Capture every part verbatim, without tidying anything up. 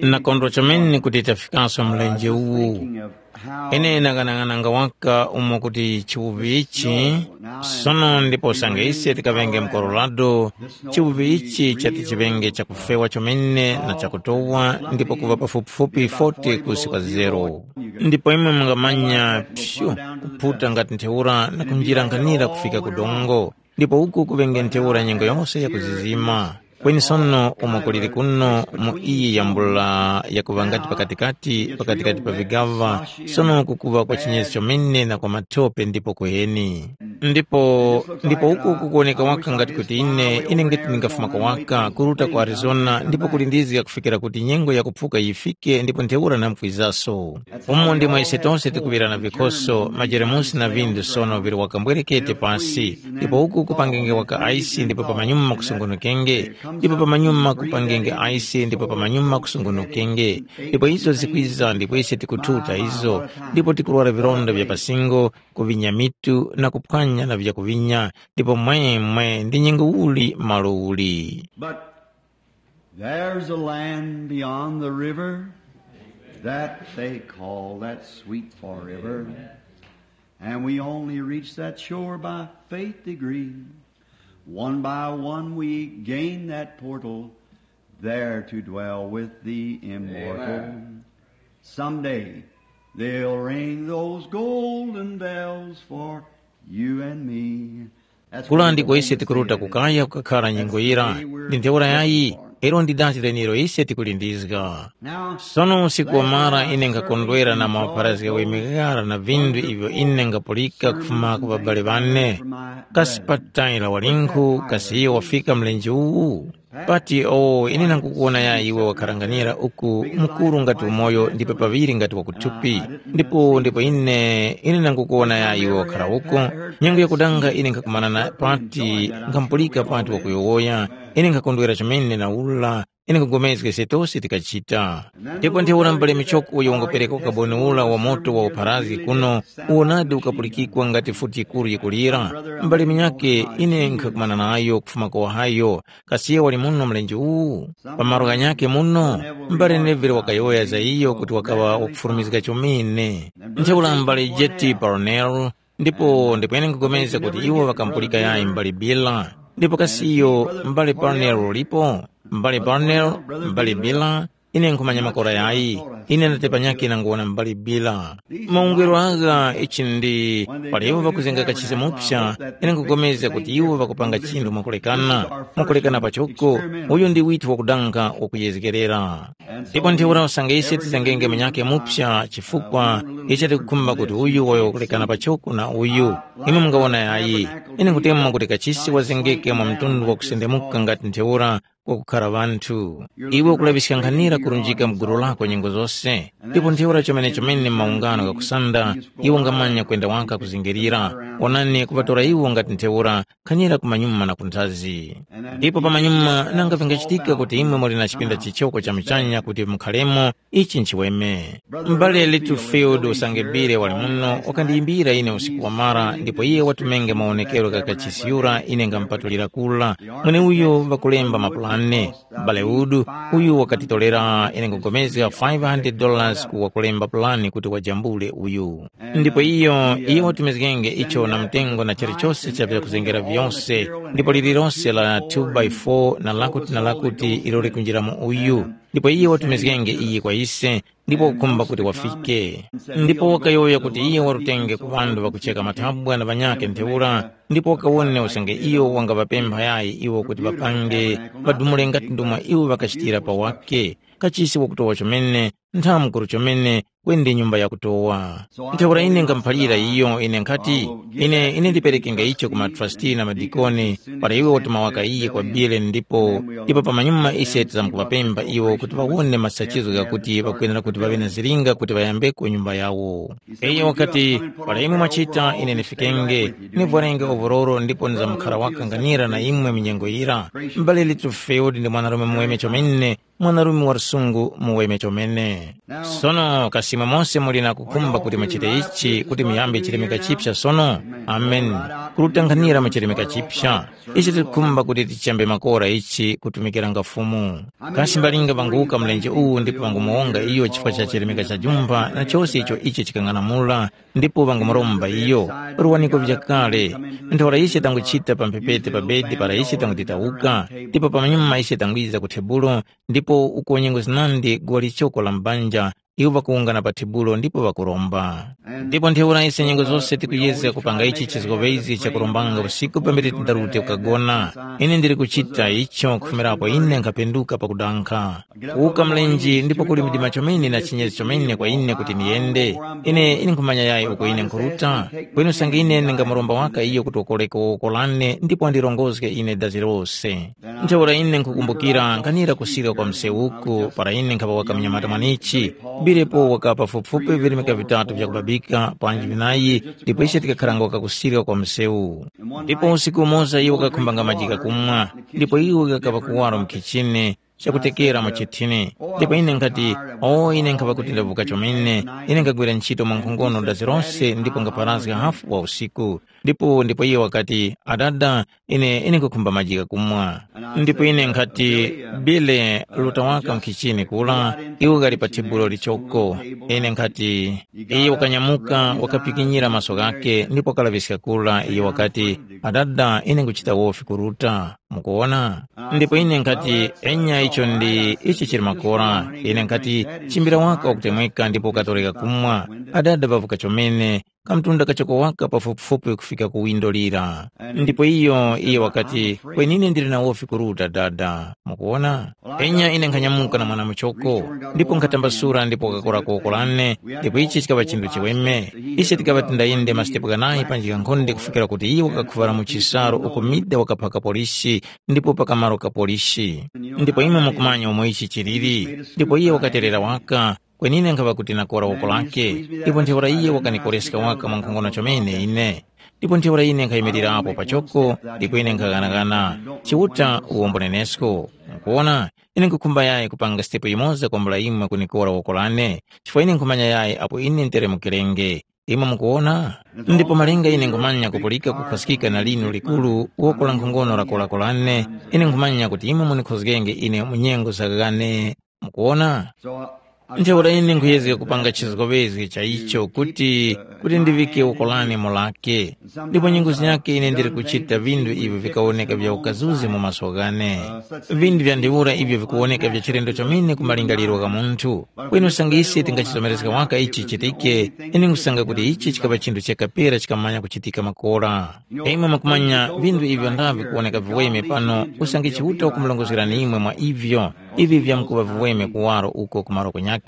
Nakondwa chomene kuti tafikanso mlenje uwu. Ine nang'anang'ananga waka umo kuti chiwuvi ichi sono ndipo usange ise tikaŵenge mu Colorado, chiwuvi ichi chati chiŵenge chakufewa chomene na chakutowa ndipo kuŵa pafupifupi forty kusi kwa zero. Ndipo imwe mungamanya pshu, kuphuta ngati ntheura na kunjira nkhanira kufika ku dongo. Ndipo uku kuŵenge ntheura nyengo yose yakuzizima. Kweni sono umo kuliri kuno mu iyi yambula yakuŵa ngati pakatikati pakatikati pa vigaŵa, sono kukuŵa kwa chinyezi chomene na kwa mathope ndipo kuheni. Ndipo ndipo uku kukuwoneka waka ngati kuti ine ine ngati ndingafumako waka kuruta ku Arizona ndipo kulindizga kufikira kuti nyengo yakuphuka yifike ndipo ntheura namkwizaso. Umo ndimo ise tose tikuŵira na vikhoso, majeremusi na vindu sono vili wakambwerekete pasi, ndipo uku kupangenge waka aisi ndipo pamanyuma kusungunukenge, ndipo pamanyuma kupangenge aisi ndipo pamanyuma kusungunukenge. Ndipo izo zikwiza ndipo ise tikuthuta izo, ndipo tikurwara vilonda vya pasingo, kuvinya mitu na kuphwanya na vyakuvinya, ndipo mwemwe ndi nyengo uli malo uli. But there's a land beyond the river that they call that sweet forever. And we only reach that shore by faith degree. One by one we gain that portal, there to dwell with the immortal. Amen. Someday they'll ring those golden bells for you and me. Kula ndiko ise tikuruta kukaya kukakhala nyengo yira. Ndi ntheura yayi, ilo ndi dati lenilo ise tikulindizga. Sono usiku wamara ine nkhakondwera na mapharazga wemekara na vindu ivyo ine ngapulika kufuma ku ŵabale ŵane. Kasi patayila walinkhu, kasi iyo wafika mlenje uwu? Pati o ine nangukuwona ya iwe wakharanganira uku, mukuru ngati umoyo ndipo paŵiri ngati wakuthupi. Ndipo ndipo ine ine nangukuwona ya iwe wakhara uko. Nyengo yakudanga ine nkhakumana na pati, nkhambulika pati wakuyowoya. Ine nkhakondwera chomene na ula. Ine nkhugomezga ise tose tikachita. Ndipo ntheura mbale michoko uyo wangopereka ukaboni ula wa moto wa upharazgi kuno, uwonadi ukapulikikwa ngati futi yikuru yikulira. Mbale minyake ine nkhakumana nayo kufuma ku Ohio. Kasi iyo wali muno mlenje uwu? Pa malo ghanyakhe muno, m'bale Neville wakayowoya za iyo kuti wakaŵa wakufurumizga chomene. Ntheura m'bale J T Parnell, ndipo ndipo ine nkhupulikana kuti iwo ŵakampulika yayi m'bale Bila. Ndipo kasi iyo m'bale Parnell ulipo? M'bale Parnell, m'bale Bila, ine nkhumanya makora yayi. Ine ndatepa nyakhe nanguwona m'bale Bila. Maungelo agha ichi ndi pali iwo ŵakuzenga kachisi mupsa, ine nkhupulikana kuti iwo ŵakupanga chinthu mwakulekana, mwakulekana pachoko. Uyu ndi withu wakudanga wakuyezgerera. Ndipo ntheura usange ise tizengenge munyakhe mupsa chifukwa icho tikukhumba kuti uyu wayo wakulekana pachoko na uyu. Imwe mungawona yayi. Ine nkutemwa kuti kachisi wazengeke mwa mtundu wakusendemuka ngati ntheura, kwakukhara ŵanthu. Iwe ukulaŵiska nkhanira kurunjika mu gulu lako nyengo zose, ndipo ntheura chomene chomene maungano ghakusanda, iwe ungamanya kwenda waka kuzingirira. Onani kuŵatora iwo ngati ntheura, nkhanira kumanyuma na kunthazi. Ndipo pamanyuma nanga vingachitika kuti imwe muli na chipinda chichoko cha muchanya kuti mukharemo, ichi nchiweme. M'bale Littlefield usange Bile wali muno wakandiyimbira ine usiku wamara ndipo iye watumenge mawonekero gha kachisi yura ine ngamupatulira kula. Mweneuyo ŵakulemba mapulane. Bale Wood, uyu wakatitorera ine nkupulikana five hundred dollars ku wakulemba pulani kuti wajambule uyu. Ndipo iyo, iyo watumizgenge icho na mtengo na chilichose cha vyakuzengera vyose, ndipo lililose la two by four na lakuti na lakuti ilo likunjira mu uyu. Ndipo iyo watumizgenge iyi kwa ise, ndipo wakukhumba kuti wafike. Ndipo wakayowoya kuti iyo warutenge ku ŵanthu ŵakucheka mathabwa na ŵanyakhe ntheura, ndipo wakawone usange iyo wangaŵapempha yayi iwo kuti ŵapange, ŵadumule ngati ndomwe iwo ŵakachitira pa wake. Kachisi wakutowa chomene, nthamukuru chomene, kweni ndi nyumba yakutowa. Ntheura ine nkamuphalira iyo, ine nkhati, ine ine ndiperekenge icho ku matrasti na madikoni, para iwe watuma waka iye kwa Bile ndipo ndipo pamanyuma ise tizamkuvapemba iwo kuti vawone masachizo ghakuti vakwenera kuti vave na zilinga kuti vayambeko nyumba yawo. Iye wakati, para imwe mwachita ine ndifikenge, nivwarenge ovororo ndipo nizamkhara wakanganira na imwe minyengo yira. Mbale Littlefield ndi mwanarume muweme chomene, mwanarume wa msungu muweme chomene. Sono kasi imwe mose muli na kukhumba kuti muchite ichi, kuti muyambe chilemeka chipsa sono? Ameni. Kulutanghanira mu chilemeka chipsa. Ichi tikukhumba kuti tichambe makora ichi kutumikiranga Fumu. Kasi mbalinga ŵanguwuka mlenje uwu ndipo ŵangumuwonga iyo chifukwa cha chilemeka cha jumba na chose icho ichi chikang'anamula, ndipo ŵangumuromba iyo, ruwaniko vyakale. Ntheura ise tanguchita pa mphepete pa bedi para ise tangutitawuka, ndipo pamanyuma ise tangwiza ku tebulo, ndipo uko nyengo zinandi guwa lichoko la mbanja, iwo ŵakuwungana pa tebulo ndipo ŵakuromba. Ndipo ntheura ise nyengo zose tikuyezga kupanga ichi chizgoŵezi chakurombanga usiku pambere tindarute kukagona. Ine ndili kuchita icho kufumirapo ine nkhapenduka pakudankha. Kuwuka mlenje ndipo kuli mdima chomene na chinyezi chomene kwa ine kuti niyende. Ine ine nkhumanya yayi uko ine nkhuruta. Kweni usange ine ndingamuromba waka iyo kuti wakoreke woko lane ndipo wandirongozge ine dazi lose. Ntheura ine nkhukumbukira nkhanira kusirika kwa msewu uku para ine nkhaŵa waka mnyamata mwanichi. Bilepo waka pafupifupi virimika vitatu vyakubabika panji vinayi, ndipo ise tikakharanga waka kusirika kwa msewu. Ndipo usiku umoza iwo kakhumbanga majika kumwa, ndipo iwo kakaŵa kuwaro mu khichini chakutekera mu chithini. Ndipo ine nkhati, o ine nkhaŵa kuti ndavuka chomene, ine nkhagwira ntchito mwa nkhongono dazi lose ndipo ngapharazga hafu wa usiku. Ndipo ndipo iye wakati, adada, ine ine nkhukhumba majika kumwa. Ndipo ine nkhati, bile, luta waka mkhichini kula, iwo ghali pa thibulo lichoko. Ine nkhati, iye wakanyamuka wakapikinyira maso ghake ndipo wakalaŵiska kula, iye wakati, adada, ine nguchita wofi kuruta. Mukuwona? Ndipo ine nkhati, enya icho ndi ichi chili makora. Ine nkhati, chimbira waka wakutemweka ndipo ukatoreka kumwa. Adada ŵavuka chomene, kamtunda kachoko waka pafupifupi kufika ku windo lira. Ndipo iyo iye wakati, kwenine ndili na wofi kuruta dada. Mukuwona? Enya ine nkhanyamuka na mwana muchoko, ndipo nkhatambasura ndipo wakakora koko lane, ndipo ichi chikaŵa chinthu chiweme. Ise tikaŵa tindayende masitepo ghanayi panjika nkhonde kufikira kuti iwo wakakhuŵala mu chisaru uko mida wakaphaka polisi, ndipo pakamaro ka polisi. Ndipo imwe mukumanya umo ichi chiliri. Ndipo iye wakaterera waka, kwenine nkhaŵa kuti nakora woko lake. Ndipo ntheura iye wakanikoreska waka mwankhongono chomene ine. Ndipo ntheura ine nkhayimirirapo pachoko, ndipo ine nkhaghanagana. Chiuta uwombo nenesko. Mukuwona, ine nkhukhumba yayi kupanga sitepo yimoza kwambula imwe kunikora woko lane, chifukwa ine nkhumanya yayi apo ine nteremukirenge. Imwe mukuwona? Ndipo malinga ine nkhumanya kupulika kukhwaskika na linu likuru woko la nkhongono lako lane, ine nkhumanya kuti imwe munikhozgenge ine mu nyengo zaghane. Mukuwona? Ntheura ine nkhuyezga kupanga chizgoŵezge cha icho kuti kuti ndiŵike woko lane mu lake. Ndipo nyengo zinyakhe ine ndili kuchita vinthu ivyo vikawoneka vya ukazuzi mu maso ghane. Vinthu vya ntheura ivyo vikuwoneka vya chilendo chomene ku malingaliro gha munthu. Kweni usange ise tingachizomerezga waka ichi chichitike, ine nkhusanga kuti ichi chikaŵa chinthu chakapera chikamanya kuchitika makora. Imwe mukumanya vinthu ivyo ndava vikuwoneka viweme pano, usange Chiuta wakumulongozgerani imwe mwa ivyo, ivi vyamkuŵa viweme kuwaro uko ku malo kunyakhe.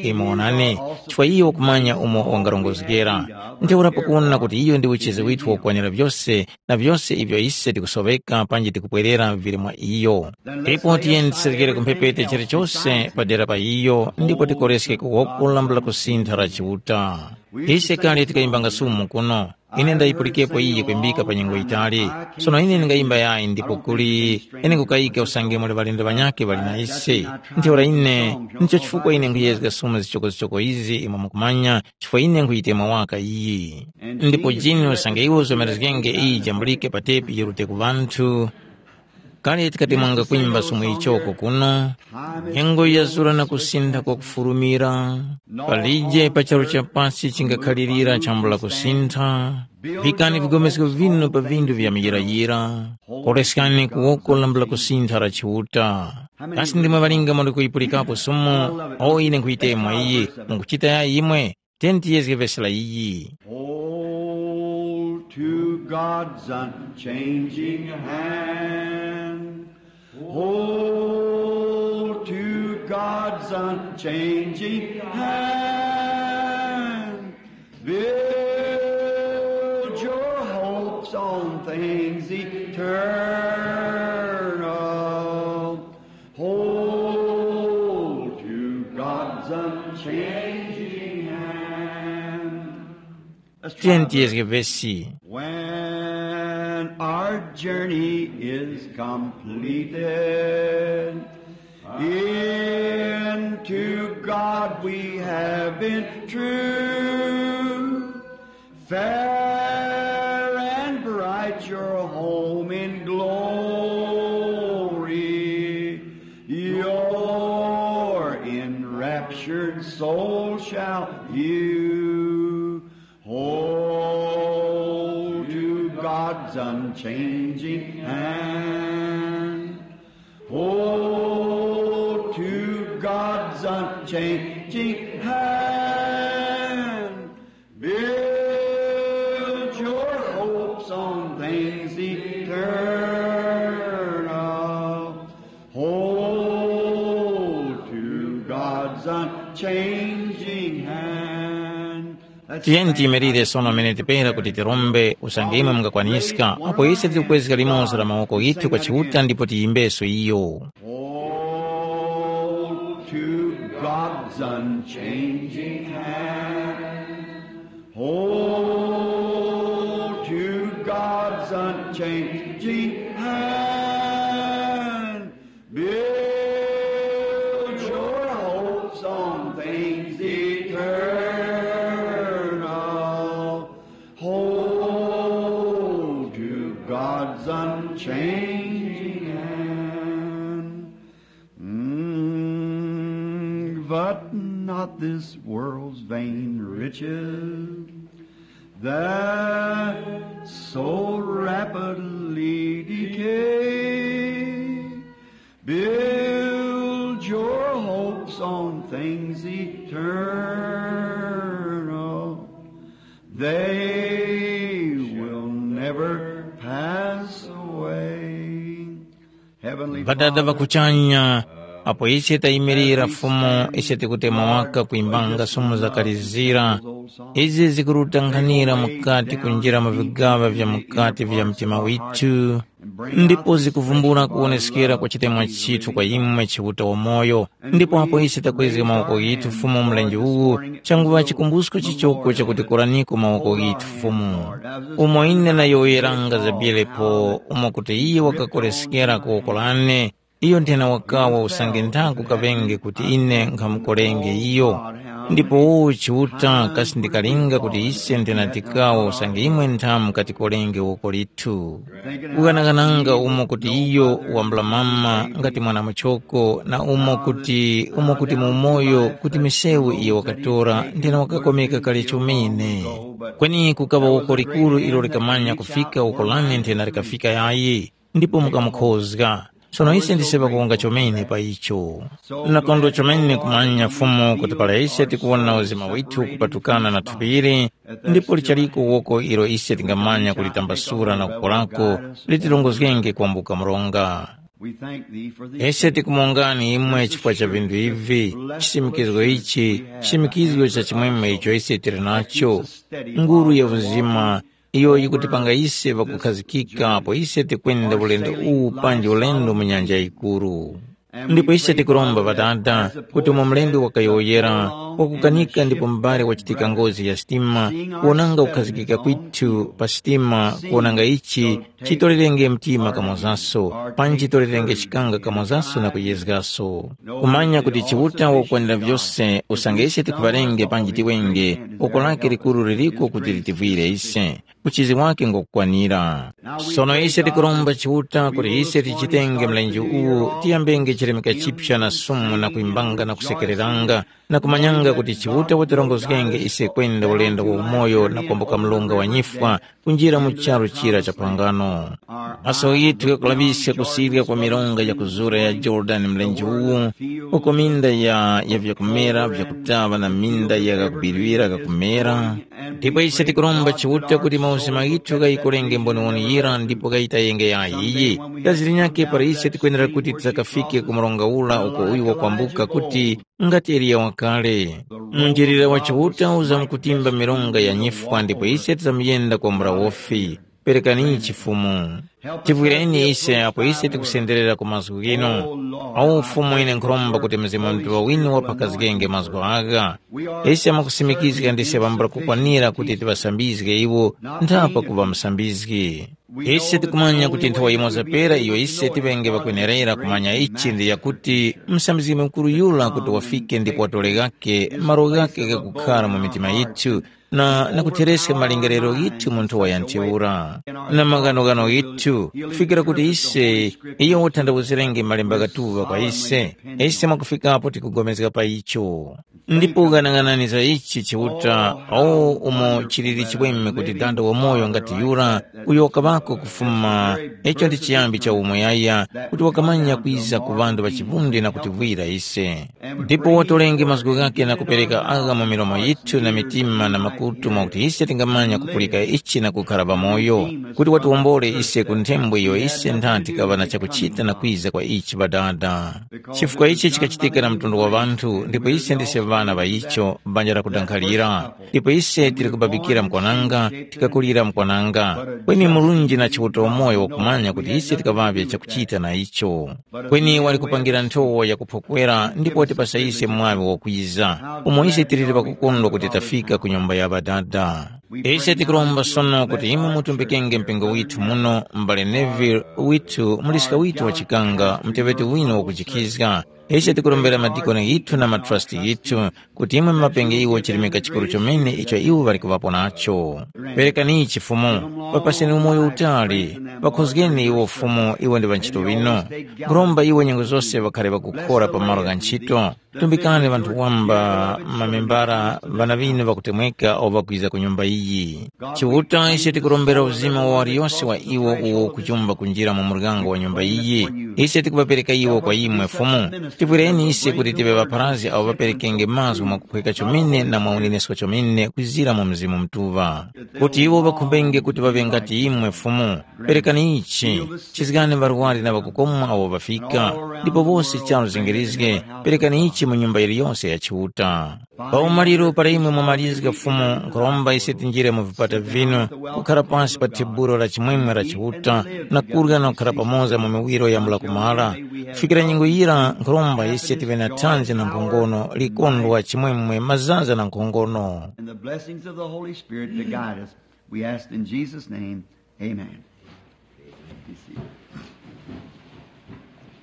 Imwe wonani, chifukwa iyo wakumanya umo wangarongozgera. Ntheura pakuwona kuti iyo ndi uchizi withu wakukwanira vyose, na vyose ivyo ise tikusoŵeka panji tikupwerera vili mwa iyo. Ipo tiyeni tiserekere ku mphepete chilichose padera pa iyo ndipo tikoreske ku woko lambula kusintha la Chiuta. Ise kale tikayimbanga sumu kuno. Ine ndayipulikepo iyi kwimbika pa nyengo yitali. Sono ine ndingayimba yayi ndipo kuli ine nkukayika usange muli ŵalendo ŵanyakhe ŵali na ise. Ntheura ine, ndicho chifukwa ine nkhuyezga sumu zichokozichoko izi imwe mukumanya, chifukwa ine nkhuyitema waka iyi. Ndipo jini usange iwe uzomerezgenge iyi jambulike pa tepi yirute ku ŵanthu, kale tikatemwanga kwimba sumu ichoko kuno, nyengo yazura na kusintha kwakufurumira, palije pa charu cha pasi chingakhalirira chambula kusintha. Vikani vigomesko vinu pa vinthu vya muyirayira, koreskani ku woko lambula kusintha la Chiuta. Kasi ndimwe ŵalinga muli kuyipulikapo sumu? O ine nkhuyitemwa iyi, mukuchita yayi imwe? Tiyeni tiyezge vesi la iyi. Hold to God's unchanging hand. Hold to God's unchanging hand. Build your hopes on things eternal. Hold to God's unchanging hand. Tiyeni tiyezge vesi. When our journey is completed in We have been true. Fair and bright your home in glory. Your enraptured soul shall view. Hold to God's unchanging hand. Hold to God's unchanging hand. Build your hopes on things eternal. Hold to God's unchanging hand. Tiyeni tiyimirire sono amene tipera kuti tirombe usange imwe mungakwaniska apo ise tikukwezga limodzi la mawoko ghithu kwa Chiuta ndipo tiyimbeso iyo. Hold to God's unchanging hand. Hold to God's unchanging hand. Build your hopes on things eternal. Hold to God's unchanging hand. Mm, but not this world's vain riches that so rapidly decay. Build your hopes on things eternal. They will never pass away. Heavenly Ŵadada Father, ŵa kuchanya, apo ise tayimirira Fumu, ise tikutemwa waka kuimbanga sumu zakalizira. Izi zikurutanghanira mukati kunjira mu vigaŵa vya mukati vya mtima withu, ndipo zikuvumbula kuwoneskera kwa chitemwa chithu kwa imwe Chiuta wamoyo. Ndipo apo ise takwezga mawoko ghithu Fumu mlenje uwu, changuŵa chikumbusko chichoko chakuti koraniko mawoko ghithu Fumu. Umo ine nayowoyeranga Zabiyelepo, umo kuti iye wakakoreskera ku woko lane, iyo nthena wakawa usange nthaku kaŵenge kuti ine nkhamukorenge iyo. Ndipo wowo Chiuta kasi ndikalinga kuti ise nthena tikawa usange imwe nthamu katikorenge woko lithu. Kughanaghananga umo kuti iyo wambulamama ngati mwana muchoko na umo kuti umo kuti mu umoyo kuti misewu iyo wakatora nthena wakakomeka kale chomene. Kweni kukaŵa woko likuru ilo likamanya kufika uko lane nthena likafika yayi. Ndipo mukamukhozga. Sono ise ndise ŵakuwunga chomene pa icho. Nakondwa chomene kumanya Fumu kuti para ise tikuwona uzima withu kupatukana na thupiri, ndipo lichaliko woko ilo ise tingamanya kulitambasura na kukorako, litirongozgenge kwambuka mronga. We thank thee for this. Ise tikumongani imwe chifukwa cha vinthu ivi, chisimikizgo ichi, chisimikizgo cha chimwemwe icho ise tili nacho, nguru ya uzima, iyo yikutipanga ise ŵakukhazikika apo ise tikwenda ulendo uwu panji ulendo mu nyanja yikuru. Ndipo ise tikuromba Ŵadada kuti umo mlembi wakayowoyera, wakukanika ndipo mbale wachitika ngozi ya sitima, kuwonanga kukhazikika kwithu pa sitima, kuwonanga ichi chitorerenge mtima kamozaso, panji chitorerenge chikanga kamozaso na kuyezgaso. Kumanya kuti Chiuta wakukwanira vyose usange ise tikhuŵarenge panji tiwenge, uko lake likuru liliko kuti litivwire ise. Uchizi wake ngokukwanira. Sono ise tikuromba Chiuta kuti ise tichitenge mlenje uwu tiyambenge chilemeka chipya na sumu na kuimbanga na kusekereranga na kumanyanga kuti Chiuta watirongozgenge ise kwenda ulendo wa umoyo na kwambuka mlunga wa nyifwa kunjira mu charu chira cha phangano. Maso ghithu ghakulaŵiska kusirya kwa milonga ya kuzura ya Jorodani mlenje uwu, uko minda ya, ya vyakumera vyakutaŵa na minda ya ghakubirwira ghakumera. Ndipo ise tikuromba Chiuta kuti mauzima ghithu ghayikorenge mboniwoni yira ndipo ghayitayenge yayiyi. Gaziri nyakhe para ise tikwenera kuti tisakafike ku mronga ura uko uyu wakwambuka kuti ngati Eliya wakale. Munjilira wa Chiuta uzamkutimba milonga ya nyifwa ndipo ise tizamuyenda kwambula wofi. Perekani chifumu. Tivwireni ise apo ise tikusenderera ku mazgu ghinu. Awo Fumu ine nkhuromba kuti Mzimu Mutuŵa winu waphakazgenge mazgu agha. Ise amakusimikizga ndise ŵambula kukwanira kuti tiŵasambizge iwo nthapa kuŵa musambizgi. Ise tikumanya kuti nthawa yimoza pera iyo ise tiŵenge ŵakwenerera kumanya ichi ndi yakuti msambizgi mukuru yura kuti wafike ndipo watore ghake malo ghake ghakukhara mu mitima yithu na nakuthereska malingaliro ghithu mu nthowa ya ntheura na maghanoghano ghithu kufikira kuti ise iyo wathandawuzirenge malemba ghatuŵa kwa ise ise mwakufikapo tikugomezga pa icho. Ndipo ghanaghanani za ichi Chiuta, awo umo chiliri chiweme kuti dada wamoyo ngati yura uyo wakaŵako kufuma, icho ndi chiyambi cha umuyaya kuti wakamanya kwiza ku ŵanthu ŵa chivundi na kutivwira ise. Ndipo watolenge mazgu ghake na kupereka agha mu milomo yithu na mitima na makutu mwakuti ise tingamanya kupulika ichi na kukhara pamoyo, kuti watiwombole ise ku nthembo iyo ise ntha tikaŵa na chakuchita na kwiza kwa ichi Ŵadada. Chifukwa ichi chikachitika na mtundu wa ŵanthu, ndipo ise ndise ŵana ŵa icho, banja lakudanghalira. Ndipo ise tili kubabikira mkwananga, tikakulira mkwananga. Kweni Mulungu na Chiuta umoyo wakumanya kuti ise tikaŵavye chakuchita na icho. Kweni wali kupangira nthowa yakuphokwera ndipo watipasa ise mwaŵi wokwiza, umo ise tiliri pakukondwa kuti tafika ku nyumba ya Ŵadada. Ise tikuromba sono kuti imwe mutumbikenge mpingo withu muno, m'bale Neville withu, muliska withu wa chikanga, muteŵeti winu wakuchikhizga. Ise tikurombera madikoni ghithu na matrasti ghithu kuti imwe mumapenge iwo chirimika chikuru chomene icho iwo ŵali kuŵapo nacho. Perekaniyi chifumu, papaseni umoyo utali, pakhozgeni iwo Fumu iwo ndi ŵantchito ŵinu. Nkhuromba iwo nyengo zose ŵakhare ŵakukhora pa malo gha ntchito. Tumbikani ŵanthu wamba, mamembara, ŵana ŵinu ŵakutemweka awo ŵakwiza ku nyumba iyi. Chiuta ise tikurombera uzima wa waliyose wa iwo uwo ukuchumba kunjira mu muryango wa nyumba iyi. Ise tikuŵapereka iwo kwa imwe Fumu. Tipwireni ise kuti tive ŵapharazgi awo ŵaperekenge mazgu mwakukhweka chomene na mwa unenesko chomene kwizira mu Mzimu Mutuŵa. Kuti iwo ŵakhumbenge kuti ŵaŵe ngati imwe Fumu. Perekani ichi, chizgani ŵarwari na ŵakukomwa awo ŵafika, ndipo wose charu zingirizge, perekani ichi mu nyumba yiliyose ya Chiuta. Pa umaliro para imwe mwamalizga Fumu nkhuromba ise tinjire mu vipata vinu, kukhara pasi pa theburo la chimwemwe la Chiuta, na kurya na kukhara pamoza mu miwiro ya mulakumala. Kufikira nyengo yira nkhuromba ise tive na thanzi na nkhongono, likondwa, chimwemwe, mazaza na nkhongono. And the blessings of the Holy Spirit to guide us. We ask in Jesus' name. Amen. Be seated.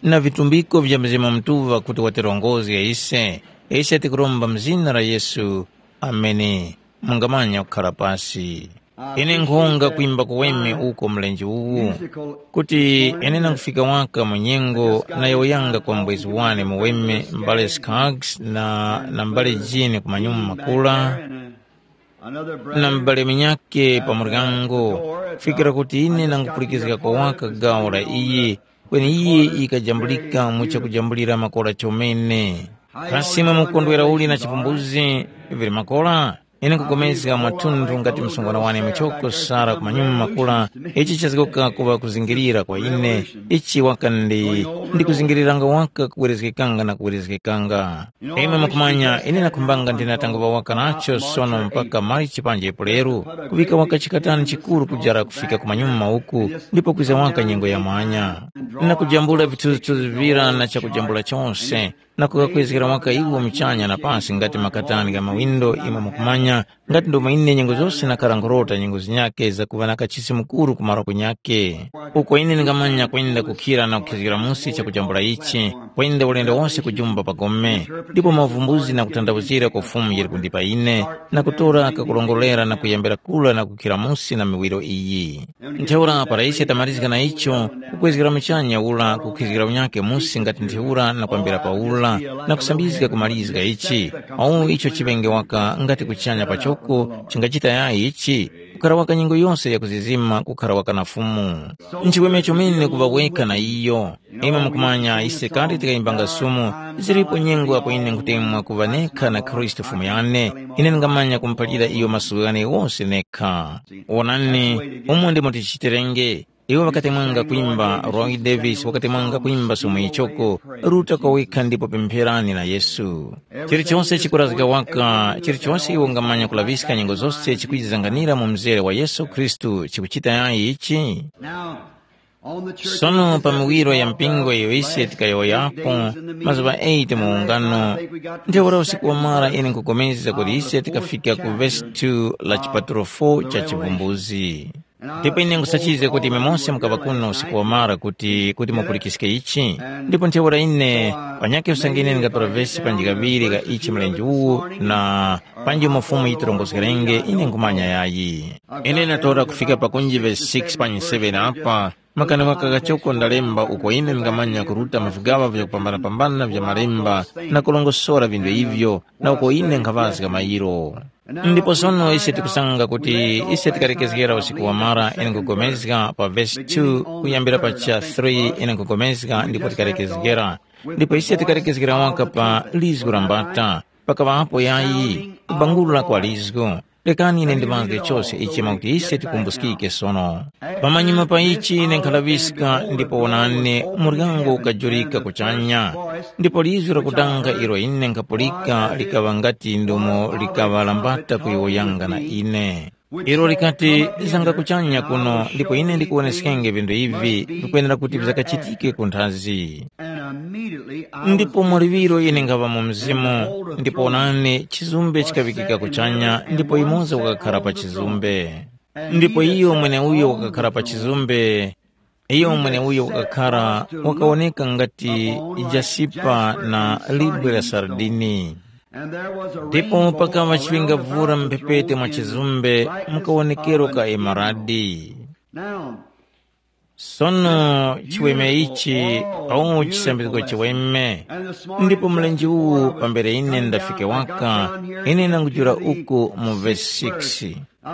Na vitumbiko vya Mzimu Mutuŵa kuti watirongozge ise, ise tikuromba mu zina la Yesu. Ameni. Mungamanya kukhara pasi. Ine nkhonga kwimba kuweme uko mlenje uwu, kuti ine nangufika waka mu nyengo nayowoyanga kwa mbwezi wane muweme mbale Skaggs na, na mbale Jini ku manyuma makula, na m'bale munyakhe pa muryango, kufikira kuti ine nangupulikizgako waka gawo la iyi, kweni iyi yikajambulika mu chakujambulira makora chomene. Kasi imwe mukondwera uli na chipumbuzi vili makora? Ine nkupulikana mwathunthu ngati msungwana wane muchoko Sara ku manyuma makula, ichi chazgoka kuŵa kuzingirira kwa ine, ichi waka ndi, ndikuzingiriranga waka kuwerezgekanga na kuwerezgekanga. Imwe mukumanya, ine nakhumbanga ndinatangwa waka nacho sono mpaka Marichi panji Epuleru, kuŵika waka chikatani chikuru kujara kufika ku manyuma uku, ndipo kwiza waka nyengo ya mwanya. Nakujambula vithuzithuzi vira na chakujambula chose, na kukakwezgera waka iwo muchanya na pasi ngati makatani gha mawindo imwe mukumanya, ngati ndomwe ine nyengo zose nakhara nkhurota nyengo zinyakhe zakuŵa na kachisi mukuru ku malo kunyakhe. Uko ine ndingamanya kwenda kukhira na kukhizgira musi chakujambula ichi, kwenda ulendo wose kujumba pa gome, ndipo mavumbuzi na kuthandawuzira kwa Fumu yili kundipa ine, na kutora kakurongorera na kuyambira kura na kukhira musi na miwiro iyi. Ntheura para ise tamalizga na icho, kukwezgera muchanya ura kukhizgira unyakhe musi ngati ntheura na kwambira pa ura, na kusambizga kumalizga ichi, awu icho chiŵenge waka ngati kuchanya pachoko chingachita yayi ichi, kukhara waka nyengo yose ya kuzizima kukhara waka na Fumu. Nchiweme chomene kuŵa wekha na iyo. Imwe mukumanya ise kandi tikayimbanga sumu, zilipo nyengo apo ine nkutemwa kuŵa nekha na Khristu Fumu yane, ine ndingamanya kumuphalira iyo maso ghane ghose nekha. Wonani, umo ndimo tichitirenge. Iwo ŵakatemwanga kwimba, Roy Davis wakatemwanga kwimba sumu ichoko, ruta kwa wekha ndipo pempherani na Yesu. Chilichonse chikurazgika waka, chilichonse iwe ungamanya kulaŵiska nyengo zose chikwizizanganira mu mzere wa Yesu Khristu chikuchita yayi ichi? Sono pa miwiro ya mpingo iyo ise tikayowoyapo, mazuŵa eight mu ungano, ntheura usiku wamara ine nkupulikana kuti ise tikafika ku vesi two la chipatulo four cha Chivumbuzi. Ndipo ine nkhusachizga kuti imwe mose mukaŵa kuno usiku wamara kuti kuti mupulikiske ichi. Ndipo ntheura ine panyakhe usange ine ndingatora vesi panji kaŵiri ka ichi mlenje uwu, na panji umo Fumu yitirongozgerenge, ine nkhumanya yayi. Ine ndatora kufika pakunji vesi six panyi seven apa, makani waka kachoko ndalemba uko ine ndingamanya kuruta mu vigaŵa vyakupambanapambana vya malemba na kurongosora vinthu ivyo, na uko ine nkhaŵazga mayiro. Ndipo sono ise tikusanga kuti ise tikalekezgera usiku wamara ine nkugomezga pa vesi two kuyambira pa cha three ine nkugomezga ndipo tikalekezgera. Ndipo ise tikalekezgera waka pa lizgu la mbata, pakaŵapo yayi kubangulula kwa lizgu. Rekani ine ndimange chose ichi mwakuti ise tikumbuskike sono. Pamanyuma pa ichi ine nkhalaŵiska ndipo wonani, muryango ukajurika kuchanya, ndipo lizgu lakudanga ilo ine nkhapulika likaŵa ngati ndomo likaŵa lambata kuyowoyanga na ine. Ilo likati, zanga kuchanya kuno ndipo ine ndikuwoneskenge vinthu ivi vikwenera kuti vizakachitike ku nthazi. And immediately I was ndipo mwa liŵiro ine ngaŵa mu mzimu, ndipo onani chizumbe chikaŵikika kuchanya ndipo yumoza wakakhala pa chizumbe. Ndipo iyo mweneuyo wakakhala pa chizumbe, iyo mweneuyo wakakhala wakawoneka ngati jasipa na libwe la sardini. And there was a ndipo rainbow pakaŵa on the chiŵinga vura mphepete mwa chizumbe, mukawonekero ka emaradi. Now, sono chiweme ichi, au chisambizgo chiweme. Ndipo mlenje uwu pambere ine ndafike waka, ine nangujula uku mu vesi six.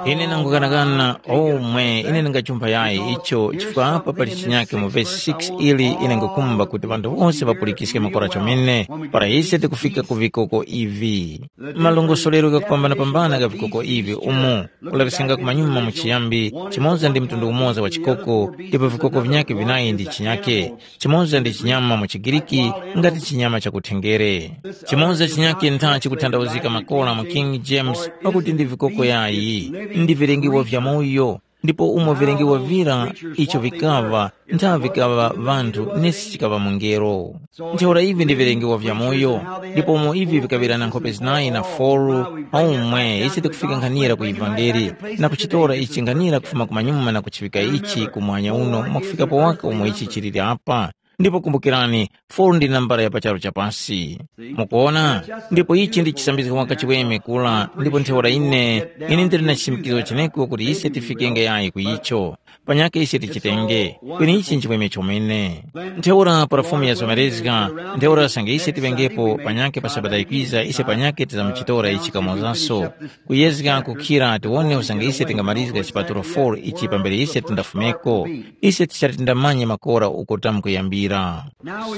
Ine nangukanakana omwe ine ndingachumpha yayi icho chifukwa apa pali chinyake mu vesi six ili ine ngukumba kuti ŵanthu wonse ŵapulikiske makora chomene, para ise tikufika ku vikoko ivi. Malongosolero ghakupambanapambana gha vikoko ivi umu, kulaŵiskanga kumanyuma mu chiyambi, chimoza ndi mtundu umoza wa chikoko, ndipo vikoko vinyakhe vinayi ndi chinyakhe, chimoza ndi chinyama mu chiGiriki, ngati chinyama cha kuthenjere. Chimoza chinyakhe ntha chikuthandawuzika makora mu King James, pakuti ndi vikoko yayi, ndi vilengiwa vyamoyo, ndipo umo vilengiwa vira icho vikaŵa, ntha vikaŵa ŵanthu nesi chikaŵa mungelo. Ntheura ivi ndi vilengiwa vyamoyo, ndipo umo ivi vikaŵirana nkhope zinayi na foru, aumwe ise tikufika nkhanira ku ivangeli, na kuchitora ichi nkhanira kufuma kumanyuma na kuchivika ichi kumwanya uno mwakufikapo waka umo ichi chiliri apa. Ndipo kumbukirani, foru ndi nambala ya pa charu cha pasi. Mukuona? Ndipo ichi ndi chisambizgo waka chiweme kula, ndipo ntheura ine, ine ndili na chisimikizo cheneko kuti ise tifikenge yayi ku icho. Panyakhe ise tichitenge, kweni ichi nchiweme chomene. Ntheura para Fumu yazomerezga, ntheura usange ise tiŵengepo panyakhe pa Sabata yikwiza ise panyakhe tizamuchitora ichi kamozaso. Kuyezga kukhira tiwone usange ise tingamalizga chipatulo four ichi pambere ise tindafumeko. Ise tichati tindamanye makora uko tamkuyambira.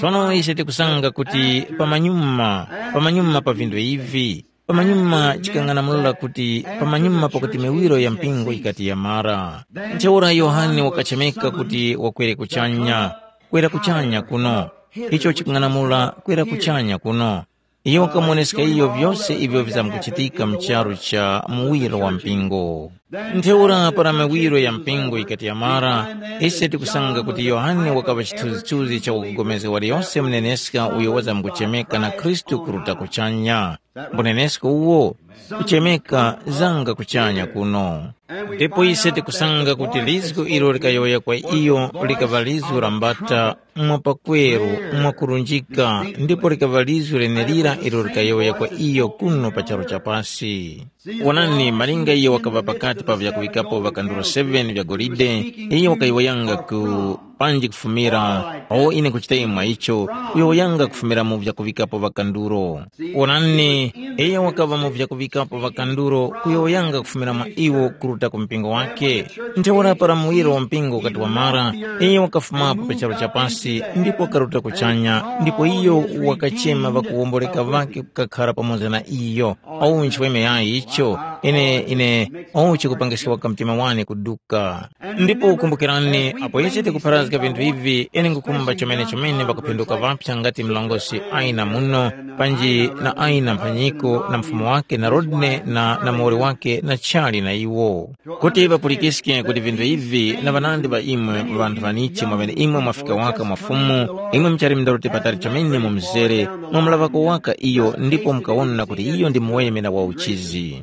Sono ise tikusanga kuti pamanyuma, pamanyuma pa vinthu ivi, pamanyuma chikang'anamula kuti pamanyuma pakuti miwiro ya mpingo yikati yamara. Ntheura Yohane wakachemeka kuti wakwere kuchanya, kwera kuchanya kuno. Icho chikung'anamula kwera kuchanya kuno. Iyo wakamuwoneska iyo vyose ivyo vizamkuchitika mu charu cha muwiro wa mpingo. Ntheura para miwiro ya mpingo yikati yamara, ise tikusanga kuti Yohane wakaŵa chithunzithunzi cha wakupulikana waliyose muneneska uyo wazamkuchemeka na Khristu kuruta kuchanya. Mbunenesko uwo, kuchemeka zanga kuchanya kuno. Ndipo ise tikusanga kuti lizgu ilo likayowoya kwa iyo likaŵa lizgu la mbata mwa pakweru mwakurunjika, ndipo likaŵa lizgu lenelira ilo likayowoya kwa iyo kuno pa charu cha pasi. Wonani, malinga iyo wakaŵa pakati pa vyakuŵikapo ŵakanduro seven vya golide, iyo wakayowoyanga ku panji kufumira, o ine nkuchita imwe mwa icho, kuyowoyanga kufumira mu vyakuŵikapo ŵakanduro. Wonani, iyo wakaŵa mu vyakuŵikapo ŵakanduro kuyowoyanga kufumira mwa iwo kuruta ku mpingo wake. Ntheura para muwiro wa mpingo ukati wamara, iyo wakafumapo pa charu cha pasi ndipo wakaruta kuchanya, ndipo iyo wakachema ŵakuwomboleka ŵake kukakhara pamoza na iyo. Owu nchiweme yayi icho, ine, ine, owu chikupangiska waka mtima wane kuduka. Ndipo kumbukirani, apo ise tikupharazga vinthu ivi, ine ngukhumba chomene-chomene ŵakuphinduka ŵapsa ngati mlongosi Aina muno, panji na Aina mphanyiko na mfumu wake na Rodney na, na muwoli wake na chali na iwo. Kuti ŵapulikiske kuti vinthu ivi na ŵanandi ŵa imwe ŵanthu ŵanichi mwamene imwe mwafika waka mwa Fumu, imwe muchali mundaruti patali chomene mu mzere, mwamulaŵako waka iyo ndipo mukawona kuti iyo ndi muweme na wa uchizi.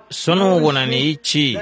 Sono wonani ichi,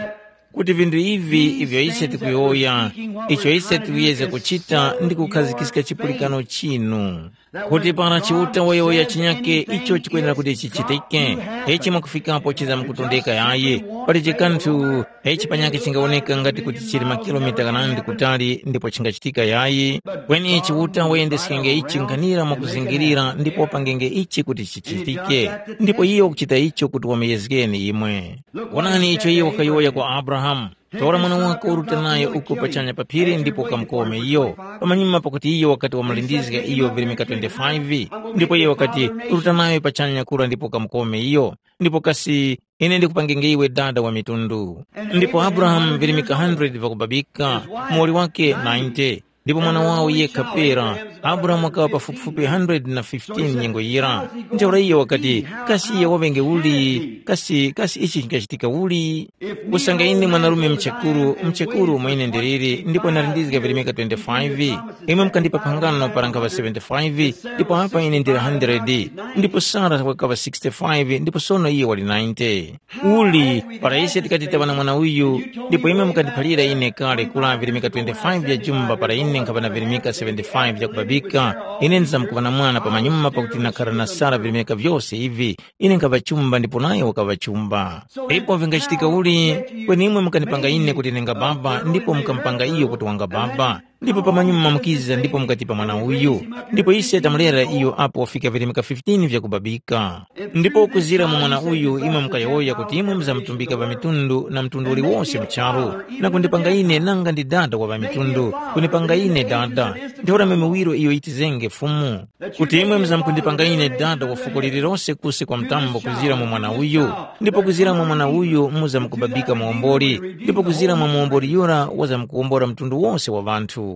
kuti vinthu ivi ivyo ise tikuyowoya, icho ise tikuyezga kuchita ndi kukhazikiska chipulikano chinu. Kuti para Chiuta wayowoya chinyake icho chikwenera kuti chichitike, ichi mwakufikapo chizamkutondeka yayi, pali chikanthu ichi panyakhe chingawoneka ngati kuti chili makilomita ghanandi kutali ndipo chingachitika yayi, kweni Chiuta wayendeskenge ichi nkhanira mwakuzingirira ndipo wapangenge ichi kuti chichitike. Ndipo iyo wakuchita icho kuti wamuyezgeni imwe. Wonani icho iyo wakayowoya kwa Abrahamu. Tora mwana wako uruta nayo uko pachanya pa phiri ndipo ukamukome iyo. Pamanyuma pakuti iyo wakati wamulindizga iyo virimika twenty-five, ndipo iyo wakati, ruta nayo pachanya kura ndipo ukamukome iyo. Ndipo kasi ine ndikupangenge iwe dada wa mitundu. Ndipo Abrahamu virimika hundred vakubabika, muwoli wake ninety, ndipo mwana wawo yekha pera. Abrahamu wakaŵa pafupifupi hundred na fifteen nyengo yira. Ntheura iyo wakati, kasi iye waŵenge uli? Kasi kasi ichi chingachitika uli? Kusanga ine mwanarume mchekuru mchekuru umo ine ndiliri ndipo ndarindizga virimika twenty-five. Imwe mukandipa phangano para nkhaŵa seventy-five, ndipo apa ine ndili hundred, ndipo Sara wakaŵa sixty-five ndipo sono iye wali ninety. Uli, para ise tikati taŵa na mwana uyu, ndipo imwe mukandiphalira ine kale kula virimika twenty-five vya jumba para ine nkhaŵa na virimika seventy-five vya kubabika, ine ndizamkuŵa na mwana pamanyuma pakuti nakhara na Sara virimika vyose ivi, ine nkhaŵa chumba ndipo nayo wakaŵa chumba. Ipo vingachitika uli, kweni imwe mukanipanga ine kuti ndinga baba ndipo mukamupanga iyo kuti wanga baba. Ndipo pamanyuma mukiza ndipo mukatipa mwana uyu. Ndipo ise tamulera iyo apo wafika virimika fifteen vyakubabika. Ndipo kuzira mu mwana uyu imwe mukayowoya kuti imwe muzamutumbika ŵamitundu na mtundu uliwose mu charu, na kundipanga ine nanga ndi dada wa ŵamitundu, kunipanga ine dada. Ntheura miwiro iyo yitizenge Fumu, kuti imwe muzamkundipanga ine dada wa fuko lililose kusi kwa mtambo kuzira mu mwana uyu, ndipo kuzira mu mwana uyu muzamkubabika muwomboli, ndipo kuzira mwa muwomboli yura wazamkuwombora mtundu wose wa ŵanthu.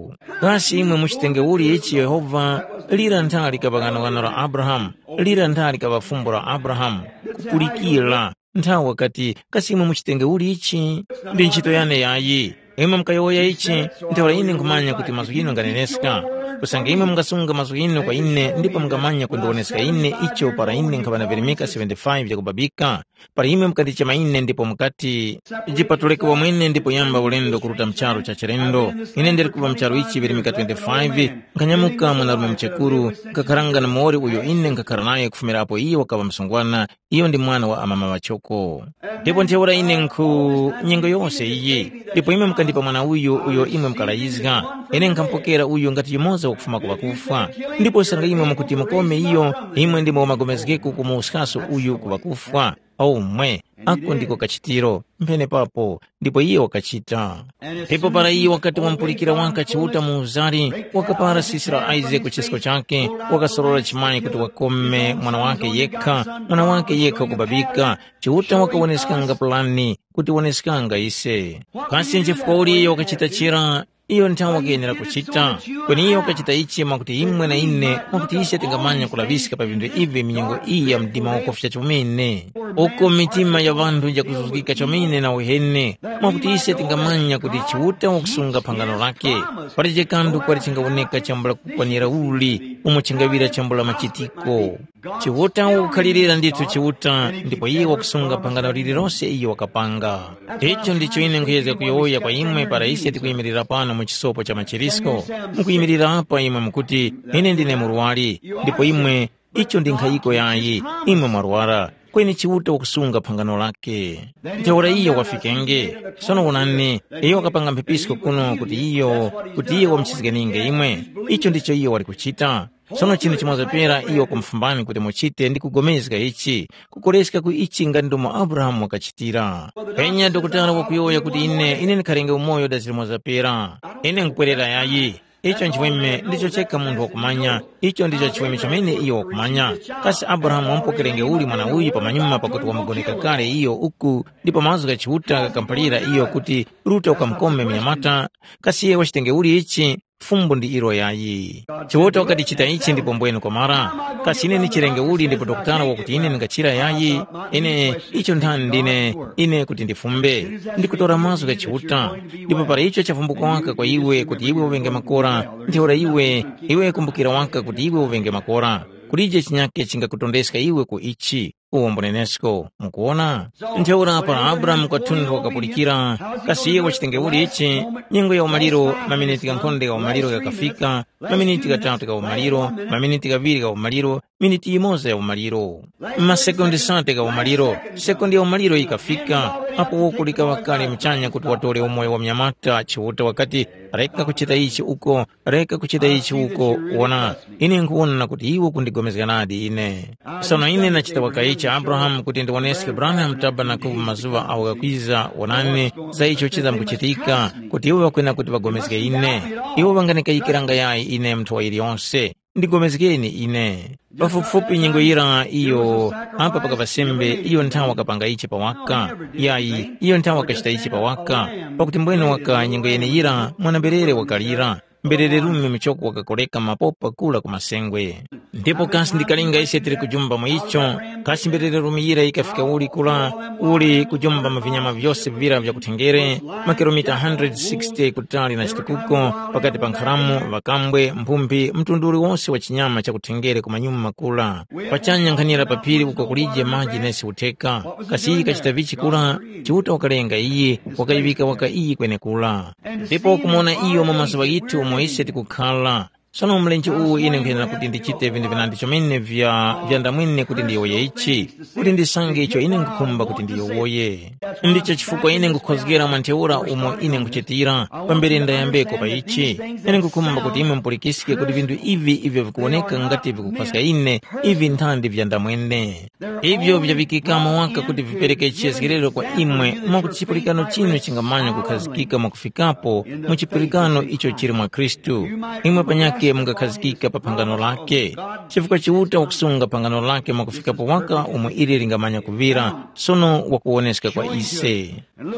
Kasi imwe muchitenge uli ichi Yehova, lira nthali ka ŵaghanoghano la Abrahamu, lira nthali ka ŵafumbo la Abrahamu, kupulikira, nthawi wakati, kasi imwe muchitenge uli ichi? Ndi ntchito yane yayi. Imwe mukayowoya ichi, ntheura ine nkhumanya kuti mazgu ghinu nganeneska. Kusanga imwe mungasunga mazgu ghinu kwa ine ndipo mungamanya kundiwoneska ine icho para ine nkhaŵa na virimika seventy-five vyakubabika, para imwe mukandichema ine ndipo mukati, jipatuleke wamwene ndipo yamba ulendo kuruta mu charu cha chilendo. Ine ndili kuŵa mu charu ichi virimika twenty-five, nkhanyamuka mwanarume muchekuru, nkhakharanga na muwoli uyo ine nkhakhala naye kufumira apo iyo wakaŵa msungwana, iyo ndi mwana wa amama ŵachoko. Ndipo ntheura ine nkhu nyengo yose iyi, ndipo imwe mukandipa mwana uyu uyo imwe mukalayizga, ine nkhamupokera uyu ngati yumoza wakufuma ku ŵakufwa. Ndipo sanga imwe mukuti mukome iyo, imwe ndimwe wamagomezgeko kumuwuskaso uyu ku ŵakufwa. Omwe, ako ndiko kachitiro, mphene papo, ndipo iye wakachita. Ndipo para iye wakati wamupulikira waka Chiuta mu uzari, wakapara sisi la Isaac ku chisko chake, wakasorora chimayi kuti wakome mwana wake yekha, mwana wake yekha kubabika. Chiuta wakawoneskanga pulani kuti woneskanga ise. Kasi nchifukwa uli iyo wakachita chira? Iyo nthawi wakayenera kuchita, kweni iyo wakachita ichi mwakuti imwe na ine, mwakuti ise tingamanya kulaŵiska pa vinthu ivi minyengo iyi ya mdima wakufya chomene, uko mitima ya ŵanthu jakuzuzgika chomene na uheni, mwakuti ise tingamanya kuti Chiuta wakusunga phangano lake. Pali chikandu kwali chingawoneka chambula kukwanira uli umo chingaŵira chambula machitiko. Chiuta wakukhalirira ndithu Chiuta, ndipo iye wakusunga phangano lililose iyo wakapanga. Icho ndicho ine nkhuyezga kuyowoya kwa imwe para ise tikuyimirira pano mu chisopo cha machirisko. Mukuyimirira apa imwe mukuti, ine ndine murwari, ndipo imwe, icho ndi nkhayiko yayi, imwe mwarwara, kweni Chiuta wakusunga phangano lake. Ntheura iyo wafikenge. Sono wonani, iyo wakapanga mphepisko kuno kuti iyo, kuti iyo wamuchizganinge imwe. Icho ndicho iyo wali kuchita. Sono chinthu chimoza pera iyo wakumufumbani kuti muchite ndi kugomezga ichi, kukoreska ku ichi ngati ndomo Abrahamu wakachitira. Penya dokotala wakuyowoya kuti ine, ine ndikharenge umoyo dazi limoza pera. Ine nkupwerera yayi. Icho nchiweme ndicho chekha munthu wakumanya, icho ndicho chiweme chomene iyo wakumanya. Kasi Abrahamu wamupokerenge uli mwana uyu pamanyuma pakuti wamugoneka kale iyo uku, ndipo mazgu gha Chiuta ghakamphalira iyo kuti, ruta ukamukome mnyamata? Kasi iye wachitenge uli ichi? Fumbo ndi ilo yayi. Chiuta wakati chita ichi ndipo mbwene kwamara. Kasi ine ndichirenge uli ndipo dokotala wakuti ine ndingachira yayi? Ine icho nthani ndine ine kuti ndifumbe? Ndikutora mazgu gha Chiuta. Ndipo para icho chafumbuka waka kwa iwe kuti iwe uŵenge makora, ntheura iwe, iwe kumbukira waka kuti iwe uŵenge makora. Kulije chinyake chingakutondeska iwe ku ichi. uwo mbunenesko. Mukuwona? Ntheura para Abrahamu kwathunthu wakapulikira, kasi iye wachitenge uli ichi? Nyengo ya umaliro, maminiti ghankhonde gha umaliro ghakafika, maminiti ghatatu gha umaliro, maminiti ghaŵiri gha umaliro, miniti yimoza ya umaliro, masekondi sate gha umaliro. Sekondi ya umaliro yikafika, apo woko likaŵa kale muchanya kuti watore umoyo wa mnyamata. Chiuta wakati, reka kuchita ichi uko, reka kuchita ichi uko. Wona, ine nkhuwona kuti iwe kundigomezga nadi ine. Sono ine ndachita waka ichi Abrahamu kuti ndiwoneske Branham Tabernacle mu mazuŵa awo ghakwiza. Wonani, za icho chizamkuchitika, kuti iwo ŵakwena kuti ŵagomezge ine. Iwo ŵanganikayikiranga yayi ine munthu wa yiliyonse. Ndigomezgeni ine. Pafupifupi nyengo yira iyo apa pakaŵa sembe, iyo nthawa kapanga ichi pawaka. Yayi, iyo nthawa kachita ichi pawaka. Pakuti mbwene waka nyengo yeneyira mwana-mberere wakalira, mberere rume muchoko wakakoreka mapopa kula ku masengwe. Ndipo kasi ndikalinga ise tili kujumba mu icho? Kasi mberere rume yira yikafika uli kula, uli kujumba mu vinyama vyose vira vya kuthenjere, makilomita one hundred sixty kutali na chitukuko, pakati pa nkharamu, ŵakambwe, mphumbi, mtundu uliwonse wa chinyama cha kuthenjere ku manyuma makula? Pachanya nkhanira pa phiri uko kulije maji nesi utheka. Kasi iyi kachita vichi kula? Chiuta wakalenga iyi, wakayiŵika waka iyi kwenekura. Ndipo kumuwona iyo mu mazuŵa ghithu umo ise tikukhala. Sono mlenje uwu ine nkwenera kuti ndichite vinthu vinandi chomene vya vyandamwene kuti ndiyowoye ichi, kuti ndisange icho ine nkhukhumba kuti ndiyowoye. Ndicho chifukwa ine nkhukhozgera mwa ntheura umo ine nkhuchitira, pambere ndayambeko pa ichi. Ine nkhukhumba kuti imwe mupulikiske kuti vinthu ivi ivyo vikuwoneka ngati vikukhozga ine, ivi nthandi vyandamwene. Ivyo vyaŵikikamo waka kuti vipereke chiyezgerero kwa imwe, mwakuti chipulikano chinu chingamanya kukhazikika mwakufikapo mu chipulikano icho chili mwa Khristu. Imwe panyakhe mungakhazikika pa phangano lake, chifukwa Chiuta wakusunga phangano lake mwakufikapo waka umo ili lingamanya kuŵira, sono wakuwoneska kwa ise.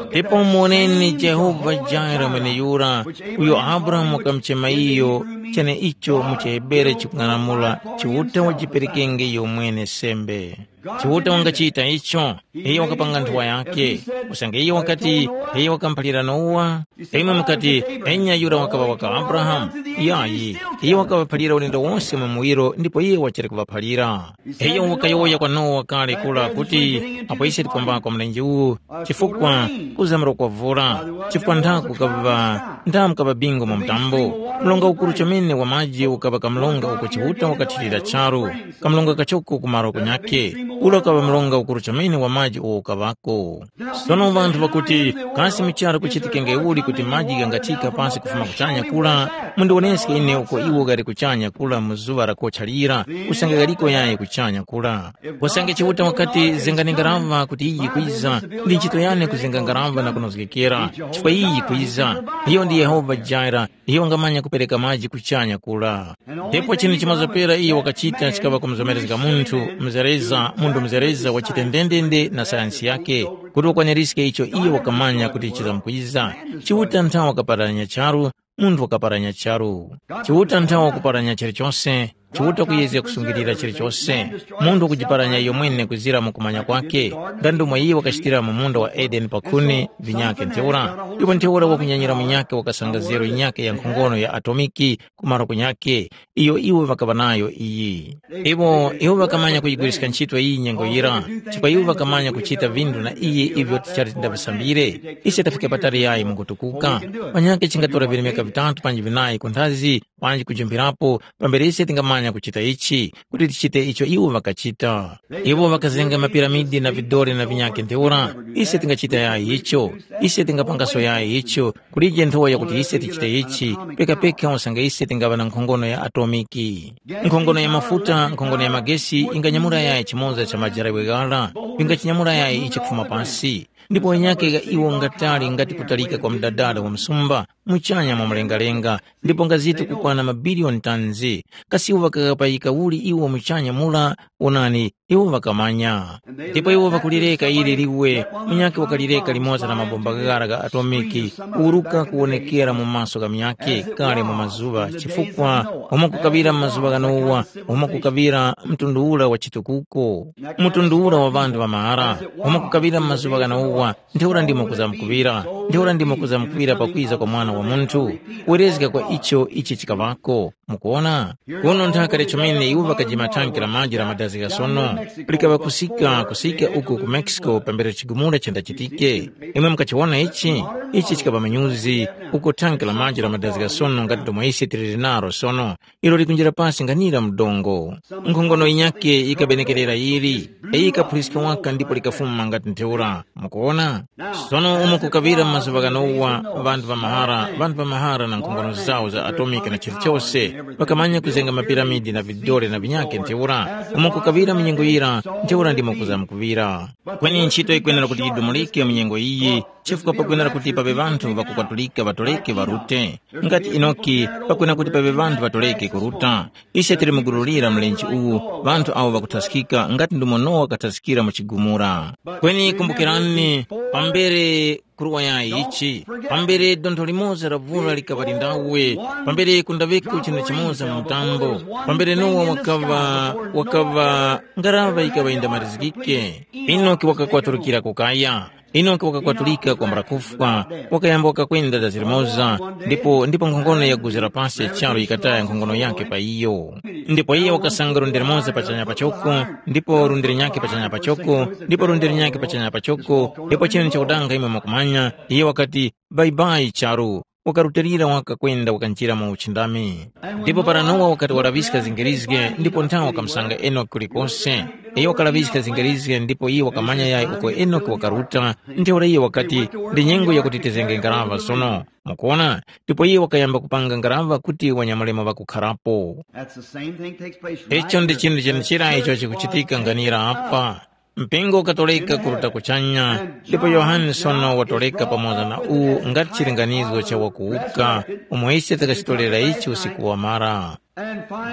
Ndipo muwoneni Jehova Jire mweneyura, uyo Abrahamu wakamuchema iyo, cheneicho mu chiHebere chikung'anamula, Chiuta wajiperekenge iyo mwene sembe. Chiuta wangachita icho, iyo wakapanga nthowa yake. Usange iyo wakati, iyo wakamuphalira Nowa, imwe mukati, enya yura wakaŵa waka Abrahamu? Yayi, iyo wakaŵaphalira ulendo wonse mu muwiro ndipo iyo wachali kuŵaphalira. Iyo wakayowoya kwa Nowa kale kura kuti, apo ise tikwambako mlenje uwu, chifukwa kuzamira kwa vura, chifukwa nthaku kaŵa, nthamu kaŵa bingo mu mtambo. Mlonga ukuru chomene wa maji ukaŵa kamlonga uko Chiuta wakathirira charu. Kamlonga kachoko ku malo kunyakhe, ula kaŵa mlonga ukuru chomene wa maji uwo ukaŵako. Sono ŵanthu ŵakuti, kasi mu charu kuchitikenge uli kuti maji ghangathika pasi kufuma kuchanya kura? Mundiwoneske ine uko iwo ghali kuchanya kura mu zuŵa la kocha lira, usange ghaliko yayi kuchanya kura. Usange Chiuta wakati zenga ngaraŵa kuti iyi yikwiza, ndi ntchito yane kuzenga ngaraŵa na kunozgekera, chifukwa iyi yikwiza. Iyo ndi Yehova Jaira, iyo wangamanya kupereka maji kuchanya kura. Ndipo chinthu chimozopera iyo wakachita chikaŵa kumuzomerezga munthu mzereza, munthu mzereza wachite ndendende na sayansi yake, kuti wakwanirizge icho iyo wakamanya kuti chizamkwiza. Chiuta nthawa wakaparanya charu, munthu wakaparanya charu. Chiuta nthawa kuparanya chilichose, Chiuta kuyezga kusungilira chilichose. Munthu wakujiparanya iyo mwene kuzira mu kumanya kwake, nga ndomwe iye wakachitira mu munda wa Edeni pakhuni, vinyake ntheura. Ndipo ntheura wakunyanyira munyake wakasanga zero yinyake ya nkhongono ya atomiki, kumaro kunyakhe, iyo iwo ŵakaŵa nayo iyi. Iwo, iwo ŵakamanya kuyigwiriska ntchito iyi nyengo yira, chifukwa iwo ŵakamanya kuchita vinthu na iyi ivyo tichali tindavisambire. Ise tafika patali yayi mukutukuka. Panyakhe chingatora vilemeka vitatu panji vinayi kunthazi, panji kujumphirapo, pambere ise tingamanya kuchita ichi, kuti tichite icho iwo ŵakachita. Iwo ŵakazenga mapiramidi na vidore na vinyakhe ntheura, ise tingachita yayi icho, ise tingapangaso yayi icho, kulije nthowa yakuti ise tichite ichi, pekapeka usange ise tingaŵa na nkhongono ya atomiki. Nkhongono ya mafuta, nkhongono ya magesi inganyamula yayi chimoza cha majarawe ghara, vingachinyamula yayi ichi kufuma pasi. Ndipo wenyake gha iwo ngatali ngati kutalika kwa mdadada wa msumba, muchanya mwa mlengalenga, ndipo ngaziti kukwana mabiliyoni tanzi. Kasi iwo ŵakaghapayika uli iwo muchanya mura? Wonani, iwo ŵakamanya. Ndipo iwo ŵakulireka ili liwe, munyakhe wakalireka limoza na mabomba ghara gha atomiki, kuwuruka kuwonekera mu maso gha munyakhe kale mu mazuŵa, chifukwa umo kukaŵira mu mazuŵa gha Nowa, umo kukaŵira mtundu ura wa chitukuko, mtundu ura wa ŵanthu ŵa mahara, umo kukaŵira mu mazuŵa gha Nowa, ntheura ndimo kuzamkuŵira, ntheura ndimo kuzamkuŵira pakwiza kwa Mwana wa Munthu. Werezga kwa icho ichi chikaŵako. Mukuwona? Kuno nthaka lya chomene iwo ŵakajima thanki la maji la madazi gha sono. likaŵa kusika kusika uko ku Mexico pambere chigumula chandachitike. Imwe mukachiwona ichi? Ichi chikaŵa manyuzi uko thanki la maji la madazika sono ngati ndomwe ise tili linaro sono, ilo likunjira pasi nganira mdongo. Nkhongono yinyakhe yikabenekerera yili, iyi yikaphuliska waka ndipo likafuma ngati ntheura. Mukuwona? Sono umo kukaŵira mu mazuŵa ghanowa, ŵanthu ŵa mahara, ŵanthu ŵa mahara na nkhongono zawo za atomiki na chilichose, ŵakamanya kuzenga mapiramidi na vidole na vinyakhe ntheura. Umo kukaŵira mu nyengo yira, ntheura ndimo kuzamkuŵira. Kweni ntchito yikwenera kuti yidumulike mu nyengo iyi, chifukwa pakwenera kuti paŵe ŵanthu ŵakukwatulika ŵatoleke ŵarute. Ngati Enoki, pakwenera kuti paŵe ŵanthu ŵatoleke kuruta. Ise tili mugululira mlenje uwu, ŵanthu awo ŵakuthaskika ngati ndumo Nowa wakathaskira mu chigumula. Kweni kumbukirani, pambere kuruwa yayi ichi, pambere dontho limoza la vula likaŵa lindawe, pambere kundaŵeko chinthu chimoza mu mtambo, pambere Nowa wakaŵa, wakaŵa ngaraŵa yikaŵa yindamarizgike, Enoki wakakwaturukira kukaya. Enoki wakakwatulika kwambula kufwa, wakayamba wakakwenda dazi limoza, ndipo ndipo nkhongono ya guzi la pasi ya charu yikataya nkhongono yakhe pa iyo. Ndipo iye wakasanga lundi limoza pachanya pachoko, ndipo lundi linyakhe pachanya pachoko, ndipo lundi linyakhe pachanya pachoko, ndipo chinu chakudanga imwe mwakumanya, iye wakati, bayibayi charu, wakarutilira waka kwenda wakanjira mu uchindami. Ndipo para Nowa wakati walaŵiska zingirizge ndipo nthawe wakamusanga Enoki kulikose. Iyo wakalaŵiska zingirizge ndipo iye wakamanya yayi uko Enoki wakaruta, ntheura iye wakati, ndi nyengo yakuti tizenge ngaraŵa sono. Mukuona? Ndipo iye wakayamba kupanga ngaraŵa kuti wanyamulemo ŵakukharapo. That's the same thing takes place right Icho ndi here. Chinthu chenechera icho chikuchitika nganira apa. Mpingo ukatoleka kuruta kuchanya, ndipo Yohane sono watoleka pamoza na uwu ngati chilinganizo cha wakuwuka, umo ise takachitolera ichi usiku wamara.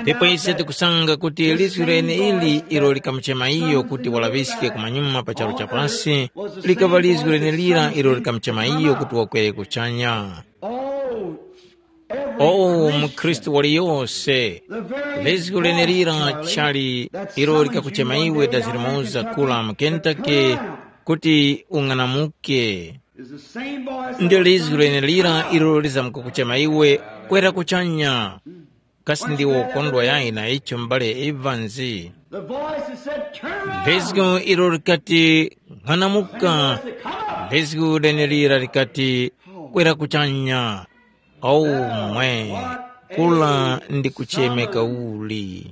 Ndipo ise tikusanga kuti lizgu lene ili ilo likamuchema iyo kuti walaŵiske kumanyuma pa charu cha pasi, likaŵa lizgu lene lira ilo likamuchema iyo kuti wakwere kuchanya. Oh, mukhristu waliyose, lizgu lenelira chali ilo likakuchema iwe dazi limoza kula mu Kentucky kuti ung'anamuke. Ndi lizgu lenelira ilo lizamkukuchema iwe kwera kuchanya. Kasi ndiwo ukondwa yayi na icho m'bale Evans? Lizgu ilo likati, ng'anamuka. Lizgu lenelira likati, kwera kuchanya. Omwe, kula ndi kuchemeka uli.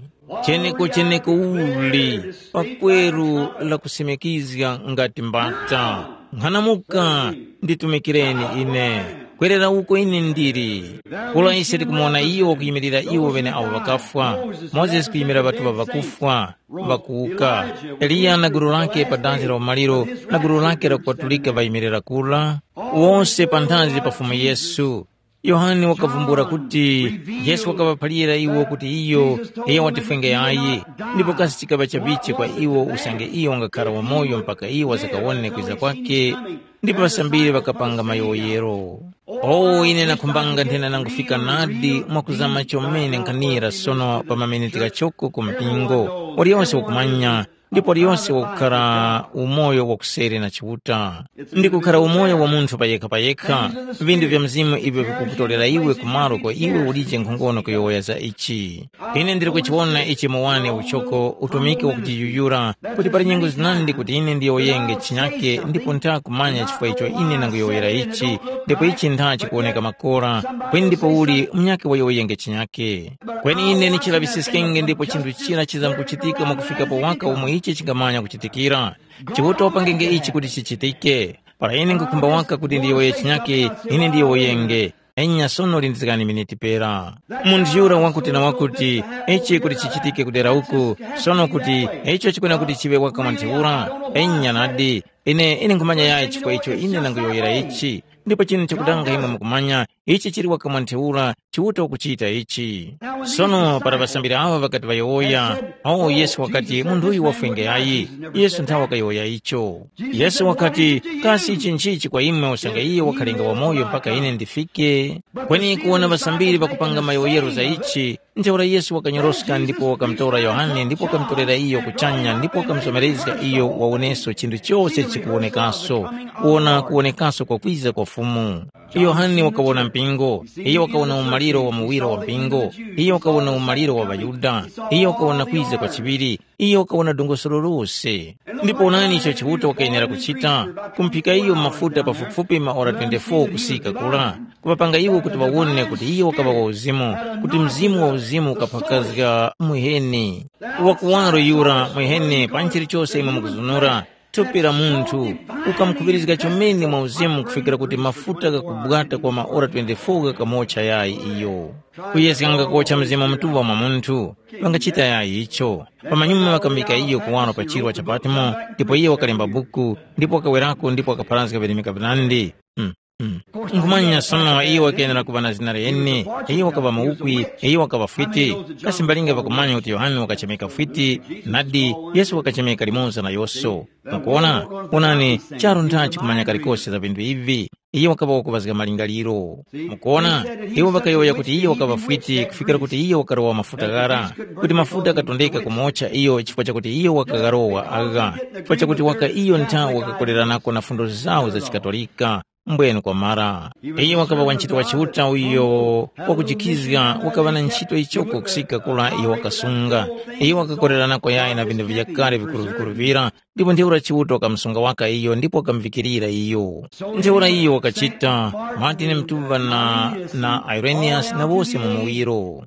Cheneko cheneko uli, pakweru la kusimikizga ngati mbata. Nkhanamuka, nditumikireni ine. Kwerera uko ine ndili. Kula ise tikumuwona iyo wakuyimilira iwo ŵene awo ŵakafwa. Mozesi kuyimira ŵatuŵa ŵakufwa, ŵakuwuka. Eliya na gulu lake pa danzi la umaliro na gulu lake la kupatulika ŵayimirira kula. Wose panthazi pa Fumu Yesu. Yohane wakavumbula kuti Yesu wakaŵaphalira iwo kuti iyo, iyo watifwenge yayi, ndipo kasi chikaŵa chavichi kwa iwo usange iyo wangakhara wamoyo mpaka iwo ŵasakawone kwiza kwakhe, ndipo ŵasambiri ŵakapanga mayowoyero. O, ine nakhumbanga nthena nangufika nadi mwakuzama chomene nkhanira sono pa mameneti ghachoko ku mpingo, waliyonse wakumanya, ndipo liyonse wakukhara umoyo wa kuseri na Chiuta. Ndi kukhara umoyo wa munthu payekha-payekha, vindu vya mzimu ivyo vikukutolera iwe kumalo ko iwe ulije nkhongono kuyowoya za ichi. Ine ndili kuchiwona ichi mu wane uchoko utumiki wakujiyuyura, kuti pali nyengo zinandi kuti ine ndiyowoyenge chinyake ndipo ntha kumanya chifukwa icho ine nanguyowoyera ichi, ndipo ichi ntha chikuwoneka makora, kweni ndipo uli munyake wayowoyenge chinyake. Kweni ine nichilaŵisiskenge ndipo chinthu chira chizamkuchitika mwakufikapo waka umo ichi chingamanya kuchitikira. Chiuta wapangenge ichi kuti chichitike. Para ine ngukhumba waka kuti ndiyowoye chinyake, ine ndiyowoyenge. Enya sono lindizgani miniti pera. Munthu yura wakuti na wakuti, ichi kuti chichitike kudera uku, sono kuti icho chikwena kuti chiŵe waka mwa ntheura. Enya nadi, ine ine nkhumanya yayi chifukwa icho ine nanguyowoyera ichi. Ndipo chinu chakudanga imwe mukumanya, ichi chili waka mwa ntheura, Chiuta ukuchita ichi. Sono para ŵasambiri awa ŵakati ŵayowoya, awo Yesu wakati, munthu uyu wafwenge yayi. Yesu nthawe wakayowoya icho. Yesu wakati, kasi ichi nchichi kwa imwe usange iye wakhalenga wamoyo mpaka ine ndifike? Kweni kuwona ŵasambiri ŵakupanga mayowoyero za ichi, ntheura Yesu wakanyoroska ndipo wakamutora Yohane ndipo wakamutorera iyo kuchanya ndipo wakamusomerezga iyo wawoneso chinthu chose kuwonekaso, kuwona kuwonekaso kwakwiza kwa Fumu. Yohane wakawona mpingo, iyo wakawona umaliro wa muwiro wa mpingo, iyo wakawona umaliro wa ŵaYuda, iyo wakawona kwiza kwa chiŵiri, iyo wakawona dongosolo lose. Ndipo onani icho Chiuta wakayenera kuchita, kumphika iyo mafuta pafupifupi maora twenty-four kusika kula, kuŵapanga iwo kuti ŵawone kuti iyo wakaŵa wa uzimu, kuti mzimu wa uzimu ukaphakazga muheni. Wakuwaro yura muheni pa chilichose imwe mukuzunura, thupi la munthu, ukamukhuŵirizga chomene mwa uzimu kufikira kuti mafuta ghakubwata kwa maora twenty-four ghakamocha yayi iyo. Kuyezganga kocha Mzimu Mutuŵa mwa munthu, ŵangachita yayi icho. Pamanyuma ŵakamuyika iyo kuwaro pa chirwa cha Patmo, ndipo iyo wakalemba buku, ndipo wakawerako ndipo wakapharazga virimika vinandi. Mm, mm. Nkhumanya sono iyo wakenera kuŵa na zina liyeni, iyo wakaŵa muwukwi, iyo wakaŵa fwiti. Kasi mbalinga ŵakumanya kuti Yohane wakachemeka fwiti, nadi, Yesu wakachemeka limoza na yoso. Mukuona? Onani, charu ntha chikumanya kalikose za vinthu ivi. Iyo wakaŵa wakuŵazga malingaliro. Mukuona? Iwo ŵakayowoya kuti iyo wakaŵa fwiti kufikira kuti iyo wakarowa mafuta ghara, kuti mafuta ghakatondeka kumocha iyo chifukwa chakuti iyo wakagharowa agha, chifukwa chakuti waka iyo ntha wakakoleranako na fundo zawo za chikatolika. Mbwenu kwamara. Iyo wakaŵa wantchito wa Chiuta uyo wakujikizga wakaŵa na ntchito ichoko kusika kura iyo wakasunga. Iyo wakakoleranako yayi na vinthu vyakale vikuru-vikuru vira, ndipo ntheura Chiuta wakamusunga waka iyo ndipo wakamuvikirira iyo. Ntheura iyo wakachita, Martin Mtuŵa na, na Irenaeus na wose mu muwiro.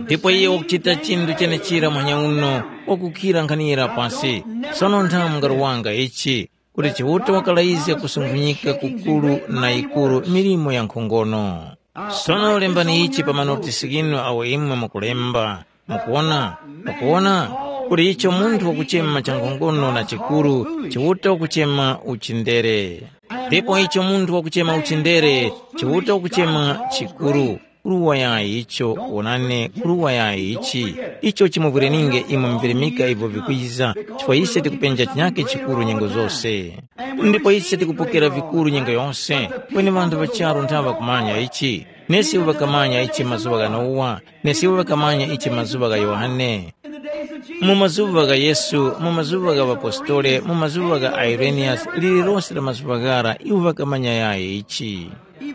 Ndipo iyo wakuchita chinthu chenechira muhanya uno, wakukhira nkhanira pasi. Sono nthamu ngaruwanga ichi, kuti Chiuta wakalayizga kusunkhunyika kukuru na yikuru milimo ya nkhongono. Sono lembani ichi pa manotisi ghinu awo imwe mukulemba. Mukuwona? Mukuwona? Kuti icho munthu wakuchema chankhongono na chikuru, Chiuta wakuchema uchindere. Ndipo icho munthu wakuchema uchindere, Chiuta wakuchema chikuru. Kuruwa yayi icho, wonani, kuruwa yayi ichi. Icho chimuvwireninge imwe mvirimika ivyo vikwiza, chifukwa ise tikupenja chinyake chikuru nyengo zose. Ndipo ise tikupokera vikuru nyengo yose, kweni ŵanthu ŵa charu nthaŵa kumanya ichi. Nesi iwo ŵakamanya ichi mazuŵa gha Nowa, nesi iwo ŵakamanya ichi mazuŵa gha Yohane. Mu mazuŵa gha Yesu, mu mazuŵa gha ŵapostole, mu mazuŵa gha Ireniyasi, lililose la mazuŵa ghara iwo ŵakamanya yayi ichi.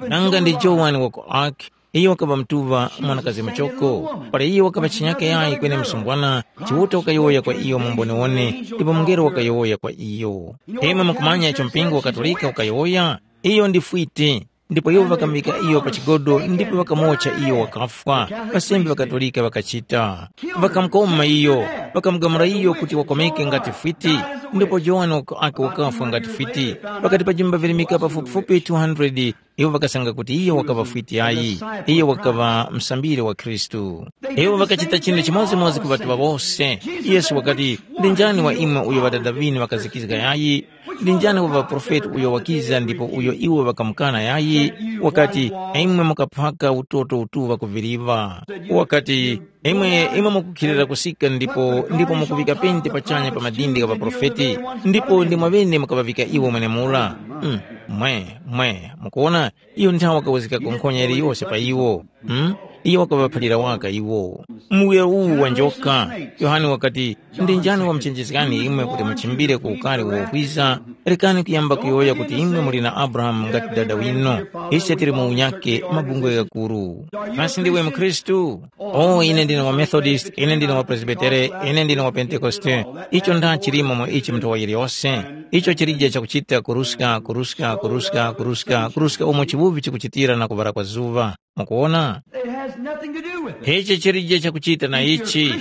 Nanga ndi Jowani wa ku Arki, iyo wakaŵa mtuŵa mwanakazi muchoko, para iyo wakaŵa chinyake yayi kweni msungwana, Chiuta wakayowoya kwa iyo mu mboniwone, ndipo mungelo wakayowoya kwa iyo. Imwe mukumanya icho mpingo wa Katolika ukayowoya? Iyo ndi fwiti. Ndipo iwo ŵakamuŵika iyo pa chigodo ndipo ŵakamuwotcha iyo wakafwa. Ŵasembe ŵakatolika ŵakachita. Ŵakamukoma iyo, ŵakamugamula iyo kuti wakomeke ngati fwiti, ndipo Johane waka- ake wakafwa ngati fwiti. Pakati pa jimba virimika pafupifupi two hundred, iwo ŵakasanga kuti iyo wakaŵa fwiti ayi, iyo wakaŵa msambiri wa Khristu. Iwo ŵakachita chinthu chimodzimodzi ku ŵatuŵa wose. Yesu wakati, ndi njani wa imwe uyo ŵadada ŵinu ŵakazikizga yayi? Ndi njani wa ŵaprofeti uyo wakiza ndipo uyo iwo ŵakamukana yayi? Wakati, imwe mukaphaka utoto utuŵa ku viliva. Wakati, imwe imwe mukukhilira kusika ndipo ndipo mukuŵika pente pachanya pa madindi gha ŵaprofeti, ndipo ndimwe ŵene mukaŵavika iwo mwenemura. Mm, mwe, mwe, mukuona, iyo nthawi wakawazgika nkhonya yiliyose pa iwo. Mm? Iyo wakaŵaphalira waka iwo. Muwuya uwu wa njoka. Yohane wakati, ndi njani wamuchenjezgani imwe kuti muchimbire ku ukari uwo ukwiza? Rekani kuyamba kuyowoya kuti imwe muli na Abrahamu ngati dada winu. Ise tili mu unyake mabungwe ghakuru. Kasi ndiwe mkhristu? O, ine ndine wa Methodist, ine ndine wa Presbytere, ine ndine wa Pentekoste. Icho nda chilimo mu ichi mnthowa yiliyose. Icho chilije chakuchita kuruska kuruska kuruska kuruska kuruska umo chiwuvi chikuchitira na kuŵala kwa zuŵa. Mukuwona? It has nothing to do with it. Ichi chilije chakuchita na ichi.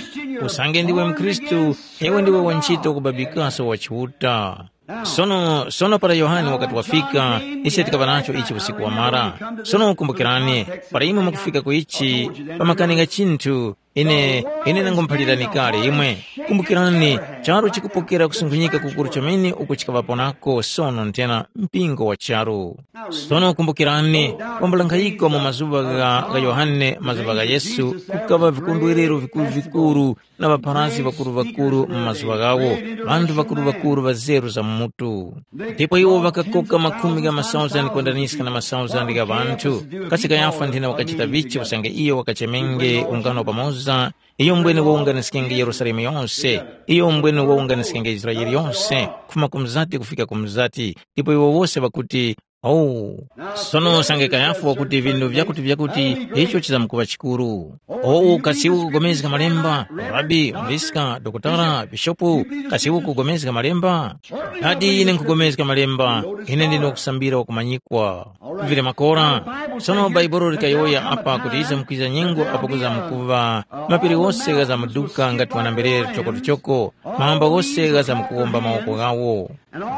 Usange ndiwe mkhristu, iwe ndiwe wantchito kubabikaso wa Chiuta. Sono sono para Yohane wakati wafika, ise tikaŵa nacho ichi usiku wamara. Sono kumbukirani, para imwe mukufika ku ichi, pamakani nga chinthu, ine ine ndangomuphalirani kale imwe. Kumbukirani, charu chikupokera kusunkhunyika kukuru chomene uku chikaŵapo nako sono nthena mpingo wa charu. Sono kumbukirani, kwambula nkhayiko mu mazuŵa gha, gha Yohane, mazuŵa gha Yesu, kukaŵa vikondwerero vikuru-vikuru na ŵapharazgi ŵakuru-ŵakuru mu mazuŵa ghawo, ŵanthu ŵakuru-ŵakuru ŵa zeru za mu mutu. Ndipo iwo ŵakakoka makhumi gha masauzandi kwendaniska na masauzandi gha ŵanthu. Kasi Kayafa nthena wakachita vichi usange iyo wakachemenge ungano pamoza? Za iyo mbwene wawunganiskenge Yerusalemu yose, iyo mbwene wawunganiskenge Israele yose, kufuma ku mzati kufika ku mzati, ndipo iwo wose ŵakuti, “Owu!” Sono usange Kayafa wakuti vindu vyakuti vyakuti, icho chizamkuŵa chikuru. Owu kasi ukugomezga malemba, Rabi, Mriska, Dokotala, Bishopu, kasi ukugomezga malemba? Nadi ine nkugomezga malemba, ine ndine wakusambira wakumanyikwa. Vili makora. Sono Bhaibuli likayowoya apa kuti ize mukwiza nyengo apo kuzamkuŵa, mapiri ghose ghazamuduka ngati wanamberere choko-choko, mahamba ghose ghazamukuwomba mawoko ghawo.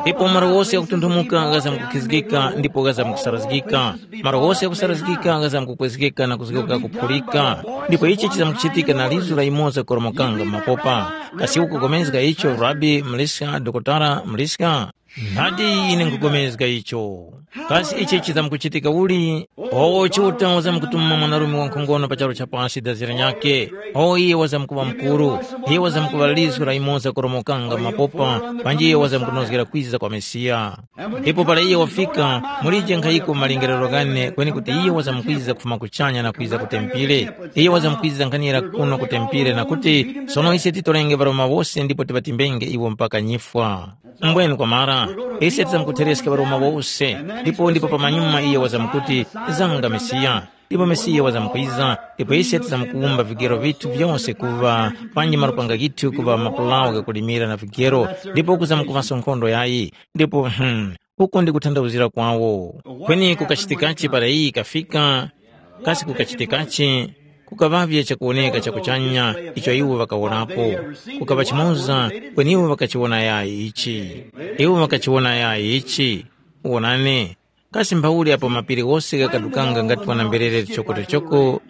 Ndipo malo ghose ghakutunthumuka ghazamkukhizgika ndipo ghazamkusarazgika. Malo ghose ghakusarazgika ghazamkukwezgeka na kuzgoka kuphulika. Ndipo ichi chizamkuchitika na lizu la yumoza koromokanga mu mapopa. Kasi ukupulikana icho, Rabi, Mliska, Dokotala, Mliska? Nadi ine nkupulikana icho. Kasi ichi chizamkuchitika uli? Owo Chiuta wazamkutuma mwanarume wankhongono pa charu cha pasi dazi linyakhe. Owo iye wazamkuŵa mukuru. Iye wazamkuŵa lizu la yumoza koromokanga mu mapopa, panji iye wazamkunozgera kwiza kwa Mesiya. Ndipo para iye wafika, mulije nkhayiko mu malingiririro ghane kweni kuti iye wazamkwiza kufuma kuchanya na kwiza ku tempile. Iye wazamkwiza nkhanira kuno ku tempile na kuti, sono ise titorenge ŵaroma wose ndipo tiŵatimbenge iwo mpaka nyifwa. Mbwenu kwamara, ise tizamkuthereska ŵaroma wose, ndipo ndipo pamanyuma iye wazamkuti, zanga Mesiya. Ndipo Mesiya wazamkwiza, ndipo ise tizamkuwumba vigero vithu vyose kuŵa, panji malupanga ghithu kuŵa mapulawo ghakulimira na vigero, ndipo kuzamkuŵaso nkhondo yayi. Ndipo, hmm, uko ndi kuthandauzira kwawo. Kweni kukachitikachi para iyi ikafika, kasi kukachitikachi? Kukaŵavye chakuwoneka cha kuchanya icho iwo ŵakawonapo. Kukaŵa chimoza, kweni iwo ŵakachiwona yayi ichi. Iwo ŵakachiwona yayi ichi. Wonani, kasi mphauli apo mapiri ghose ghakadukanga ngati wanamberere choko-choko,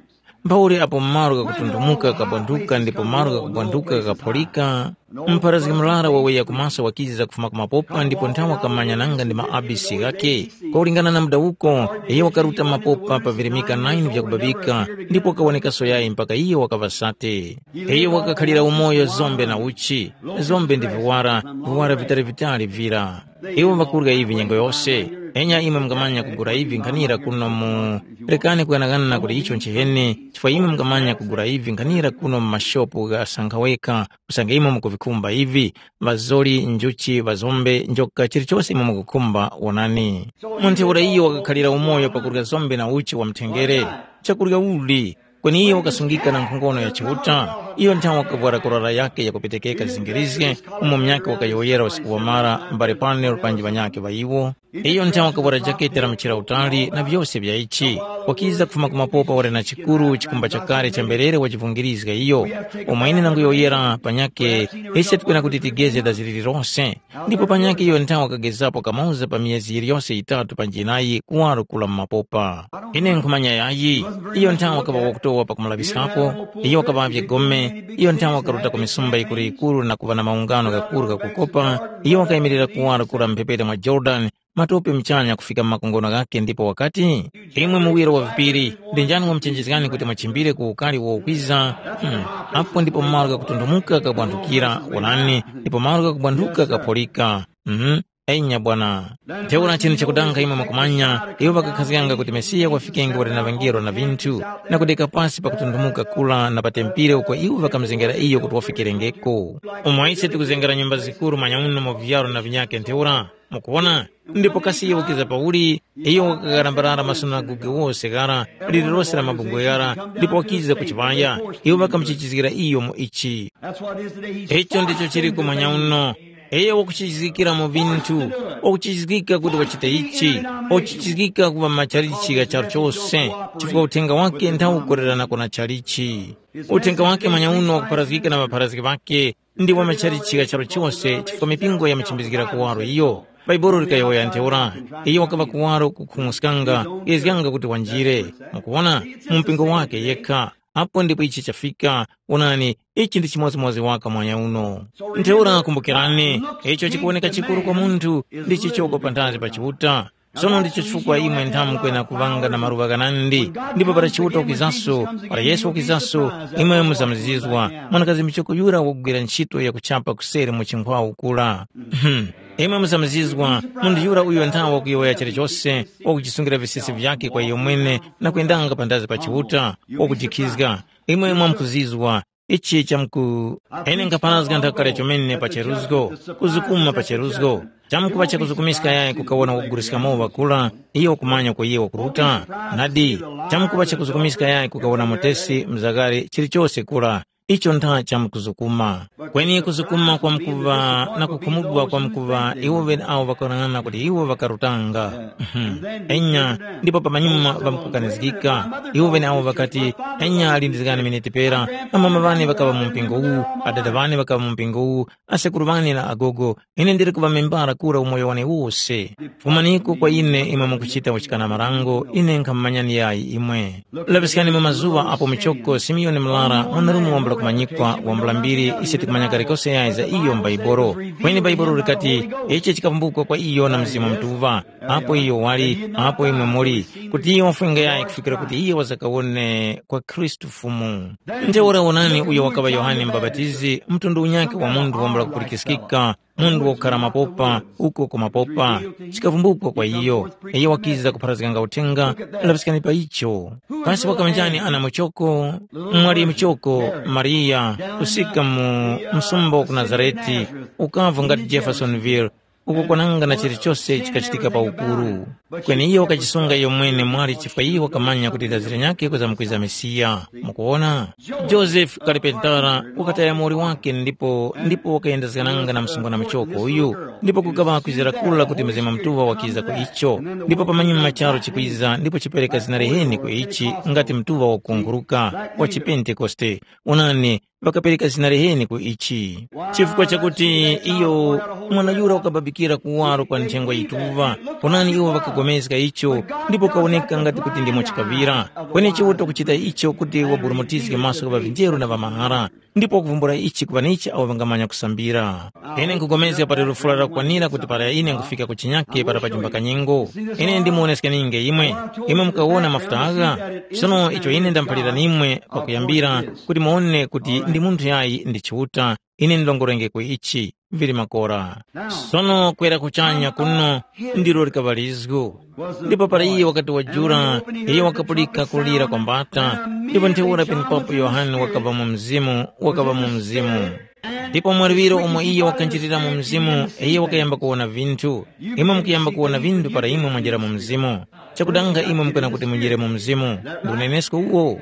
mphauli apo malo ghakutunthumuka ghakabwanduka ndipo malo ghakubwanduka ghakaphulika, mpharazgi murara waweya ku maso wakiza kufuma ku mapopa ndipo nthawe wakamanya nanga ndi maabisi ghakhe. Kwakulingana na mudawuko, iyo wakaruta mapopa pa virimika nine vyakubabika ndipo wakawonekaso yayi mpaka iyo wakaŵa sate. Iyo wakakhalira umoyo zombe na uchi, zombe ndi viwara, viwara vitali-vitali vira. Iwo ŵakurya ivi nyengo yose. Enya imwe mungamanya kugula ivi nkhanira kuno mu, rekani kuyanaghana kuti icho nchiheni, chifukwa imwe mungamanya kugula ivi nkhanira kuno mu mashopu gha sankhaweka, usange imwe mukuvikhumba ivi, ŵazoli, njuchi, ŵazombe, njoka, chilichose imwe mukukhumba, wonani. Mu ntheura iyo wakakhalira umoyo pakurya zombe na uchi wa mthengere. Chakurya uli? Kweni iyo wakasungika na nkhongono ya Chiuta. Iyo nthawe wakavwara kurara yake yakupetekeka zingirizge, umo munyakhe wakayowoyera usiku wamara mbale panelo panji ŵanyakhe ŵa iwo. Iyo nthawe wakavwara jakete la mchira utali na vyose vya ichi. Wakiza kufuma ku mapopa wali na chikuru chikumba chakale cha mberere wachivungirizga iyo. Umo ine nanguyowoyera panyakhe, ise tikwena kuti tigeze dazi lililose. Ndipo panyakhe iyo nthawe wakagezapo kamoza pa miyezi yiliyose yitatu panji yinayi kuwaro kula mu mapopa. Ine nkhumanya yayi, iyo nthawe wakaŵa wakutowa pakumulaŵiskapo, iyo wakaŵavye gome, iyo nthawe wakaruta ku misumba yikuru-yikuru na kuŵa na maungano ghakuru ghakukopa, iyo wakayimirira kuwaro kula mu mphepete mwa Yorodani, matope muchanya kufika mu makongono ghakhe ndipo wakati, “Imwe muwiro wa vipiri, ndi njani wamuchenjezgani kuti mwachimbire ku ukari uwo ukwiza? Hmm. Apo ndipo malo ghakutunthumuka ghakabwanthukira, wonani, ndipo malo ghakubwanthuka ghakaphulika. Mhm. Enya bwana. Ntheura chinthu chakudanga imwe mwakumanya, iwo ŵakakhazganga kuti Mesiya wafikenge wali na ŵangelo na vinthu, na kudeka pasi pakutunthumuka kula na pa tempile uko iwo ŵakamuzengera iyo kuti wafikerengeko. Umo ise tikuzengera nyumba zikuru manyauno mu viyaro na vinyakhe ntheura, mukuwona? Ndipo kasi iyo wakiza pauli, iyo wakarambarara masunagoge wose ghara, lililose la mabungwe ghara, ndipo wakiza ku chiŵaya, iwo ŵakamuchichizgira iyo mu ichi. Icho ndicho chiriko manyauno. Iyo wakuchizgikira mu vinthu, wakuchizgika kuti wachite ichi, wakuchizgika kuŵa machalichi gha charu chose, chifukwa uthenga wake nthawu ukoreranako na chalichi. Uthenga wake manyauno wakupharazgika na ŵapharazgi ŵake, ndi wa machalichi gha charu chose, chifukwa mipingo yamuchimbizgira kuwaro iyo. Bhaibuli likayowoya ntheura, iyo wakaŵa kuwaro kukhung'uskanga, gezganga kuti wanjire. Mukuwona, mu mpingo wake yekha. Apo ndipo ichi chafika. Wonani, ichi ndi chimodzimodzi waka mwanya uno. Ntheura kumbukirani, icho chikuwoneka chikuru kwa munthu ndi chichoko panthazi pa Chiuta. Sono ndicho chifukwa imwe nthamu kwena kuŵanga na maluŵa ghanandi, ndipo para Chiuta wakizaso, para Yesu wakizaso, imwe muzamzizwa, mwanakazi michoko yura wakugwira ntchito yakuchapa kuseri mu chinkhwawu kura. Imwe muzamzizwa, munthu yura uyo nthawe wakuyowoya chilichose, wakuchisungira visesi vyake kwa iyo mwene na kwendanga panthazi pa Chiuta, wakujikhizga. Imwe mwamkuzizwa, ichi chamku ene nkhaparazga nthaka kale chomene pa cheruzgo, kuzukuma pa cheruzgo. Chamkupa chakuzukumiska yayi kukawona wakuguliska mowa wakula, iyo kumanya uko iye wakuruta? Nadi, chamkupa chakuzukumiska yayi kukawona mutesi mzagari chilichose kula, icho ntha chamkuzukuma. Kweni kuzukuma kwamkuŵa na kukhumudwa kwamkuŵa iwo ŵeneawo ŵakarang'ana kuti iwo ŵakarutanga. Mhm. Enya, ndipo pamanyuma ŵamkukanizgika. Iwo ŵeneawo ŵakati, enya alindizgani miniti pera, amama ŵane ŵakaŵa mu mpingo uwu, adada ŵane ŵakaŵa mu mpingo uwu, asekuru ŵane na agogo, ine ndiri kuŵamembara kura umoyo wane wose. Fumaniko kwa ine imwe mukuchita uchikana marango, ine nkhamumanyani yayi imwe. Laŵiskani mu mazuŵa apo muchoko Simiyoni Mlara, mwanarume wambula kumanyikwa, wambula mbiri, ise tikumanya kalikose yayi za iyo m'Baibolo. Kweni Baibolo likati, ichi chikavumbukwa kwa iyo na Mzimu Mutuŵa, apo iyo wali, apo imwe muli, kuti iyo wafwenge yayi kufikira kuti iyo wazakawone kwa Khristu Fumu. Ntheura wonani uyo wakaŵa Yohane Mubapatizi, mtundu unyakhe wa munthu wambula kupulikiskika, munthu wakukhara mapopa, uko ku mapopa, chikavumbukwa kwa iyo. Iyo wakiza kupharazganga uthenga, laŵiskani pa icho. Kasi wakaŵa njani ana muchoko? Mwali muchoko, Mariya, kusika mu msumba wa ku Nazarete, ukavu ngati Jeffersonville, uko kwananga na chilichose chikachitika pa ukuru. Kweni iyo wakachisunga iyo mwene mwali chifukwa iyo wakamanya kuti dazi linyakhe kuzamkwiza Mesiya. Mukuwona? Joseph Kalipentala wakataya muwoli wake ndipo ndipo wakayendezgananga na msungwana muchoko uyu, ndipo kukaŵa kwizira kula kuti Mzimu Mutuŵa wakiza ku icho. Ndipo pamanyuma charu chikwiza ndipo chipereka zina liheni ku ichi ngati Mutuŵa wakukunguruka wa chipentekoste. Onani, ŵakapereka zina liheni ku ichi. Chifukwa chakuti iyo mwana yura wakababikira kuwaro kwa nthengwa yituŵa, onani iwo ŵakagomezga icho, ndipo kawoneka ngati kuti ndimo chikaŵira. Kweni Chiuta kuchita icho kuti waburumutizge maso gha ŵavinjeru na ŵamahara, ndipo wakuvumbula ichi ku ŵanichi awo ŵangamanya kusambira. Ine nkugomezga pali lufula lakukwanira kuti para ine nkufika ku chinyake para pajumba kanyengo, ine ndimuwoneskeninge imwe. Imwe mukawona mafuta agha? Sono icho ine ndamuphalirani imwe pakuyambira, kuti muwone kuti ndi munthu yayi ndi Chiuta, ine ndilongorengeko ichi, vili makora. Sono kwera kuchanya kuno ndilo likaŵa lizgu. Ndipo para iye wakati wajula, iye wakapulika kulira kwa mbata, ndipo ntheura penepapo Yohane wakaŵa mu mzimu, wakaŵa mu mzimu. Ndipo mwaluŵiro umo iye wakanjirira mu mzimu, iye wakayamba kuwona vinthu. Imwe mukuyamba kuwona vinthu para imwe mwajera mu mzimu. Chakudanga imwe mukana kuti mujere mu mzimu, ndi unenesko uwo.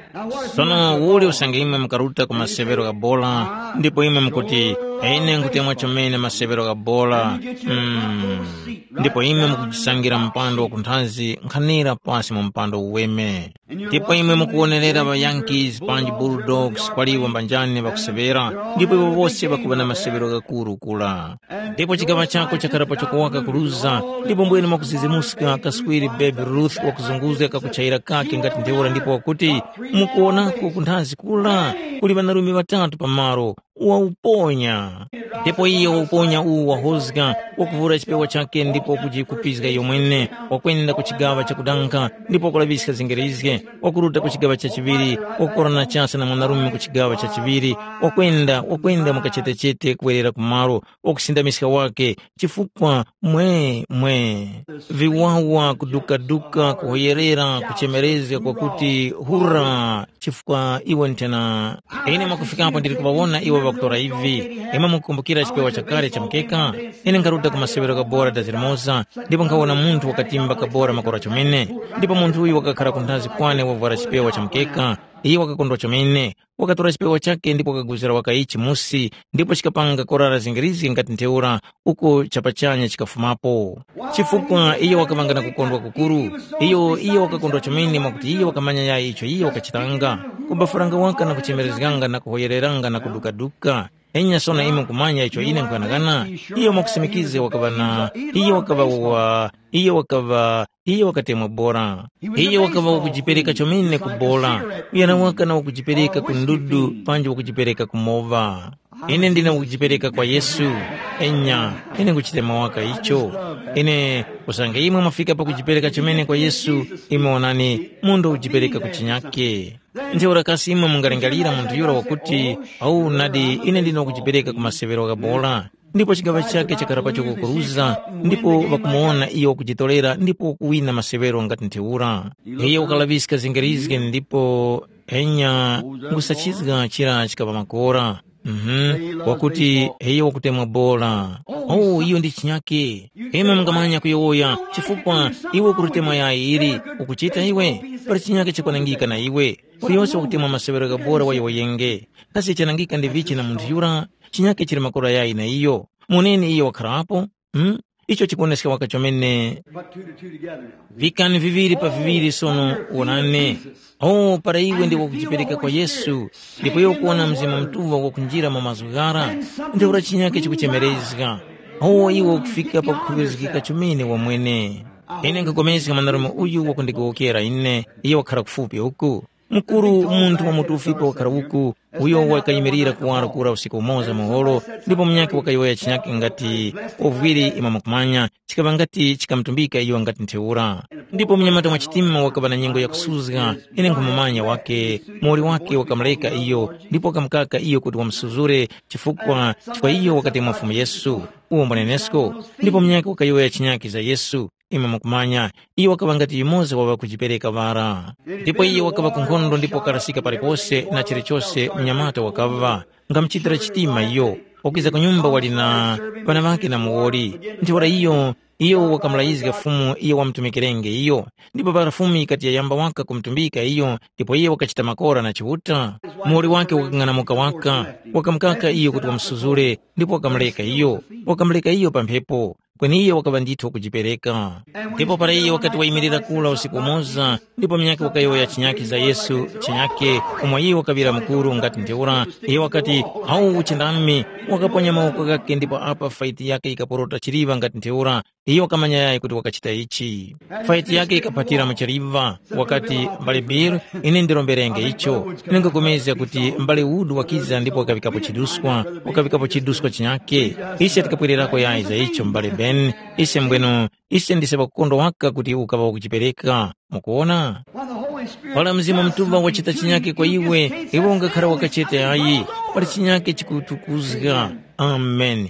Sono uli usange imwe mukaruta ku maseŵero gha bola, ndipo imwe mukuti, ine nkutemwa chomene maseŵero gha bola. Mm. Ndipo imwe mukujisangira mpando wakunthazi nkhanira pasi mu mpando uweme. Ndipo imwe mukuwonerera ŵa Yankees panji Bulldogs kwaliwo mbanjani ŵakuseŵera, ndipo iwo wose ŵakuŵa na maseŵero ghakuru kula. Ndipo chigaŵa chako chakhara pa chokowaka kuluza, ndipo mbwene mwakuzizimuska kaswiri Babe Ruth wakuzunguzga kakuchayira kake ngati ntheura ndipo wakuti, mukuwonako kunthazi kula, kuli ŵanarume ŵatatu pamaro, wauponya. Ndipo iye wauponya uwu wahozga, wakuvura chipewa chakhe ndipo wakujikupizga iyo mwene, wakwenda ku chigaŵa chakudanga ndipo wakulaŵiska zingerizge, wakuruta ku chigaŵa cha chiŵiri, wakukorana chasa na mwanarume ku chigaŵa cha chiŵiri, wakwenda, wakwenda mu kachetechete kuwerera ku malo, wakusindamiska wake, chifukwa mwe, mwe, viwawa kudukaduka, kuhoyerera, kuchemerezga kwakuti, hura, chifukwa iwo nthena. Ine mwakufikapo ndili kuŵawona iwo ŵakutora ivi. Imwe mukukumbukira chipewa chakale cha mukeka? Ine nkharuta ku masewero gha bora da zilimoza, ndipo nkhawona munthu wakatimba kabora makora chomene. Ndipo munthu uyu wakakhala kunthazi kwane wavwara chipewa cha mukeka. Iye wakakondwa chomene. Wakatora chipewa chakhe ndipo wakaguzira waka ichi musi, ndipo chikapanga korara zingirizgi ngati ntheura, uko chapachanya chikafumapo. Chifukwa iyo wakaŵanga na kukondwa kukuru, iyo iyo wakakondwa chomene mwakuti iyo wakamanya yayi icho iyo wakachitanga, kubafuranga waka na kuchemerezganga na kuhoyereranga na kudukaduka. Enya sono imwe nkumanya icho ine nkughanagana, iyo mwakusimikize wakaŵa na, iyo wakaŵa wa, iyo wakaŵa, iyo wakatemwa bora. Iyo wakaŵa wakujipereka chomene ku bora, uyana waka na wakujipereka ku ndudu panji wakujipereka ku mowa. Ine ndine wakujipereka kwa Yesu. Enya, ine nkuchitema waka icho. Ine, usange imwe mwafika pakujipereka chomene kwa Yesu, imwe onani, munthu wakujipereka ku chinyake. Ntheura kasi imwe mungalingalira munthu yura wakuti, au nadi ine ndine wakujipereka ku masewero gha bora? Ndipo chigaŵa chakhe chakhala pacho kukuruza, ndipo ŵakumuwona iyo wakujitorera ndipo wakuwina masewero ngati ntheura. Iyo wakalaŵiska zingerizge ndipo Enya, nkhusachizga chira chikaŵa makora. Mhm. Wakuti, iyo wakutemwa bora. Oh, iyo ndi chinyake. Imwe mungamanya kuyowoya, chifukwa iwe ukulitemwa yayi ili, ukuchita iwe? Pali chinyake chikwanangika na iwe. Uliyose wakutemwa masewero ghabora wayowoyenge. Kasi chanangika ndi vichi na munthu yura? Chinyake chili makora yayi na iyo. Muneni iyo wakharapo? Hmm? Icho chikuwoneska waka chomene. Put two to two together now. Vikani viŵiri pa viŵiri sono, wonani. Oh, para iwe ndiwe kujipereka kwa Yesu, ndipo iwe ukuwona Mzimu Mutuŵa wakunjira mu mazgu ghara, ntheura chinyake chikuchemerezga. Oh, iwe ukufika pakukhuŵirizgika chomene wamwene. Ine nkhupulikana na mwandarume uyu wakundigowokera ine, iye wakhala kufupi uku. Mukuru munthu wa mutufipo wakhala uku, uyo wakayimirira kuwaro kura usiku umoza muholo, ndipo munyakhe wakayowoya chinyakhe ngati ovwiri imwe mukumanya, chikaŵa ngati chikamutumbika iyo ngati ntheura. Ndipo munyamata mwa chitima wakaŵa na nyengo yakusuzga, ine nkhumumanya wake, muwoli wake wakamureka iyo, ndipo wakamukaka iyo kuti wamusuzure, chifukwa chifukwa iyo wakatemwa Fumu Yesu. Uwo mbwanenesko, ndipo munyakhe wakayowoya chinyakhe za Yesu. Imwe mukumanya, iyo wakaŵa ngati yumoza wa ŵakujipereka ŵara. Ndipo iyo wakaŵa ku nkhondo ndipo wakarasika palipose na chilichose mnyamata wakaŵa, ngamuchitira chitima iyo, wakwiza ku nyumba wali na ŵana ŵakhe na muwoli. Ntheura iyo, iyo wakamulayizga Fumu iyo wamutumikirenge iyo. Ndipo para Fumu yikati yayamba waka kumutumbika iyo, ndipo iyo wakachita makora na Chiuta, muwoli wake wakang'anamuka waka, wakamukaka iyo kuti wamusuzure, ndipo wakamureka iyo, wakamureka iyo pa mphepo. Kweni iyo wakaŵa ndithu wakujipereka. Ndipo para iyo wakati wayimirira kura usiku umoza, ndipo munyakhe wakayowoya chinyakhe za Yesu, chinyakhe, umo iyo wakaŵira mukuru ngati ntheura, iyo wakati, “Awu uchindami,” wakaponya mawoko ghakhe ndipo apa faiti yakhe yikaporota chiliŵa ngati ntheura, iyo wakamanya yayi kuti wakachita ichi. Faiti yakhe yikaphatira mu chiliŵa, wakati, “Mbale Bill, ine ndiromberenge icho.” Ine nkhupulikana kuti mbale Wood wakiza ndipo wakaŵikapo chiduskwa, wakaŵikapo chiduskwa chinyakhe. Ise tikapwererako yayi za icho, mbale Ben, ise mbwenu, ise ndise ŵakukondwa waka kuti ukaŵa wakujipereka. Mukuwona? Para Mzimu Mutuŵa wachita chinyakhe kwa iwe, iwe ungakhara wakachete ayi, pali chinyakhe chikutukuzga. Amen.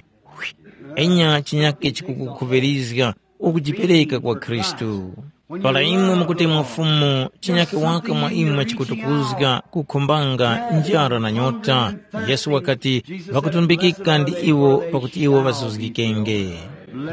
Enya chinyakhe chikukukhuŵirizga ukujipereka kwa Khristu. Para imwe mukutemwa Fumu, chinyakhe waka mwa imwe chikutukuzga, kukhumbanga, njara na nyota. Yesu wakati, “Ŵakutumbikika ndi iwo pakuti iwo ŵazuzgikenge.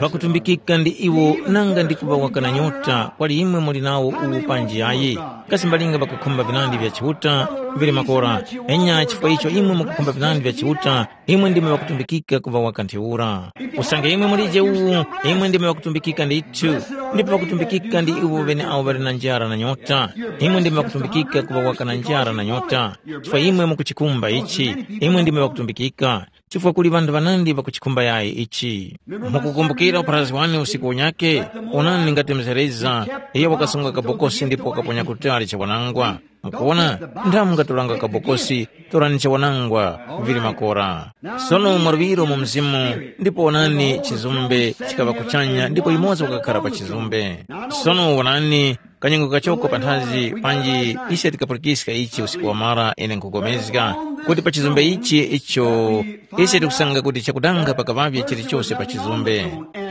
Ŵakutumbikika ndi iwo nanga ndi kuŵa waka na nyota, kwali imwe muli nawo uwu panji yayi? Kasi mbalinga ŵakukhumba vinandi vya Chiuta vili makora? Enya chifukwa icho imwe mukukhumba vinandi vya Chiuta, imwe ndimwe ŵakutumbikika kuŵa waka ntheura. Usange imwe mulije uwu, imwe ndimwe ŵakutumbikika ndithu. Ndipo ŵakutumbikika ndi iwo ŵeneawo ŵali na njara na nyota. Imwe ndimwe ŵakutumbikika kuŵa waka na njara na nyota. Chifukwa imwe mukuchikhumba ichi, imwe ndimwe ŵakutumbikika. Chifukwa kuli ŵanthu ŵanandi ŵakuchikhumba yayi ichi. Mukukumbukira upharazgi wane usiku unyakhe? Onani ngati mzereza, iyo wakasunga kabokosi ndipo wakaponya kutali chawanangwa. Mukuwona, nthamu ngatoranga kabokosi, torani chawanangwa, vili makora. Sono mwaluŵiro mu mzimu, ndipo wonani chizumbe chikaŵa kuchanya ndipo yumoza wakakhara pa chizumbe. Sono wonani, kanyengo kachoko panthazi panji ise tikapulikiska ichi usiku wamara ine nkhupulikana kuti pa chizumbe ichi icho ise tikusanga kuti chakudanga pakaŵavye chilichose pa chizumbe.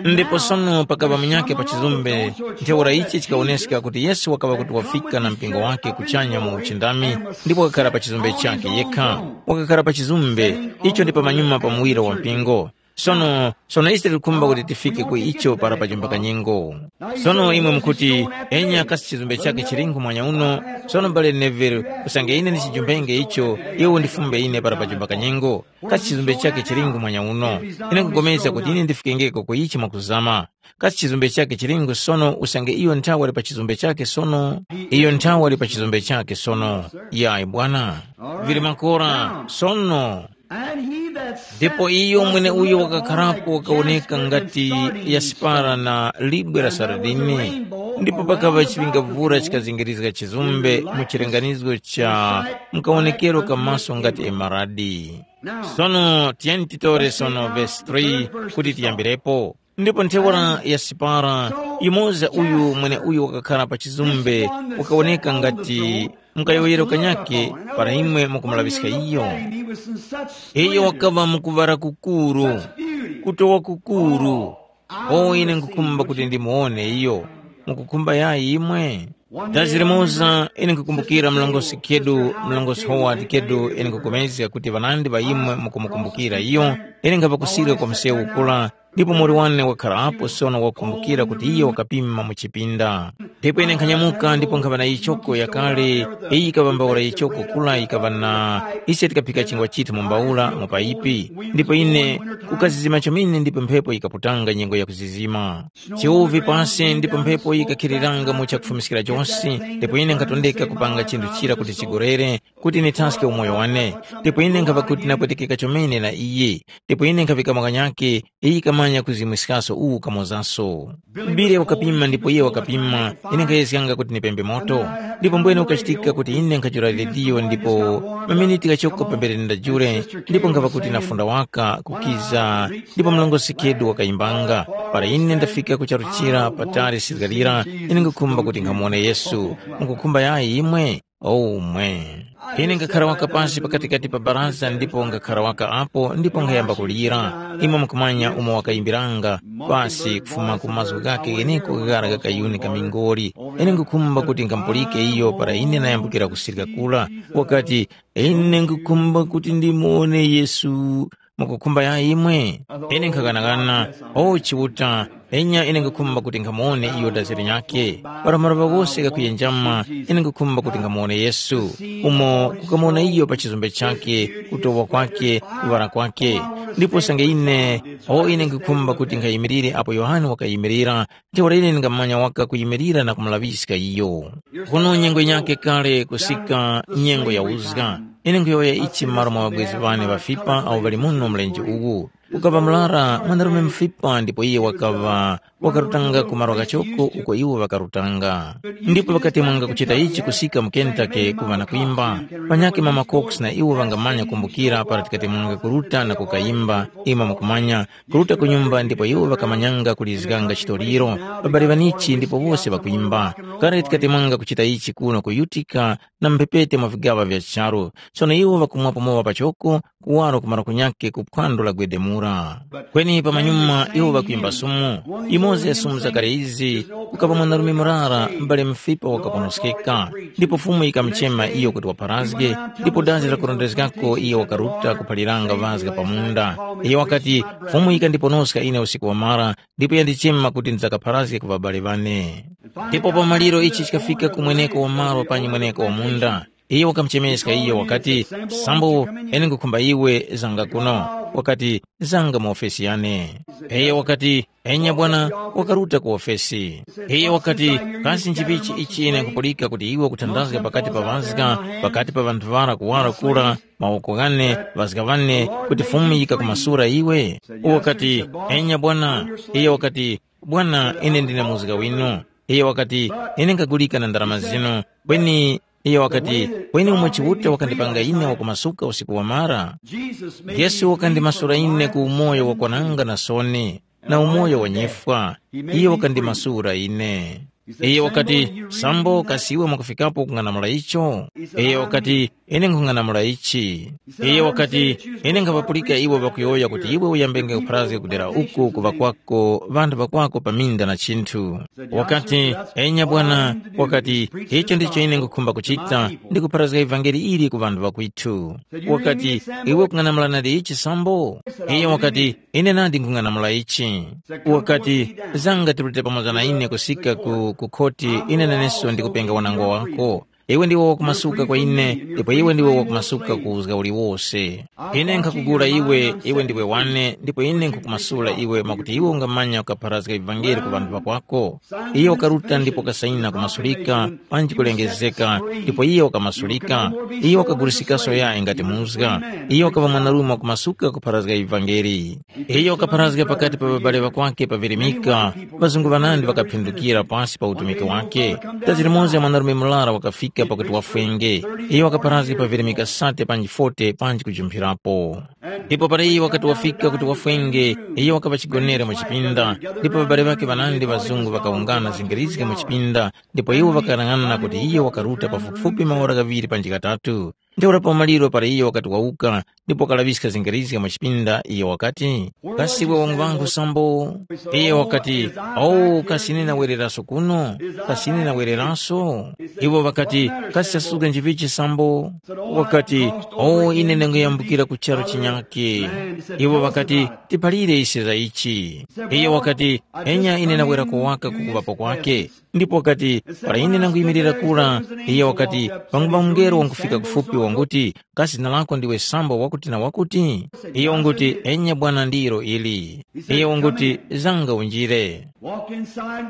Ndipo sono pakaŵa munyakhe pa chizumbe, ntheura ichi chikawoneska kuti Yesu wakaŵa kuti wafika na mpingo wake kuchanya mu uchindami ndipo wakakhara pa chizumbe chakhe yekha. Wakakhara pa chizumbe, icho ndi pamanyuma pa muwiro wa mpingo. Sono, sono ise tikukhumba kuti tifike ku icho para pajumba kanyengo. Sono imwe mukuti, enya kasi chizumbe chake chilingu mwanya uno? Sono mbale Neville, usange ine ndichijumbenge icho, iwe undifumbe ine para pajumba kanyengo. Kasi chizumbe chake chilingu mwanya uno? Ine nkupulikana kuti ine ndifikengeko ku ichi mwakuzama. Kasi chizumbe chake chilingu sono usange iyo nthawe ali pa chizumbe chake sono? Iyo nthawe ali pa chizumbe chake sono. Yayi bwana. Vili makora sono. Ndipo iyo mweneuyo wakakharapo wakawoneka ngati yasipara na libwe la saradini, ndipo pakaŵa chiŵingavura chikazingirizga chizumbe mu chilinganizo cha mukawonekero ka maso ngati emaradi. Sono tiyeni titore sono vesi three kuti tiyambirepo. Ndipo ntheura yasipara, yumoza uyu mweneuyo wakakhara pa chizumbe, wakawoneka ngati mukayowoyero kanyakhe para imwe mukumulaŵiska iyo. Iyo wakaŵa mu kuŵala kukuru, kutowa kukuru. O ine nkhukhumba kuti ndimuwone iyo. mukukhumba yayi imwe? Dazi limoza ine nkukumbukira mlongosi Kedu, mlongosi Howard Kedu, ine nkupulikana kuti ŵanandi ŵa imwe mukumukumbukira iyo, ine nkhaŵa kusirika kwa msewu kula, ndipo muwoli wane wakharapo sono wakumbukira kuti iyo wakapima mu chipinda. Ndipo ine nkhanyamuka ndipo nkhaŵa na yichoko yakale, iyi yikaŵa mbawula yichoko kula yikaŵa na, ise tikaphika chingwa chithu mu mbawula mu payipi, ndipo ine kukazizima chomene ndipo mphepo yikaputanga nyengo ya kuzizima. Chiwuvi pasi ndipo mphepo yikakhiriranga mu chakufumiskira chose, ndipo ine nkhatondeka kupanga chinthu chira kuti chigorere, kuti nithaske umoyo wane. Ndipo ine nkhava kuti napwetekeka chomene na iye, ndipo ine nkhaŵika makanyake, iye kamanya kuzimwiskaso uwu kamozaso. Bile wakapima ndipo iye wakapima, ine nkhayezganga kuti nipembe moto. Ndipo mbwene ukachitika kuti ine nkhajula rediyo ndipo maminiti ghachoko pambere ndajule, ndipo nkhava kuti nafunda waka kukiza, ndipo mlongosi Kedu wakayimbanga. Para ine ndafika ku charu chira patali sizgalira, ine nkukhumba kuti nkhamuwone Yesu. Mukukhumba yayi imwe? Omwe. Ine ngakhara waka pasi pakatikati pa baraza ndipo ngakhara waka apo ndipo nkhayamba kulira. Imwe mukumanya umo wakayimbiranga pasi kufuma ku mazgu ghake gheneko ghara gha kayuni ka mingoli. Ine nkukhumba kuti nkamupulike iyo para ine nayambukira kusirika kula. Wakati, ine nkukhumba kuti ndimuwone Yesu. Mukukhumba ya imwe? Ine nkhaghanagana, o Chiuta, enya ine nkukhumba kuti nkhamuwone iyo dazi linyakhe. Para maluŵa ghose ghakuyenjama, ine nkukhumba kuti nkhamuwone Yesu, umo kukamuwona iyo pa chizombe chakhe, kutowa kwakhe, kuŵala kwakhe. Ndipo usange ine, o ine nkukhumba kuti nkhayimirire apo Yohane wakayimirira, ntheura ine ndingamanya waka kuyimirira na kumulaŵiska iyo. Kuno nyengo yinyakhe kale kusika nyengo ya uzga. Ine nkhuyowoya ichi m'malo mwa ŵabwezi ŵane ŵafipa awo ŵali muno mlenje uwu. Kukaŵa murara mwanarume mufipa ndipo iyo wakaŵa wakarutanga ku malo ghachoko uko iwo ŵakarutanga. Ndipo ŵakatemwanga kuchita ichi kusika mu Kentucky kuŵa na kwimba. Panyakhe mama Cox na iwo ŵangamanya kumbukira para tikatemwanga kuruta na kukayimba, imwe mukumanya, kuruta ku nyumba ndipo iwo ŵakamanyanga kulizganga chitoliro, ŵabali ŵanichi ndipo wose ŵakwimba. Kale tikatemwanga kuchita ichi kuno ku Utica na mphepete mwa vigaŵa vya charu. Sono iwo ŵakumwapo mowa pachoko, kuwaro kumara kunyakhe ku phwando la gwedemura. Kweni pamanyuma iwo ŵakwimba sumu. Imoza ya sumu zakale izi, kukaŵa mwanarume murara, m'bale mufipa wakaponoskeka. Ndipo Fumu yikamuchema iyo kuti wapharazge, ndipo dazi lakurondezgako iyo wakaruta kuphaliranga ŵazga pa munda. Iyo wakati, Fumu yikandiponoska ine usiku wamara, ndipo yandichema kuti ndidzakapharazge ku ŵabale ŵane. Ndipo pa maliro ichi chikafika ku mweneko wa malo panyi mweneko wa munda. Iyo wakamuchemeska iyo wakati, Sambo, ine nkhukhumba iwe zanga kuno. Wakati, zanga mu ofesi yane. Iyo wakati, enya bwana, wakaruta ku ofesi. Iyo wakati, kasi nchivichi ichi ine nkupulika kuti iwe ukuthandazga pakati pa ŵazga, pakati pa ŵanthu ŵara kuwara kura, mawoko ghane, ŵazga ŵane, kuti Fumu yikakumasura iwe? Uwo wakati, enya bwana. Iyo wakati, bwana, ine ndine muzga winu. Iyo wakati, ine nkagulika na ndarama zinu. Kweni iyo wakati, kweni umo Chiuta wakandipanga ine wakumasuka usiku wamara. Yesu wakandimasura ine ku umoyo wakwananga na soni, na umoyo wa nyifwa. Iyo wakandimasura ine. Iyo wakati, sambo kasi iwe mwakufikapo kung'anamula icho? Iyo wakati, ine nkhung'anamula ichi. Iyo wakati, ine nkhapapulika iwe ŵakuyowoya kuti iwe uyambenge kupharazga kudera uku kuŵa kwako ŵanthu ŵakwako pa minda na chinthu. Wakati, enya bwana, wakati, icho ndicho ine nkhukhumba kuchita, ndi kupharazga ivangeli ili ku ŵanthu ŵakwithu. Wakati, iwe ukung'anamula nadi ichi sambo? Iyo wakati, ine nadi nkhung'anamula ichi. Wakati, zanga tirute pamoza na ine kusika ku, ku khoti, ine naneso ndikupenga wanangwa wako. Iwe ndiwe wakumasuka kwa ine, ndipo iwe ndiwe wakumasuka ku uzga uliwose. Ine nkhakugula iwe, iwe ndiwe wane, ndipo ine nkhukumasula iwe mwakuti iwe ungamanya ukapharazga ivangeli ku ŵanthu ŵakwako. Iye wakaruta ndipo kasayina kumasulika, panji kulengezeka, ndipo iye wakamasulika. Iye wakagulisikaso yayi ngati muzga. Iye wakaŵa mwanarume wakumasuka kupharazga ivangeli. Iyo wakapharazga pakati pa ŵabale ŵakwakhe pa virimika, ŵazungu ŵanandi ŵakaphindukira pasi pa utumiki wakhe. Dazi limoza mwanarume murara wakafika pakuti wafwenge. Iyo wakapharazga pa virimika sate panji forty panji kujumphirapo. Ndipo para iyo wakati wafika kuti wafwenge, iyo wakaŵa chigonere mu chipinda, ndipo ŵabale ŵakhe ŵanandi ŵazungu ŵakawungana zingirizge mu chipinda, ndipo iwo ŵakaghanaghanana kuti iyo wakaruta pafupifupi maora ghaŵiri panji ghatatu. Ntheura pa maliro para iyo wakati wawuka ndipo wakalaŵiska zingirizga mwa chipinda, iyo wakati, “Kasi iwe wangu ŵangu sambo?” Iyo wakati, “Owu kasi ine nawereraso kuno? Kasi ine nawereraso?” Iwo ŵakati, “Kasi chasuga njivichi sambo?” Wakati, “Owu ine ndanguyambukira ku charu chinyakhe.” Iwo ŵakati, “Tiphalire ise za ichi.” Iyo wakati, “Enya ine nawera kuwaka ku kuŵapo kwakhe.” Ndipo wakati, “Para ine nanguyimirira kura,” iyo wakati, “panguŵa mungelo wangufika kufupi wanguti, ‘Kasi zina lako ndiwe Sambo wakuti na wakuti?’ Iyo wanguti, ‘Enya Bwana ndilo ili.’ Iyo wanguti, ‘Zanga unjire.’ Walk inside.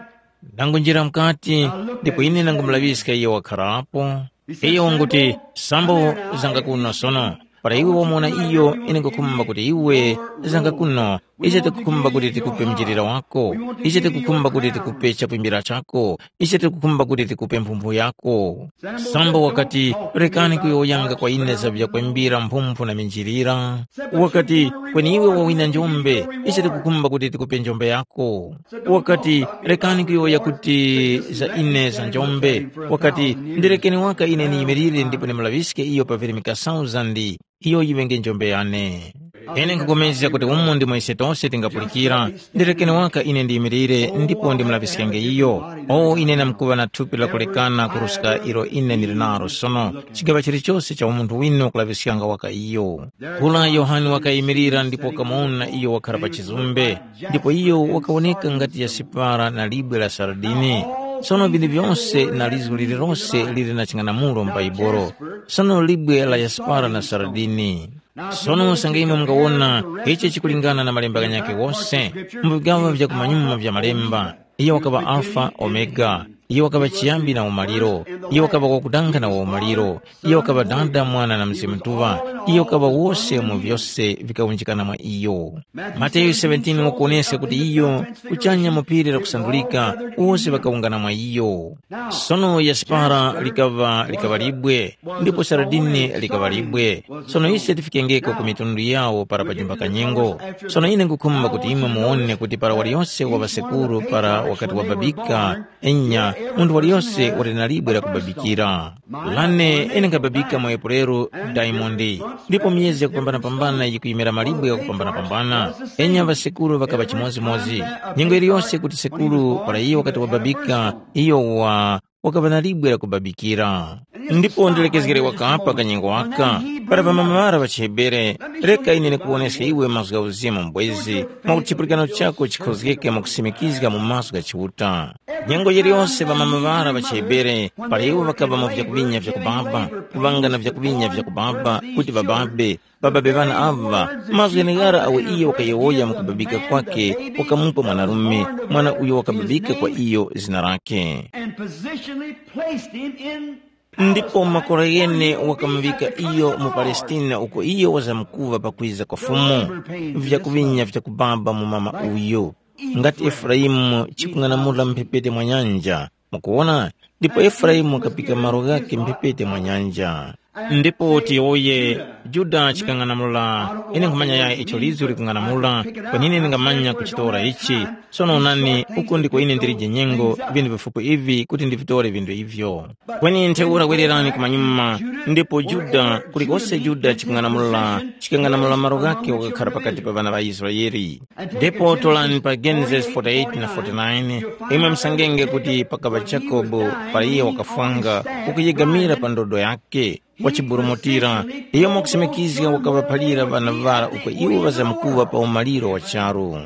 Ndangunjira mukati, ndipo ine ndangumulaŵiska iyo wakharapo. Iyo wanguti, ‘Sambo, zanga kuno sono.’ Para iwe wamuwona iyo, ine nkhukhumba kuti iwe zanga kuno, ise tikukhumba kuti tikupe mjilira wako, ise tikukhumba kuti tikupe chakwimbira chako, ise tikukhumba kuti tikupe mphumphu yako. Sambo wakati, rekani kuyowoyanga kwa ine za vyakwembira mphumphu na minjilira. Wakati, kweni iwe wawina njombe, ise tikukhumba kuti tikupe njombe yako. Wakati, rekani kuyowoya kuti za ine za njombe. Wakati, ndirekeni waka ine niyimirire ndipo ndimulaŵiske iyo pa virimika thousand, iyo yiŵenge njombe yane. Ine nkhupulikana kuti umu ndimo ise tose tingapulikira, ndirekeni waka ine ndiyimirire ndipo ndimulaŵiskenge iyo. O ine namkuŵa na thupi lakulekana kuruska ilo ine ndili nalo sono, chigaŵa chilichose cha umunthu winu kulaŵiskanga waka iyo. Kula Yohane wakayimirira ndipo wakamuwona iyo wakhala pa chizumbe, ndipo iyo wakawoneka ngati yasipara na libwe la saradini. Sono vinthu vyose na lizgu lililose lili na ching'anamulo m'Baibulo. Sono libwe la yasipara na saradini. Sono usange imwe mungawona ichi chikulingana na malemba ghanyakhe wose, mu vigaŵa vya kumanyuma vya malemba, iyo wakaŵa Alfa, Omega, iyo wakaŵa chiyambi na umaliro, iyo wakaŵa wakudanga na waumaliro, iyo wakaŵa Dada, Mwana na Mzimu Mutuŵa, iyo wakaŵa wose mu vyose vikawunjikana mwa iyo. Mateyu seventeen wakuwoneska kuti iyo, kuchanya mu phiri lakusandulika, wose ŵakawungana mwa iyo. Sono yasipara likaŵa likaŵa libwe, ndipo saradini likaŵa libwe. Sono ise tifikengeko ku mitundu yawo para pajimba kanyengo. Sono ine nkhukhumba kuti imwe muwone kuti para waliyose wa ŵasekuru para wakati wababika, enya, munthu waliyose wali na libwe lakubabikira. Lane ine nkhababika mu Epuleru, Daimondi, ndipo myezi yakupambanapambana yikuyimira malibwe ghakupambanapambana. Enya ŵasekuru ŵakaŵa chimodzimodzi. Nyengo yiliyose kuti sekuru para iyo wakati wababika, iyo wa wakaŵa na libwe lakubabikira. Ndipo ndilekezgere wakapa kanyengo aka, para ŵamama ŵara ŵa chiHebere, reka ine ndikuwoneske iwe mazgu gha uzimu m'bwezi, mwakuti chipulikano chako chikhozgeke mwakusimikizga mu mazgu gha Chiuta. Nyengo yiliyose ŵamama ŵara ŵa chiHebere, para iwo ŵakaŵa mu vyakuŵinya vyakubaba, kuŵanga na vyakuŵinya vyakubaba, kuti ŵababe, ŵababe ŵana aŵa, mazgu gheneghara agho iyo wakayowoya mu kubabika kwakhe, wakamupa mwanarume, mwana uyo wakababika kwa iyo zina lakhe. And positionally placed him in Ndipo makora ghene wakamuŵika iyo mu Palestina uko iyo wazamkuŵa pakwiza kwa Fumu, vyakuŵinya vyakubaba mu mama uyu. Ngati Efuraimu chikung'anamula mphepete mwa nyanja, mukuwona, ndipo Efuraimu wakapika malo ghakhe mphepete mwa nyanja. Ndipo tiyowoye, Yuda chikang'anamula, ine nkhumanya yaya icho lizu likung'anamula, kweni ine ndingamanya kuchitora ichi. Sono onani, uku ndiko ine ndilije nyengo, vinthu vifupi ivi kuti ndivitore vinthu ivyo. Kweni ntheura wererani kumanyuma, ndipo Yuda, kulikose Yuda chikung'anamula, chikang'anamula malo ghakhe wakakhara pakati pa ŵana ŵa Israele. Ndipo tolani pa Genesis forty-eight na forty-nine, imwe musangenge kuti pakaŵa Jakobo, para iye wakafwanga, ukuyegamira pa ndodo yakhe, wachiburumutira, iyo mwakusimikizga wakaŵaphalira ŵana ŵara uko iwo ŵazamkuŵa pa umaliro wa charu.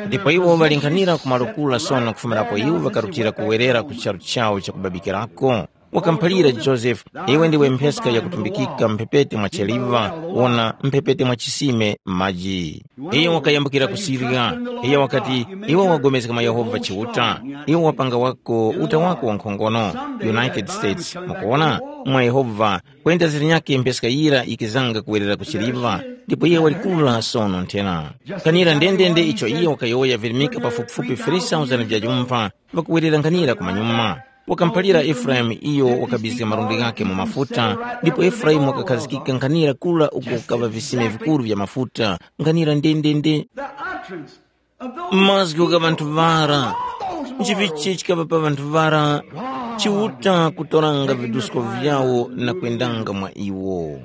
Ndipo iwo ŵalinkhanira ku malo kura sono kufumirapo iwo ŵakarutira kuwerera ku charu chawo chakubabikirako. Wakamuphalira Josefe, iwe ndiwe mpheska yakutumbikika mphepete mwa cheliva, wona mphepete mwa chisime m'maji. Iyo wakayambukira ku Siriya, iyo wakati, iwe wapulikana mwa Yehova Chiuta, iwe wapanga wako uta wako wankhongono, United States, mukuwona, mwa Yehova, kwenda zilinyakhe mpheska yira yikizanga kuwerera ku chiliva, ndipo iye walikula sono nthena. Kanira ndendende icho iye wakayowoya virimika pafupifupi three thousand vya jumpha, ŵakuwerera nkhanira kumanyuma. Wakamuphalira Efuraimu iyo wakabizga malundi ghakhe mu mafuta, ndipo Efuraimu wakakhazikika nkhanira kura uko kukaŵa visime vikuru vya mafuta, nkhanira ndendende. The utterance of those Mazgu gha ŵanthu ŵara, nchivichi chikaŵa pa ŵanthu ŵara, Chiuta kutoranga vidusko vyawo na kwendanga mwa iwo.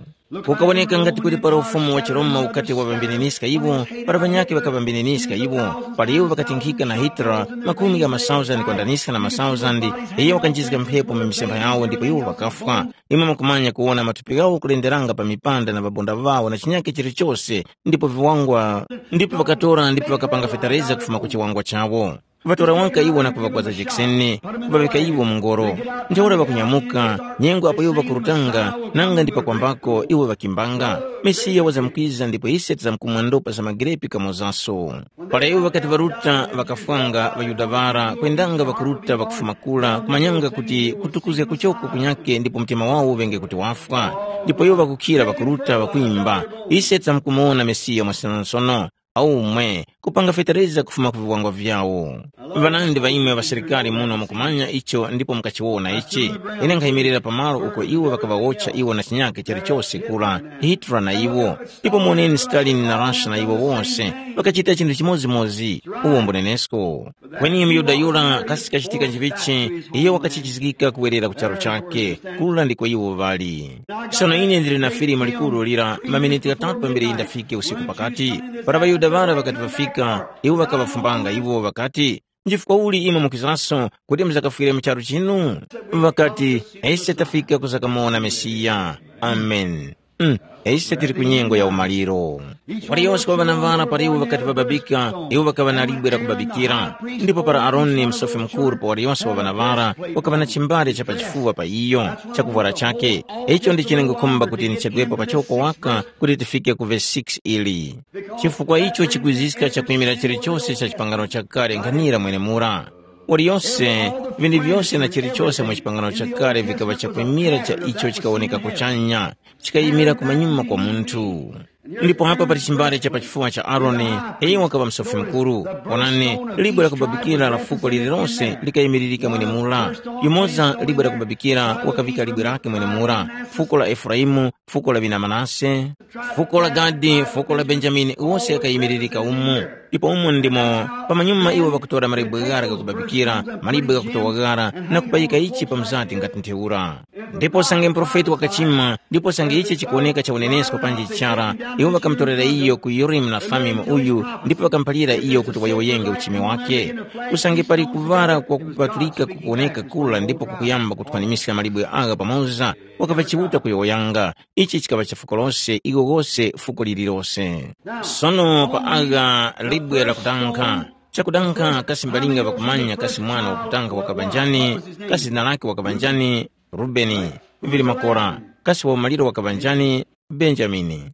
Kukawoneka ngati kuti para ufumu wa chiRoma ukati waŵambininiska iwo, para ŵanyakhe ŵakaŵambininiska iwo, para iwo ŵakatinkhika na Hitler, makumi gha masauzandi kwandaniska na masauzandi, iyo wakanjizga mphepo mu misempha yawo ndipo iwo ŵakafwa. Imwe mukumanya kuwona matupi ghawo kulenderanga pa mipanda na ŵabonda ŵawo na chinyakhe chilichose, ndipo viwangwa, ndipo ŵakatora ndipo ŵakapanga fetereza kufuma ku chiwangwa chawo. Ŵatora waka iwo na kuŵagwaza jekiseni, kuŵaŵika iwo mu ngoro. Ntheura ŵakunyamuka, nyengo apo iwo ŵakurutanga, nanga ndi pakwambako iwo ŵakimbanga. Mesiya wazamkwiza ndipo ise tizamkumwandopa za magirepi kamozaso. Para iwo ŵakati ŵaruta ŵakafwanga ŵaYuda ŵara, kwendanga ŵakuruta ŵakufuma kura, kumanyanga kuti kutukuzga kuchoko kunyakhe ndipo mtima wawo uŵenge kuti wafwa. Ndipo iwo ŵakukhira ŵakuruta ŵakwimba, ise tizamkumuwona Mesiya mwasonosono. Aumwe, kupanga fetereza kufuma ku viwangwa vyawo. Ŵanandi ŵa imwe ŵasilikari muno mukumanya icho ndipo mukachiwona ichi. Ine nkhayimirira pamalo uko iwo ŵakaŵawotcha iwo na chinyakhe chalichose kura, Hitler na iwo. Ndipo muwoneni Stalin na Russia na iwo wose, ŵakachita chinthu chimodzimodzi, uwo mbunenesko. Kweni muyuda yura kasi kachitika nchivichi, iyo wakachijizgika kuwerera ku charu chake, kura ndiko iwo ŵali. Sono ine ndili na filimu likuru lira maminiti ghatatu pambere ndafike usiku pakati. Para ŵaYuda ŵara ŵakati ŵafika, iwo ŵakaŵafumbanga iwo ŵakati, “Nchifukwa uli imwe mukizaso kuti muzakafwire mu charu chinu?” Ŵakati, “Ise tafika kuzakamuwona Mesiya.” Ameni. Mm, ise tili ku nyengo ya umaliro. Waliyose wa ŵanavara para iwo ŵakati ŵababika, iwo ŵakaŵa na libwe la kubabikira. Ndipo para Aroni msofi mukuru pa waliyose wa ŵanavara, wakaŵa na chimbale cha pachifuwa pa iyo, cha kuvwara chake. Icho ndi chenengokhumba kuti ndichedwepo pachoko waka kuti tifike ku vesi six ili. Chifukwa icho chikwiziska chakwimira chilichose cha chipangano chakale nkhanira mwenemura. Waliyose, vinthu vyose na chilichose mu chipangano chakale vikaŵa chakwimira cha icho chikawoneka kuchanya, chikayimira kumanyuma kwa munthu. Ndipo apa pali chimbale cha pachifuwa cha Aroni, iyo wakaŵa msofi mukuru. Wonani, libwe la kubabikira la fuko lililose likayimiririka mwenemura. Yumoza libwe la kubabikira wakavika libwe lake mwenemura, fuko la Efuraimu, fuko la ŵina Manase, fuko la Gadi, fuko la Benjamini, wose akayimiririka umo. Ndipo umo ndimo pamanyuma iwo ŵakutora malibwe ghara ghakubabikira, malibwe ghakutowa ghara na kupayika ichi pamuzati ngati ntheura. Ndipo usange muprofeti wakachima, ndipo usange ichi chikuwoneka cha unenesko panji chara, iwo ŵakamutorera iyo ku Yurimu na Thumimu uyu, ndipo ŵakamuphalira iyo kuti wayowoyenge uchimi wake. Usange pali kuŵala kwa kupatulika kukuwoneka kura ndipo kukuyamba kuthwanimiska malibwe agha pamoza, wakaŵa Chiuta kuyowoyanga. Ichi chikaŵa cha fuko lose, iko kose fuko lililose. Sono pa agha libwe lakudankha, chakudankha kasi mbalinga ŵakumanya kasi mwana wakutanga wakaŵa njani, kasi zina lake wakaŵa njani, Rubeni, vili makora, kasi waumaliro wakaŵa njani, Benjamini.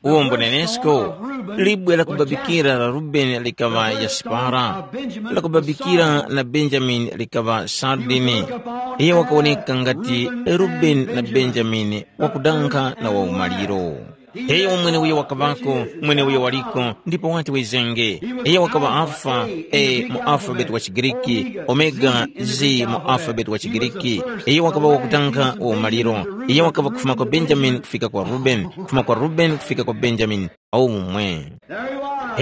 Uwo mbunenesko, libwe la kubabikira la Rubeni likaŵa Yasipara, la kubabikira na Benjamini likaŵa Sardini. Iyo wakawoneka ngati Rubeni na Benjamini, wakudankha na waumaliro. Iyo mweneuyo wakaŵako, mweneuyo waliko, ndipo wati wizenge. Iyo wakaŵa Alfa, e mu alfabeti wa Chigiriki, Omega, zi mu alfabeti wa Chigiriki. Iyo wakaŵa wakudankha waumaliro. Iyo wakaŵa kufuma kwa Benjamini kufika kwa Rubeni, kufuma kwa Rubeni kufika kwa Benjamini. Aumwe.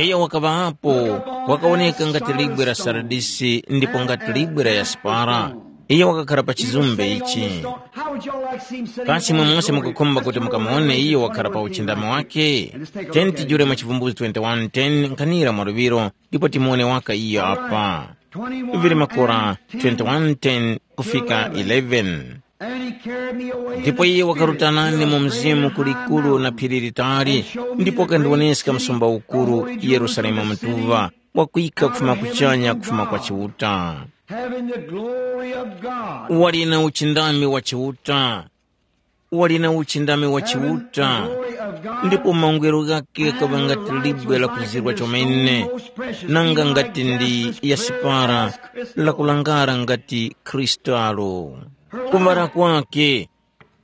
Iyo wakaŵapo, wakawoneka ngati libwe la saradisi ndipo ngati libwe la yaspara. Iyo wakakhara pa chizumbe ichi. Kasi imwe mose mukukhumba kuti mukamuwone iyo wakhara pa uchindami wake? Tiyeni tijule mwa Chivumbulutso twenty-one ten nkhanira mwa luŵiro ndipo timuwone waka iyo apa. Vili makora twenty-one ten kufika eleven. Ndipo iye wakaruta nane mu mzimu ku likulu na phiri litali, ndipo wakandiwoneska msumba ukuru, Yerusalemu mutuŵa, wakwika kufuma kuchanya kufuma kwa Chiuta. Having the glory of God. Wali na uchindami wa Chiuta. Wali na uchindami wa Chiuta. Ndipo mangwero ghake ghaŵa ngati libwe la kuzirwa chomene, nanga ngati ndi yasipara, la kulangara ngati kristalo. Kuŵala kwake,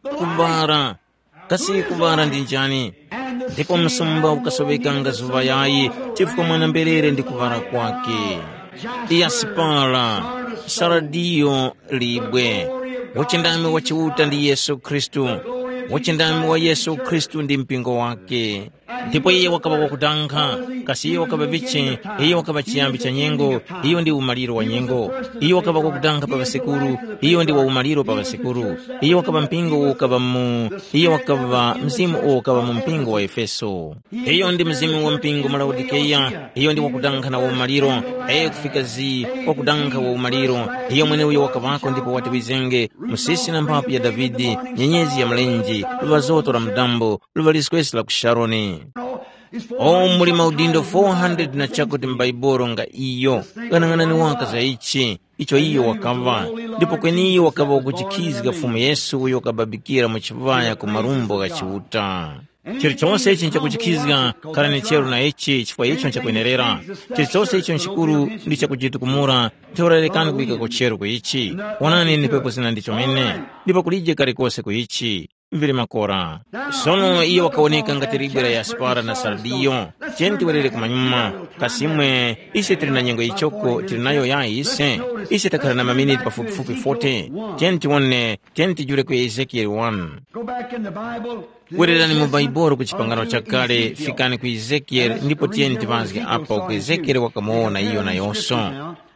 kuŵala, kasi kuŵala ndi njani? Ndipo msumba ukasoŵekanga zuŵa yayi, chifukwa mwana-mberere ndi kuŵala kwake. Yasipara, saradiyo, libwe. Uchindami wa Chiuta ndi Yesu Khristu. Uchindami wa Yesu Khristu ndi mpingo wake. Ndipo iye wakaŵa wakudankha, kasi iyo wakaŵa vichi? Iyo wakaŵa chiyambi cha nyengo, iyo ndi umaliro wa nyengo. Iyo wakaŵa wakudankha pa ŵasekuru, iyo ndi wa umaliro pa ŵasekuru. Iyo wakaŵa mpingo uwo ukaŵa mu, iyo wakaŵa mzimu uwo ukaŵa mu mpingo wa Efeso. Iyo ndi mzimu wa mpingo mu Laodikeya, iyo ndi wakudankha na umaliro, aye kufika zi wakudankha wa umaliro, iyo mweneuyo wakaŵako ndipo wati wizenge, musisi na mphapu ya Davide, nyenyezi ya mlenje, luŵa zoto la mudambo, luŵa liswesi la ku Sharoni. O muli maudindo four hundred na chakuti m'Baibulo nga iyo, ghanang'anani waka za ichi, icho iyo wakaŵa, ndipo kweni iyo wakaŵa wakuchikhizga Fumu Yesu uyo wakababikira mu chiŵaya ku marumbo gha Chiuta. Chilichonse ichi nchakuchikhizga, kharani cheru na ichi chifukwa icho nchakwenerera. Chilichonse icho nchikuru ndi chakujitukumura, ntheura rekani kuŵika kucheru ku ichi. Wonani ni pepo zina ndi chomene, ndipo kulije kalikose ku ichi. Vili makora. Sono iyo wakawoneka ngati libwe la yaspara na sardiyo. Tiyeni tiwerere kumanyuma. Kasimwe, ise tili na nyengo yichoko tili nayo yayi ise? Ise takhala na maminiti pafupifupi forty. Tiyeni tiwone, tiyeni tijule ku Ezekiyeli one. Go back in the Bible. Wererani mu Bhaibuli ku chipangano chakale, fikani ku Ezekiyeli ndipo tiyeni tiŵazge apa uku Ezekiyeli wakamuwona iyo nayose.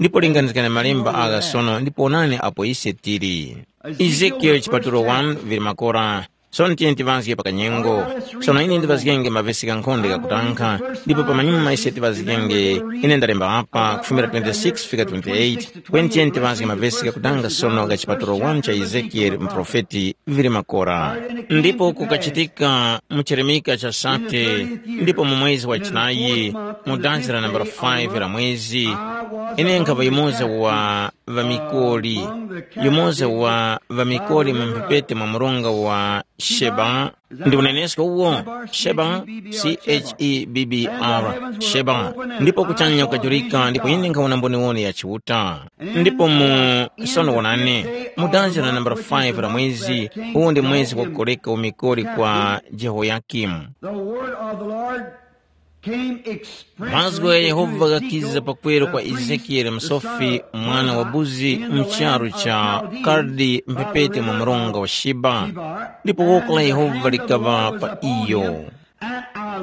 Ndipo linganizgani malemba agha sono ndipo onani apo ise tili. Ezekiyeli chipatulo one vili makora. Sono tiyeni tiŵazge pa kanyengo. Sono ine ndiŵazgenge mavesi ghankhonde ghakutankha, ndipo pamanyuma ise tiŵazgenge, ine ndalemba apa kufumira twenty-six fika twenty-eight. Kweni tiyeni tiŵazge mavesi ghakutankha sono gha chipatulo one cha Ezekiyeli muprofeti vili makora. Ndipo kukachitika mu chirimika cha sate, ndipo mu mwezi wa chinayi, mu danzi la nambala five la mwezi, ine nkhaŵa yumoza wa ŵamikoli, yumoza wa ŵamikoli mu mphepete mwa mronga wa Sheba. Ndi unenesko uwo? Sheba, C H E B B R, Sheba. Ndipo kuchanya kukajurika ndipo ine nkhawona mboniwoni ya Chiuta. Ndipo mu sono wonani, mu danzi la nambala five la mwezi, uwu ndi mwezi wakukoreka umikoli kwa Jehoyakimu. The word of the Lord came expressly. Mazgu gha Yehova ghakiza pakweru kwa Ezekiyele msofi, mwana wa buzi, mu charu cha Kaldi mphepete mwa mronga wa Shiba, ndipo woko la Yehova likaŵa pa iyo.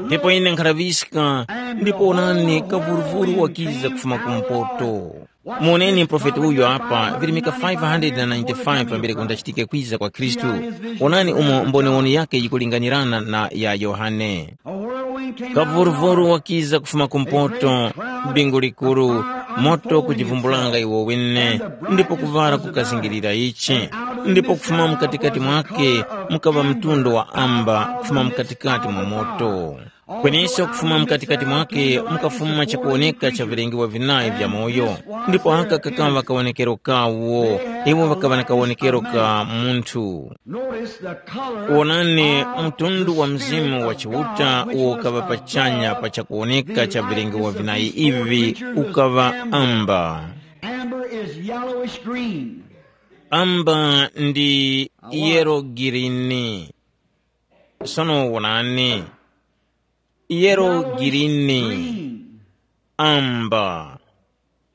Ndipo ine nkhalaŵiska, ndipo onani, kavuruvuru wakiza kufuma kumpoto. Muoneni muprofeti uyu apa, virimika five hundred na ninety-five pambere kundachitike kwiza kwa Khristu. Onani umo mboniwoni yake yikulinganirana na ya Yohane. Kavuruvuru wakiza kufuma kumpoto, bingu likuru, moto kujivumbulanga iwo wene, ndipo kuvara kukazingirira ichi, ndipo kufuma mukatikati mwake mukaŵa mtundu wa amba kufuma mukatikati mwa moto. Kweneso kufuma mukatikati mwake mukafuma chakuwoneka cha vilengewa vinayi vya moyo, ndipo aka kakaŵa kawonekero kawo, iwo ŵakaŵa na kawonekero ka munthu. Notice the color. Wonani, of mtundu wa the Spirit mzimu wa of Chiuta God, which uwo was ukaŵa above pachanya pa chakuwoneka cha the vilengewa vinayi ivi ukaŵa amba. Amber is yellowish green. Amba ndi yero girini. Sono wonani, yero girini, amba.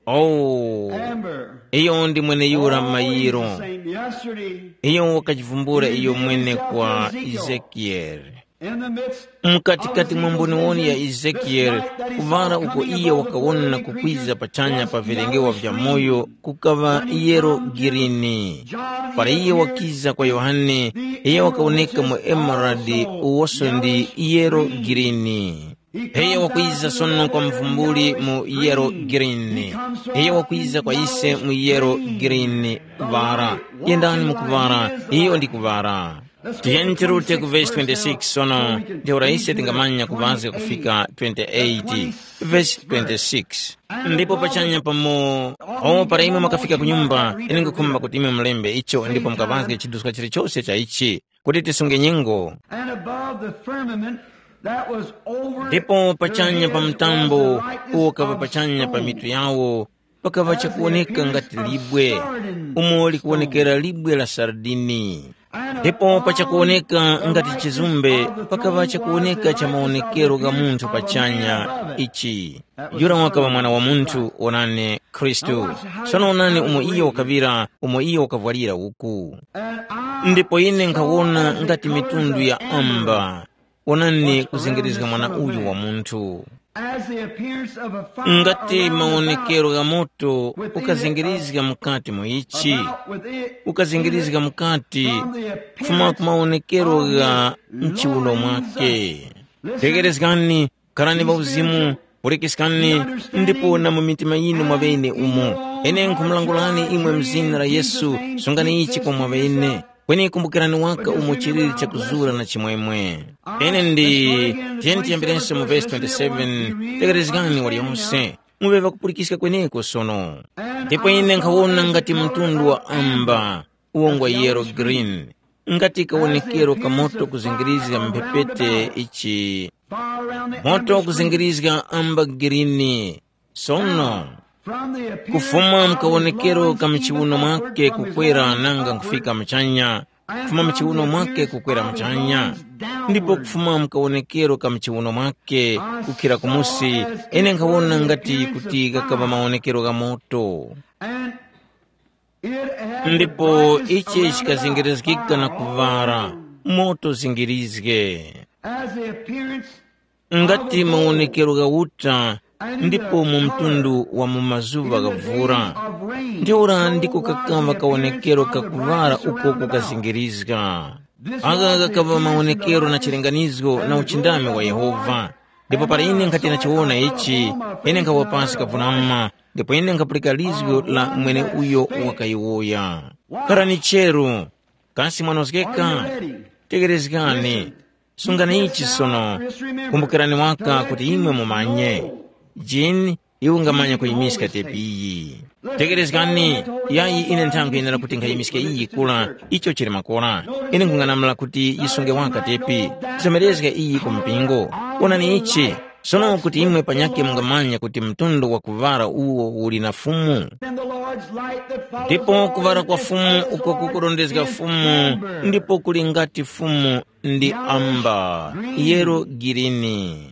Oh, amber. Iyo ndi mweneyura mayiro. Same yesterday. Iyo wakachivumbula iyo mwene kwa Ezekiel. In the midst mkatikati mwa mboniwoni ya Ezekiel, kuvara uko iye wakawona kukwiza pachanya pa vilengewa vya moyo kukaŵa yero girini. Para iye wakiza kwa Yohane, iye wakawoneka mu emerald uwoso ndi yero girini. Iye wakwiza sono kwa mvumbuli mu yero girini. Iye wakwiza kwa ise mu yero girini. Vara, yendani mukuvara, iyo ndi kuvara. Tiyeni tirute ku vesi twenty-six sono, ntheura ise tingamanya kuŵazga kufika twenty-eight. Vesi twenty-six. Ndipo pachanya pamo, o para imwe mwakafika ku nyumba, ine nkhukhumba kuti imwe mulembe icho ndipo mukaŵazge chiduska chilichose cha ichi, kuti tisunge nyengo. And above the firmament that was over ndipo pachanya pa mtambo uwo kava pachanya pa mitu yawo, pakava chakuwoneka ngati libwe, umo likuwonekera libwe la sardini. Ndipo pa chakuwoneka ngati chizumbe, pakava chakuwoneka cha mawonekero gha munthu pachanya ichi. Yura wakaŵa mwana wa munthu, onani, Khristu. Sono onani umo iyo wakaŵira, umo iyo wakavwalira uku. Ndipo ine nkhawona ngati mitundu ya amba. Onani kuzengerezga mwana uyu wa munthu. As the appearance of a fire ngati around the mawonekero fire, gha moto with the image ukazengerezga of mukati mu ichi, about with it, ukazengerezga mukati from the appearance kufuma ku mawonekero of gha the mchiuno loins mwake. Listen, tegerezgani, kharani pa uzimu, pulikiskani, ndipo na mu mitima yinu mwa ŵene umo. Ine nkhumulangulani imwe mu zina la Yesu, sungani ichi kwa mwa ŵene. Kweni kumbukirani waka umo chilili chakuzura na chimwemwe. Ine ndi, tiyeni tiyemberenso mu vesi twenty-seven, tekerezgani waliyonse, muŵe ŵakupulikiska kweneko sono. Ndipo ine nkhawona ngati mtundu wa amba, uwo ngwa yellow green, ngati kawonekero ka moto kuzingirizga mphepete ichi, moto kuzingirizga amba girini. Sono, kufuma mkawonekero ka mchiwuno mwake kukwera nanga nkufika muchanya, kufuma mchiwuno mwake kukwera muchanya, ndipo kufuma mkawonekero ka mchiwuno mwake kukhira kumusi, ine nkhawona ngati kuti ghakaŵa mawonekero gha moto. Ndipo ichi chikazingirizgika na kuŵala, moto zingirizge. As the appearance ngati mawonekero gha uta, ndipo mu mtundu wa mu mazuŵa gha vura. Ntheura ndiko kakamba kawonekero ka kuŵala uko kukazingirizga. Aka kakamba mawonekero na chilinganizo na uchindami wa Yehova. Ndipo para ine nkhati ndachiwona ichi, ine nkhawa pasi kavunama, ndipo ine nkhapulika lizgu la mwene uyo wakayowoya. Kharani cheru, kasi mwanozgeka? Tegerezgani. Sungani ichi sono. Kumbukirani waka kuti imwe mumanye. Jini, iwe ungamanya kuyimiska tepi iyi. Tegerezgani, yayi ine nthawi yenera kuti nkhayimiske iyi kula, icho chili makora. Ine nkhung'anamula kuti yisunge waka tepi. Kusomerezga iyi ku mpingo. Onani ichi. Sono kuti imwe panyakhe mungamanya kuti mtundu wa kuŵala uwo uli na Fumu. Ndipo kuŵala kwa Fumu uko kukurondezga Fumu, ndipo kuli ngati Fumu ndi amba, yero girini.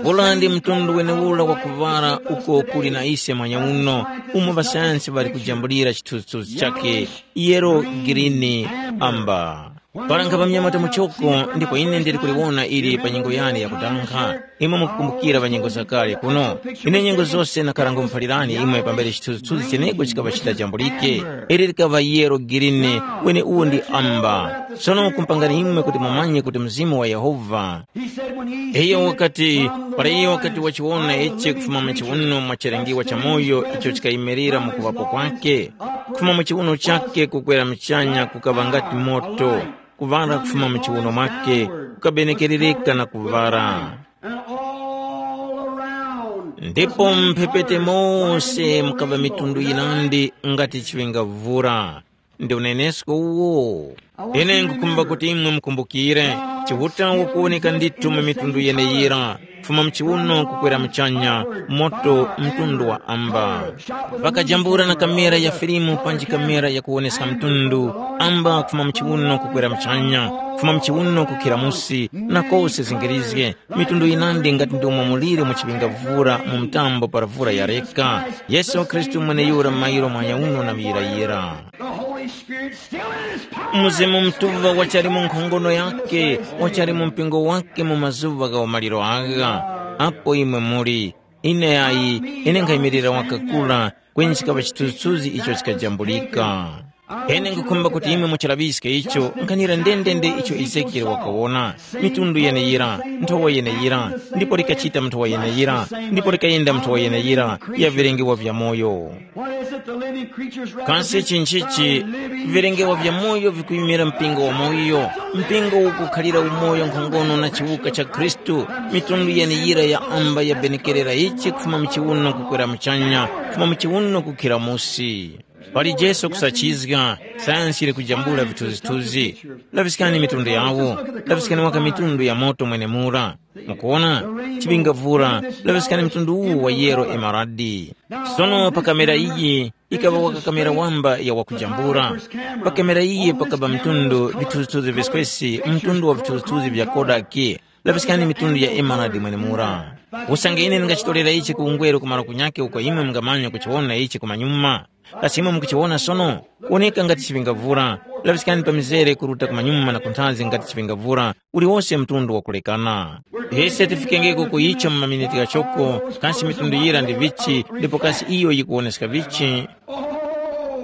Ula ndi mtundu wenewura wa kuŵala uko kuli na ise mwanyauno, umo ŵasayansi ŵali kujambulira chithunzithunzi chakhe, yero girini amba. Para nkhapa mnyamata muchoko, ndipo ine ndili kuliwona ili pa nyengo yane yakudankha. Imwe mukukumbukira pa nyengo zakale kuno. Ine nyengo zose nakhala ngumuphalirani imwe pambere chithunzithunzi cheneko chikaŵa chitajambulike. Ili likaŵa yero girini, kweni uwu ndi amba. Sono kumpangani imwe kuti mumanye kuti Mzimu wa Yehova. Iyo wakati, para iyo wakati wachiwona ichi kufuma mu chiwuno mwa chilengiwa cha moyo icho chikayimirira mu kuŵapo kwake, kufuma mu chiwuno chake kukwera muchanya kukaŵa ngati moto, kuŵala kufuma mu chiwuno mwake kukabenekerereka na kuŵala. And all around ndipo mphepete mose mukaŵa mitundu yinandi ngati chiŵinga vura. Ndi unenesko uwo. Ine nkukhumba kuti imwe mukumbukire, Chiuta wakuwoneka ndithu mu mitundu yeneyira, kufuma mchiwuno kukwera muchanya, moto mtundu wa amba. Pakajambula na kamera ya filimu panji kamera yakuwoneska mtundu, amba kufuma mchiwuno kukwera muchanya, kufuma mchiwuno kukhira musi, na kose zingirizge, mitundu yinandi ngati ndi umo muliri mu chiŵinga vura mu mtambo para vura yareka. Yesu Khristu mweneyura mairo mwanyauno na muyirayira. The Holy Spirit still in his power. Mzimu Mutuŵa wachali mu nkhongono yake, wachali mu mpingo wake mu mazuŵa gha umaliro agha. Apo imwe muli, ine ayi, ine nkhayimirira wakakura, kweni chikaŵa chithunzithunzi icho chikajambulika. Ine nkhukhumba kuti imwe muchilaŵiske icho, nkhanira ndendende icho Ezekiele wakawona. Mitundu yeneyira, nthowa yeneyira, ndipo likachita nthowa yeneyira, ndipo likayenda nthowa yeneyira, ya vilengewa vya moyo. What is it the living creatures represent? Kasi chinchichi? Vilengewa vya moyo vikuyimira mpingo wa moyo. Mpingo ukukhalira umoyo nkhongono na chiwuka cha Khristu. Mitundu yeneyira ya amba yabenekerera ichi kufuma mchiwuno kukwera muchanya, kufuma mchiwuno kukhira musi. Pali Jesu kusachizga, sayansi ili kujambula vithunzithunzi. Laviskani mitundu yawo, laviskani waka mitundu ya moto mwenemura. Mukuwona? Chipingavura, laŵiskani mtundu uwu wa yero emaradi. Sono pa kamera iyi, ikaŵa waka kamera wamba ya wakujambula. Pa kamera iyi pakaŵa mtundu vithuzithuzi viskwesi, mtundu wa vithuzithuzi vya Kodak. Laŵiskani mitundu ya emaradi mwenemura. Usange ine ndingachitorera ichi ku ungweru kumaro kunyakhe uko imwe mungamanya kuchiwona ichi kumanyuma. Kasi imwe mukuchiwona sono? Kuwoneka ngati chiŵingavura. Laŵiskani pa mizere kuruta kumanyuma na kunthazi ngati chiŵingavura, uliwose mtundu wakulekana. Ise tifikengeko ku icho mu maminiti ghachoko, kasi mitundu yira ndi vichi, ndipo kasi iyo yikuwoneska vichi?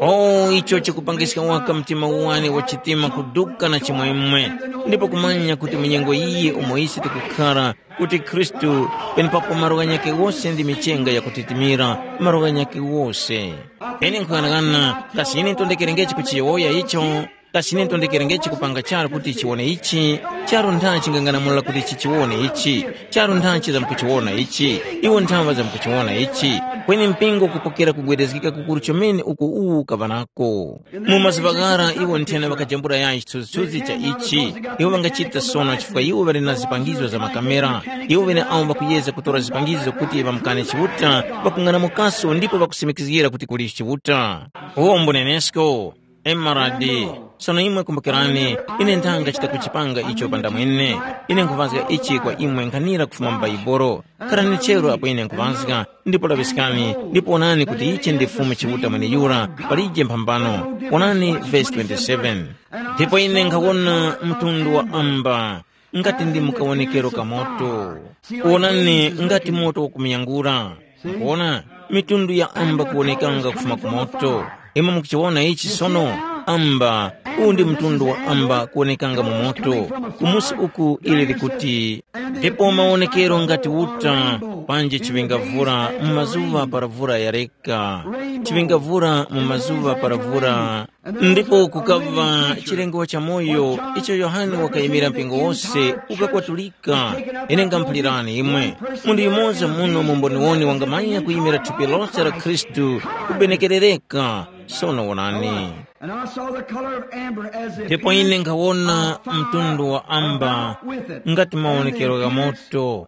Oh, icho chikupangiska waka mtima uwani wa chitima kuduka na chimwemwe, ndipo kumanya kuti mu nyengo iyi umo ise tikukhara, kuti Khristu, penepapo malo ghanyakhe wose ndi michenga yakutitimira, malo ghanyakhe wose. Ine nkuyang'ana, kasi ine ntondekerengechi kuchiyowoya icho? Kasi ine ntondekerengechi kupanga charu kuti chiwone ichi? Charu ntha chingang'anamula kuti chichiwone ichi? Charu ntha chizamkuchiwona ichi? Iwo nthawa zamkuchiwona ichi? Kweni mpingo kupokera kugwedezgika kukuru chomene uko uwu ukaŵa nako. Mu mazuŵa ghara iwo nthena ŵakajambula yayi chithunzithunzi cha ichi. Iwo ŵangachita sono chifukwa iwo ŵali na zipangizo za makamera. Iwo ŵene awo ŵakuyeza kutora zipangizo kuti ŵamukane Chiuta, ŵakung'anamukaso ndipo ŵakusimikizgira kuti kuli Chiuta. Uwo mbunenesko. Emaradi. Sono imwe kumbukirani, ine nthanga chita kuchipanga icho pandamwene. Ine nkhuvazga ichi kwa imwe nkhanira kufuma mu Bhaibuli. Kharani chero apo ine nkhuvazga, ndipo laŵiskani, ndipo wonani kuti ichi ndi Fumu Chiuta mweneyura, palije mphambano. Wonani vesi twenty-seven. Ndipo ine nkhawona mtundu wa amba, ngati ndi mukawonekero ka moto. Wonani ngati moto wakumuyangula. Mukuwona, mitundu ya amba kuwonekanga kufuma ku moto. Imwe mukuchiwona ichi sono? Amba, uwu ndi mtundu wa amba kuwonekanga mu moto. Kumusi uku ili likuti, ndipo mawonekero ngati uta, panji chiŵingavura mu mazuŵa para vura yareka, chiŵingavura mu mazuŵa para vura. Ndipo kukaŵa chilengo cha moyo icho Yohane wakayimira mpingo wose ukakwatulika. Ine ngamuphalirani imwe, munthu yumoza muno mu mboniwoni wangamanya kuyimira thupi lose la Khristu kubenekerereka. Sono wonani. And I saw the color of amber as if Ndipo ine nkhawona mtundu wa amba with it. Ngati mawonekero gha moto,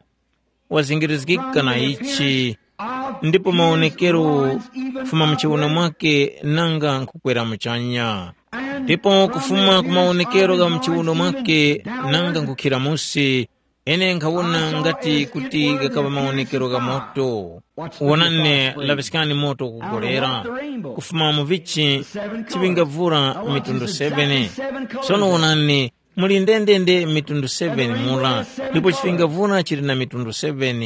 wazingirizgika na ichi, ndipo mawonekero kufuma mu chiwuno mwake nanga nkukwera muchanya. Ndipo kufuma ku mawonekero gha mu chiwuno mwake nanga nkukhira musi, ine nkhawona ngati kuti ghakaŵa mawonekero gha moto. Wonani, laŵiskani moto ukugolera, kufuma mu vichi chiŵingavura mitundu seven. Sono wonani, muli ndendende mitundu seven mura, ndipo chiŵingavura chili na mitundu seven.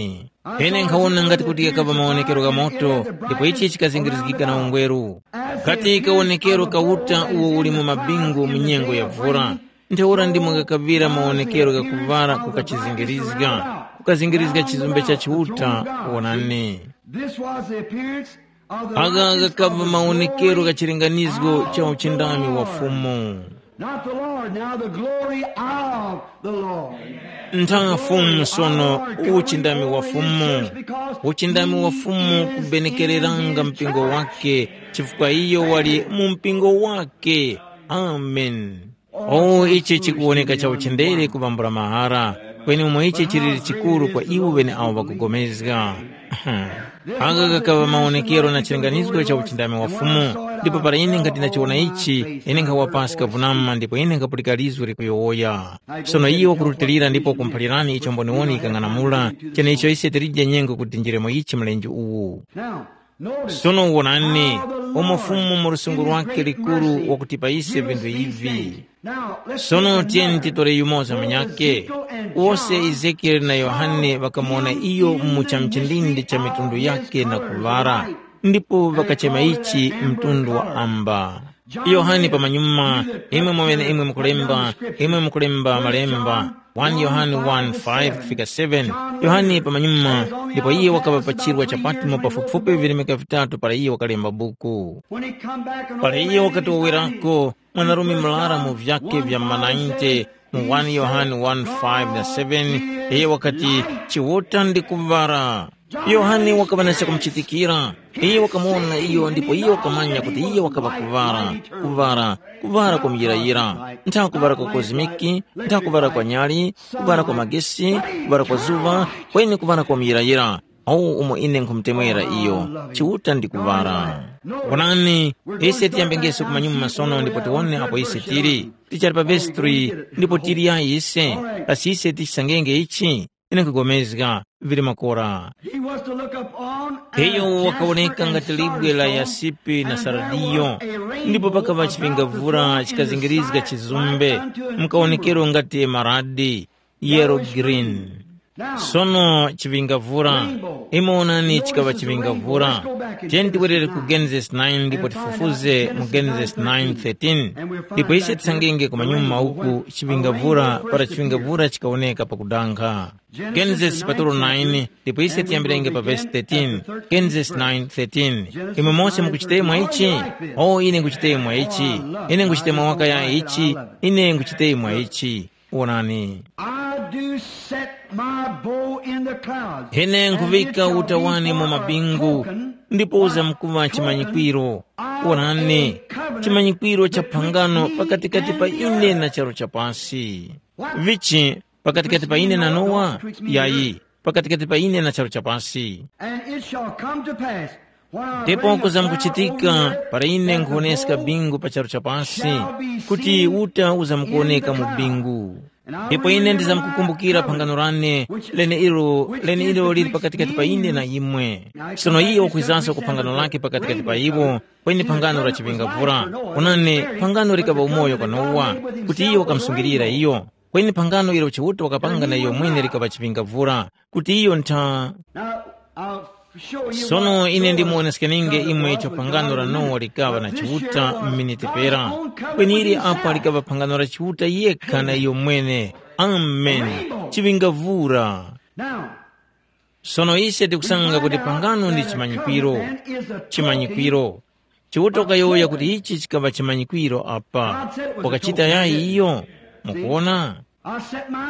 Ine nkhawona ngati kuti ghakaŵa mawonekero gha moto, ndipo ichi chikazingirizgika na ungweru. Ngati kawonekero ka uta uwo uli mu mabingu mu nyengo ya vura, ntheura ndimo ghakaŵira mawonekero gha kuŵala kukachizingirizga, kukazingirizga chizumbe cha Chiuta. Wonani. This was the appearance of the Agha righteous ghakaŵa of the mawonekero gha glory chilinganizo of cha the uchindami wa Lord. Fumu. Not the Lord, now the glory of the Lord. Ntha Fumu sono uchindami wa Fumu. Uchindami wa Fumu kubenekereranga mpingo wake, chifukwa iyo wali mu mpingo wake. Amen. Oh, ichi chikuwoneka cha uchindere kubambula mahara, kweni umo ichi chiliri chikuru kwa iwo ŵene awo ŵakugomezga. Aka kakaŵa mawonekero na chilinganizgo cha uchindami wa Fumu, ndipo para ine ngati ndachiwona ichi, ine nkhawa pasi kavunama ndipo ine nkhapulika lizgu likuyowoya. Sono iyo wakurutilira ndipo wakumphalirani icho mboniwoni yikang'anamula, cheneicho ise tilije nyengo kuti tinjiremo ichi mlenje uwu. Now, notice Sono wonani, how the umo Lord Fumu mu lusungu lwake likuru wakutipa ise vinthu ivi. Now, let's Sono tiyeni titore yumoza munyake. Wose Ezekieli na Yohane ŵakamuwona iyo mu cha mchindindi cha mitundu yake na kuŵala, ndipo ŵakachema ichi mtundu wa amba. Yohane pamanyuma, imwe mweneimwe mukulemba, imwe mukulemba malemba, one Yohane one five kufika seven. Yohane pamanyuma, ndipo iye wakaŵa pa chirwa cha Patimo pafupifupi virimika vitatu para iye wakalemba buku. Para iye wakati wawerako, mwanarume murara mu vyake vya manayinte, mu one Yohane one five na seven, iye wakati, Chiuta ndi kuŵala. Yohane wakaŵa na chakumuchitikira. Iye wakamuwona iyo ndipo iye wakamanya kuti iye wakaŵa kuŵala, kuŵala, kuŵala kwa muyirayira, ntha kuŵala kwa kozimiki, ntha kuŵala kwa nyali, kuŵala kwa magesi, kuŵala kwa zuŵa, kweni kuŵala kwa muyirayira. Awu umo ine nkhumutemwera iyo, Chiuta ndi kuŵala. Wonani, ise tiyambengeso kumanyuma sono ndipo tiwone apo ise tili. Tichali pa vesi three, ndipo tili yayi ise, kasi ise tichisangenge ichi? ine nkhugomezga vili makora. He was to look upon an Iyo wakaoneka jasper ngati and libwe la sardius, yasipi na and there sardiyo, was a ndipo rainbow pakava about the chipingavura sun chikazingirizga chizumbe, mkaonekero ngati emaradi, yellow green. Sono chipingavura, imwe onani chikaŵa chipingavura. Tiyeni tiwerere ku Genesis nine ndipo tifufuze mu Genesis nine thirteen. Ndipo ise tisangenge ku manyuma uku chipingavura para chipingavura chikaoneka pakudankha. Genesis patolo nine, ndipo ise tiyambirenge pa vesi thirteen. Genesis nine thirteen. Imwe mose mukuchitemwa ichi? O, ine nkuchitemwa ichi. Ine nkuchitemwa wakaya ichi. Ine nkuchitemwa ichi. Wonani. I do set my bow in the clouds, Ine and nkuvika it shall uta be wani for mu a mabingu, token ndipo uzamkuŵa chimanyikwiro. Wonani, chimanyikwiro cha phangano pakatikati pa ine na charu chapansi. Vichi pakatikati pa ine na Nowa? Yayi, pakatikati pa ine na charu chapansi. And it shall come to pass, when I Ndipo bring a cloud over the earth, kuzamkuchitika para ine that the nkhuwoneska whole bingu pa charu chapansi, shall be kuti seen uta in uzamkuwoneka the mu cloud. Bingu. And I Ndipo will ine remember my ndizamkukumbukira covenant, phangano lane, which, lene ilo which lene is ilo lili betwixt pakati me pa ine and na you. Imwe. Now it Sono comes back iye to wakwizanso ku phangano lake pakati pa iwo, kweni phangano la chipingavura. Onani, phangano likaŵa umoyo kwa Nowa, kuti iyo wakamsungilira iyo. Kweni phangano ilo Chiuta wakapanga na iyo mwene likaŵa chipingavura, kuti iyo ntha. Now, I'll show you Sono what ine Noah ndimuwoneskeninge imwe icho phangano la Nowa likaŵa na Chiuta m'miniti pera. Kweni ili apa likaŵa phangano la Chiuta yekha na iyo mwene. Amen. Chipingavura. Now, Sono ise tikusanga kuti phangano ndi chimanyikwiro. Chimanyikwiro. Chiuta wakayowoya kuti ichi chikaŵa chimanyikwiro apa. Wakachita yayi iyo? Mukuwona?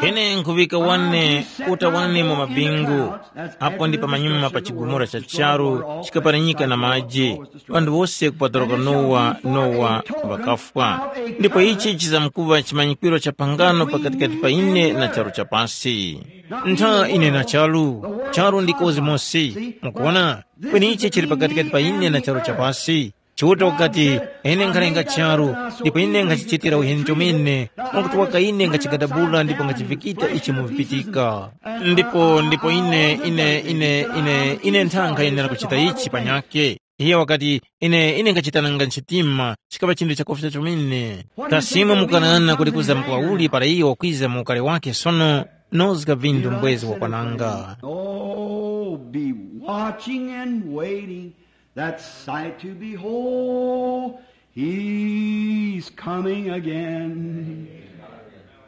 Ine nkhuŵika wane uta wane mu mabingu, apo ndi pamanyuma pa chigumula cha charu chikaparanyika na maji, ŵanthu wose kupatulika Nowa, Nowa ŵakafwa. Ndipo ichi chizamkuŵa chimanyikwiro cha phangano pakatikati pa ine na charu cha pasi. Ntha ine na charu, charu ndi kozi mosi. Mukuwona? Kweni ichi chili pakatikati pa ine na charu cha pasi. Chiuta wakati, ine nkhalenga charu, ndipo ine nkhachichitira uheni chomene, mwakuti waka ine ngachigadabula ndipo ngachivikika ichi mu vipitika. Ndipo ndipo ine ine ine ine ine ntha nkhayenera kuchita ichi panyake. Iye wakati, ine ine ngachita nanga nchitima, chikaŵa chinthu chakufya chomene. Kasi imwe mukanana kuti kuza mkuŵauli para iye wakwiza mu ukale wake sono? Nozga vindu mbwezi wakwananga. Oh, be watching and waiting that sight to behold. He's coming again.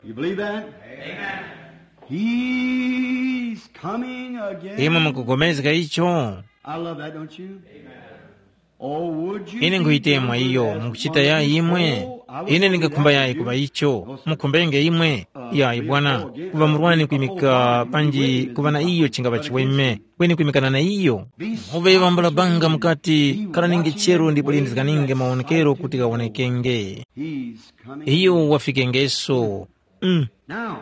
You believe that? Amen. He's coming again. Imwe mukugomezga icho? I love that, don't you? Oh, would you ine be nkhuyitemwa iyo mukuchita yayi imwe? Ine ndingakhumba yayi kuŵa icho. Mukhumbenge imwe? Yayi bwana. Kuŵa murwani kwimika panji kuŵa na iyo chingapa chiweme. Kweni kwimikana na iyo, muŵe ŵambula banga mukati, kalaninge chero ndipo lindizganinge mawonekero kuti ghawonekenge. Iyo wafikengeso. Mm. Now,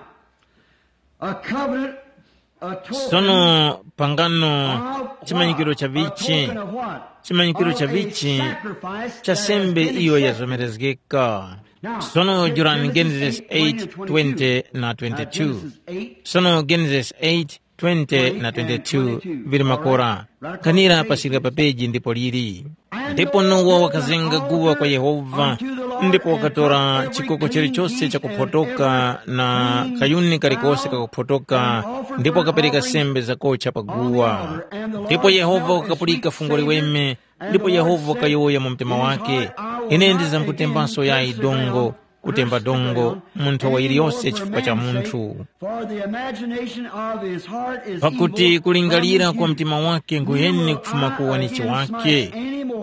a covenant, a token Sono pangano of what? Chimanyikiro cha A vichi? Token of what? Chimanyikiro cha Of a vichi? Sacrifice cha that has sembe been iyo accepted. Yazomerezgeka. Now, Sono in jorani Genesis Genesis eight, eight twenty and twenty-two. Twenty na twenty-two. Now, twenty-two. Genesis eight, twenty na twenty-two vili makora. Kanira pasika pa peji ndipo lili. Ndipo Nowa wakazenga guwa kwa Yehova, ndipo wakatora chikoko chilichose chakuphotoka na kayuni kalikose kakuphotoka, ndipo wakapereka sembe zakocha pa guwa. Ndipo Yehova wakapulika fungo liweme, ndipo Yehova wakayowoya mu mtima wake, ine ndizamkutembanso yayi dongo, kutemba dongo mu nthowa yiliyose chifukwa cha munthu. For the imagination of his heart is Pakuti evil kulingalira kwa mtima wake nguheni kufuma ku wanichi wake.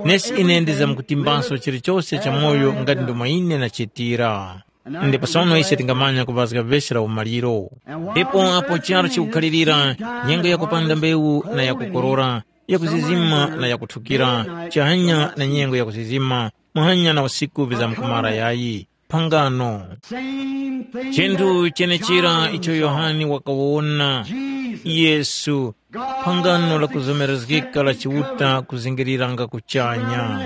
Nesi ine ndizamkutimbanso chilichose cha moyo ngati ndomwe ine nachitira. Ndipo sono ise tingamanya kuŵazga vesi la umaliro. Ndipo apo charu chikukhalirira, nyengo yakupanda mbewu na yakukorora, yakuzizima na yakuthukira, chihanya na nyengo yakuzizima, muhanya na usiku vizamkumara yayi. Phangano. Chinthu chenechira icho Yohane wakawona, Yesu, phangano la kuzomerezgeka la Chiuta kuzingiriranga kuchanya.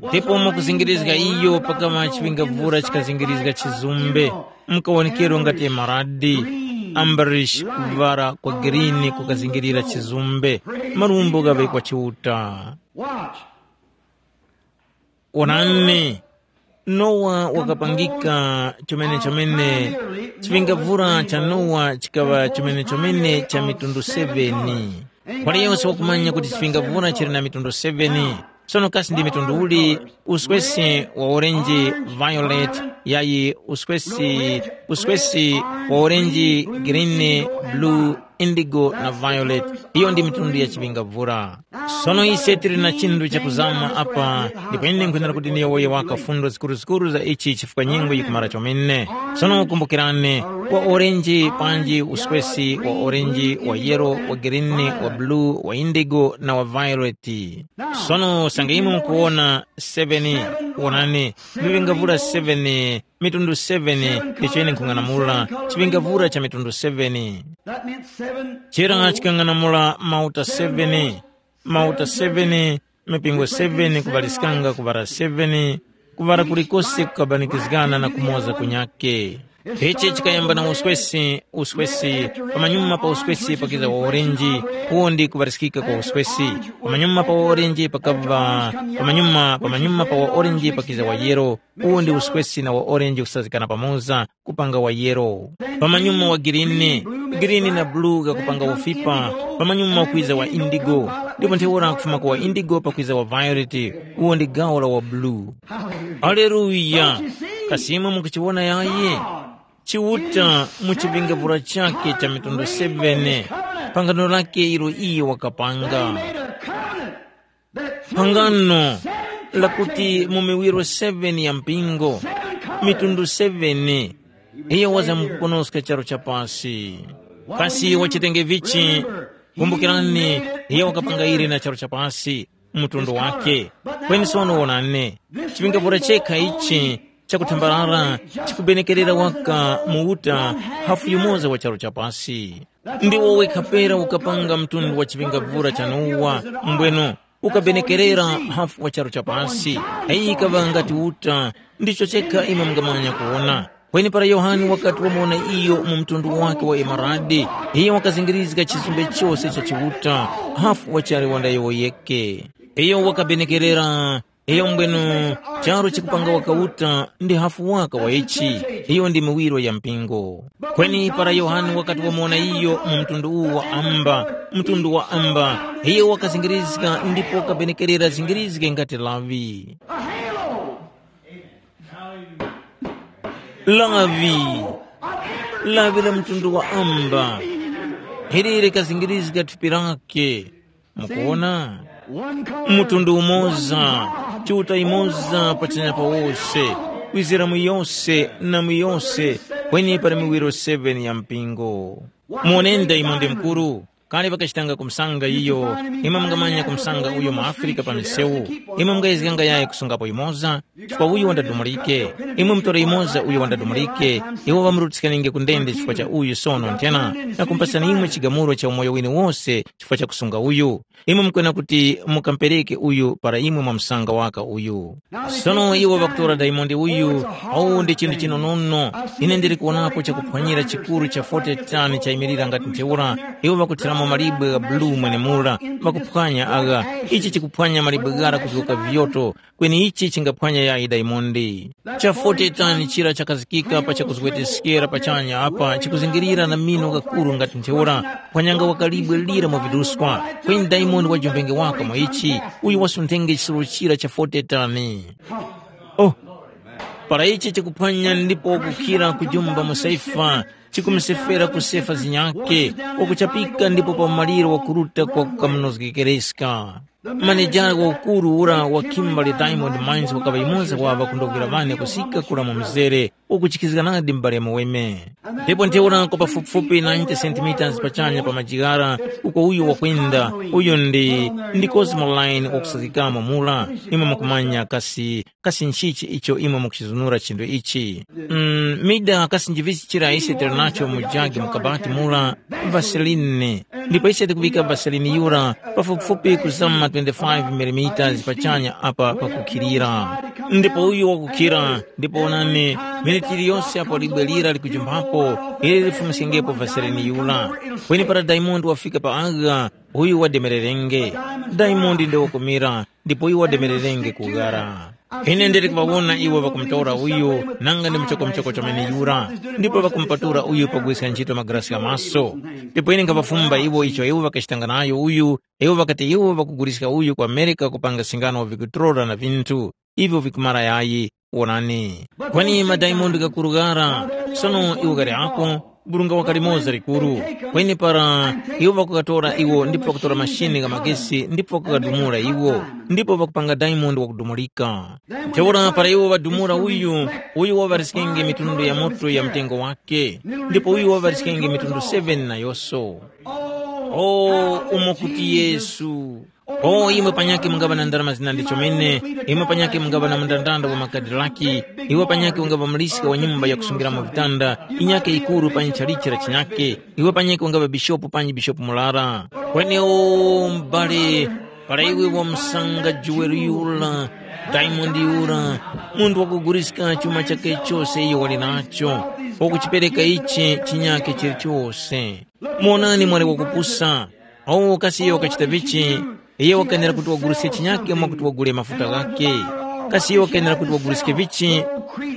Ndipo mukuzingirizga iyo pakama chiŵingavura chikazingirizga chizumbe, mukawonekero ngati emaradi. ambarish kuvara kwa girini kukazingirira chizumbe, marumbo ghaŵe kwa chiuta. Watch. Onani, Nowa wakapangika chomene-chomene, chipingavura cha Nowa chikaŵa chomene-chomene cha mitundu seveni. Waliyonse wakumanya kuti chipingavura chili na mitundu seveni. Sono kasi ndi mitundu uli? Uswesi wa orange, violet, yayi uswesi, uswesi wa orange, green, blue, indigo na violet. Iyo ndi mitundu ya chipingavura. Sono ise tili na chinthu chakuzama apa, ndipo ine nkhwenera kuti ndiyowoye waka fundo zikuruzikuru za ichi chifukwa nyengo yikumara chomene. Sono kumbukirani, wa orange panji uswesi wa orange, wa yellow, wa green, wa blue, wa indigo na wa violet. Sono sanga imwe mukuwona seven, wonani, vipingavura seven, mitundu seven, icho ine nkhung'anamula chipingavura cha mitundu seven. That meant seven. Chera chikang'anamula mauta seven, mauta seven, mipingo seven, kuvaliskanga kuvara seven, kuvara kulikose kukabanikizgana na kumoza kunyake. Ichi chikayamba na uswesi, uswesi, pamanyuma pa uswesi pakiza wa orenji, uwo ndi kuvaliskika kwa uswesi. Pamanyuma pa wa orenji pakava, pamanyuma, pamanyuma pa wa orenji pakiza wa yero, uwo ndi uswesi na wa orenji kusazikana pamoza, kupanga wa yero. Pamanyuma wa girini, girini na bulu gakupanga ufipa, pamanyuma kwiza wa indigo, ndipo ntheura kufuma kwa indigo pakwiza wa violet, uwo ndi gawo la wa bulu. Aleluya! Kasi imwe mukuchiwona yayi? Chiuta mu chivingavura chakhe cha mitundu seven, pangano lakhe ilo iye wakapanga. Phangano lakuti mu miwiro seven ya mpingo, mitundu seven, iyo wazamkuponoska charu cha pasi. Kasi wachitenge vichi? Kumbukirani, iyo wakapanga ire na charu cha pasi, mtundu wake. Kweni sono wonani, chipingavura chekha ichi chakuthambarara chikubenekerera waka mu uta hafu yumoza wa charu cha pasi. Ndiwo wekha pera ukapanga mtundu wa chipingavura cha Nowa, mbweno ukabenekerera hafu wa charu cha pasi. Iyi ikaŵa ngati uta, ndicho chekha imwe mungamanya kuwona. Kweni para Yohane wakati wamuwona iyo mu mtundu wake wa emaradi, iyo wakazingirizga chisumbe chose cha Chiuta, hafu wachali wanda iwo yeke. Iyo wakabenekerera, iyo mbwenu, charu chikupanga wakauta ndi hafu waka wa ichi, iyo ndi miwiro ya mpingo. Kweni para Yohane wakati wamuwona iyo mu mtundu uwu wa amba, mtundu wa amba, iyo wakazingirizga ndipo wakabenekerera zingirizge ngati lavi. Lavi, lavi la mtundu wa amba, ili likazingirizga thupi lake. Mukuwona? Mtundu umoza, Chiuta imoza pachanya pa wose, kwizira mu yose na mu yose, kweni pali miwiro seven ya mpingo. Muwonenda imo ndi mkuru, kale pakachitanga kumsanga iyo, imwe mungamanya kumsanga uyo mu Afrika pa misewu, imwe mungayezganga yayi kusungapo imoza, chifukwa uyu wandadumulike. Imwe mutore imoza uyo wandadumulike, iwo ŵamurutisikanenge ku ndende chifukwa cha uyu sono nthena, na kumpasani imwe chigamulo cha umoyo wine wose chifukwa cha kusunga uyu. Imwe mukwena kuti mukampereke uyu para imwe mwamusanga waka uyu. Sono iwo ŵakutora dayimondi uyu, awu ndi chinthu chinonono. Ine ndili kuwonapo chakuphwanyira chikuru cha forty tani chayimirira ngati ntheura, iwo ŵakuthiramo malibwe gha bulu mwenemura, ŵakuphwanya agha. Ichi chikuphwanya malibwe ghara kuzgoka viyoto, kweni ichi chingaphwanya yayi dayimondi. Cha forty tani chira chakazikika pa chakuzgweteskera pachanya apa chikuzingirira na mino ghakuru ngati ntheura, kuphwanyanga wakalibwe lira mwa viduskwa, kweni dayimondi wajumbenge waka mwa ichi, uyu wasunthenge chisoro chira cha forty tani. Oh, para ichi chikuphwanya ndipo kukhira kujumba mu saifa, chikumusefera kusefa zinyake, wakuchapika ndipo pa maliro wakuruta kwa kukamunozgekereska. Manejara waukuru ura wa Kimberly Diamond Mines wakaŵa yumoza wa ŵakundogwira ŵane kusika kura mu mzere, ukuchikizganadi m'bale muweme. Ndipo ntheura kwa pafupifupi ninety centimeters pachanya pa majigara, uko uyo wakwenda, uyo ndi, ndi Cosmo Line wakusazikamo mura, imwe mukumanya kasi, kasi nchichi icho imwe mukuchizunura chinthu ichi? Mm, mida kasi njivichi chira ise tili nacho mu jagi mu kabati mura, Vaseline. Ndipo ise tikuŵika Vaseline yura pafupifupi kuzama twenty-five millimeters pachanya apa pakukhilira. Ndipo uyu wakukhira, ndipo onani, miniti yiliyose apo libwe lira likujumphapo, ili lifumiskengepo vasereni yura. Kweni para Daimondi wafika pa agha, uyu wademererenge. Daimondi nde wakumira, ndipo uyu wademererenge kughara. Ine ndili kuŵawona iwo ŵakumutora uyu, nanga ndi muchokomuchoko chomene yura, ndipo ŵakumupatula uyu pagwiska ntchito magalasi gha maso. Ndipo ine nkhaŵafumba iwo icho iwo ŵakachitanga nayo uyu, iwo ŵakati iwo ŵakuguliska uyu ku Amerika kupanga singano vikutorora na vinthu ivyo vikumara yayi. Wonani, kweni madaimondi gakuru ghara, sono iwo ghali ako, burunga waka limoza likuru. Kweni para iwo ŵakukatora iwo ndipo ŵakutora mashini gha magesi ndipo ŵakukadumula iwo, ndipo ŵakupanga daimondi wakudumulika. Ntheura para iwo ŵadumula uyu, uyu waŵariskenge mitundu ya moto ya mtengo wake, ndipo uyu waŵariskenge mitundu seven nayoso. O, umo kuti Yesu. O, imwe panyakhe mungaŵa na ndarama zinandi chomene, imwe panyakhe mungaŵa na mundandanda wa makadilaki, iwe panyakhe ungaŵa muliska wa nyumba yakusungiramo vitanda, inyakhe yikuru panyi chalichi la chinyakhe, iwe panyakhe ungaŵa bishopu panyi bishopu murara. Kweni o, m'bale, para iwe wamusanga juwele yura, daimondi yura, munthu wakuguliska chuma chakhe chose iyo wali nacho, wakuchipereka ichi chinyakhe chilichose. Monani mwali wakupusa. Awo kasi iyo wakachita vichi? Iye wakenera kuti waguliske chinyake mwakuti wagule mafuta ghakhe. Kasi iyo wakenera kuti waguliske vichi?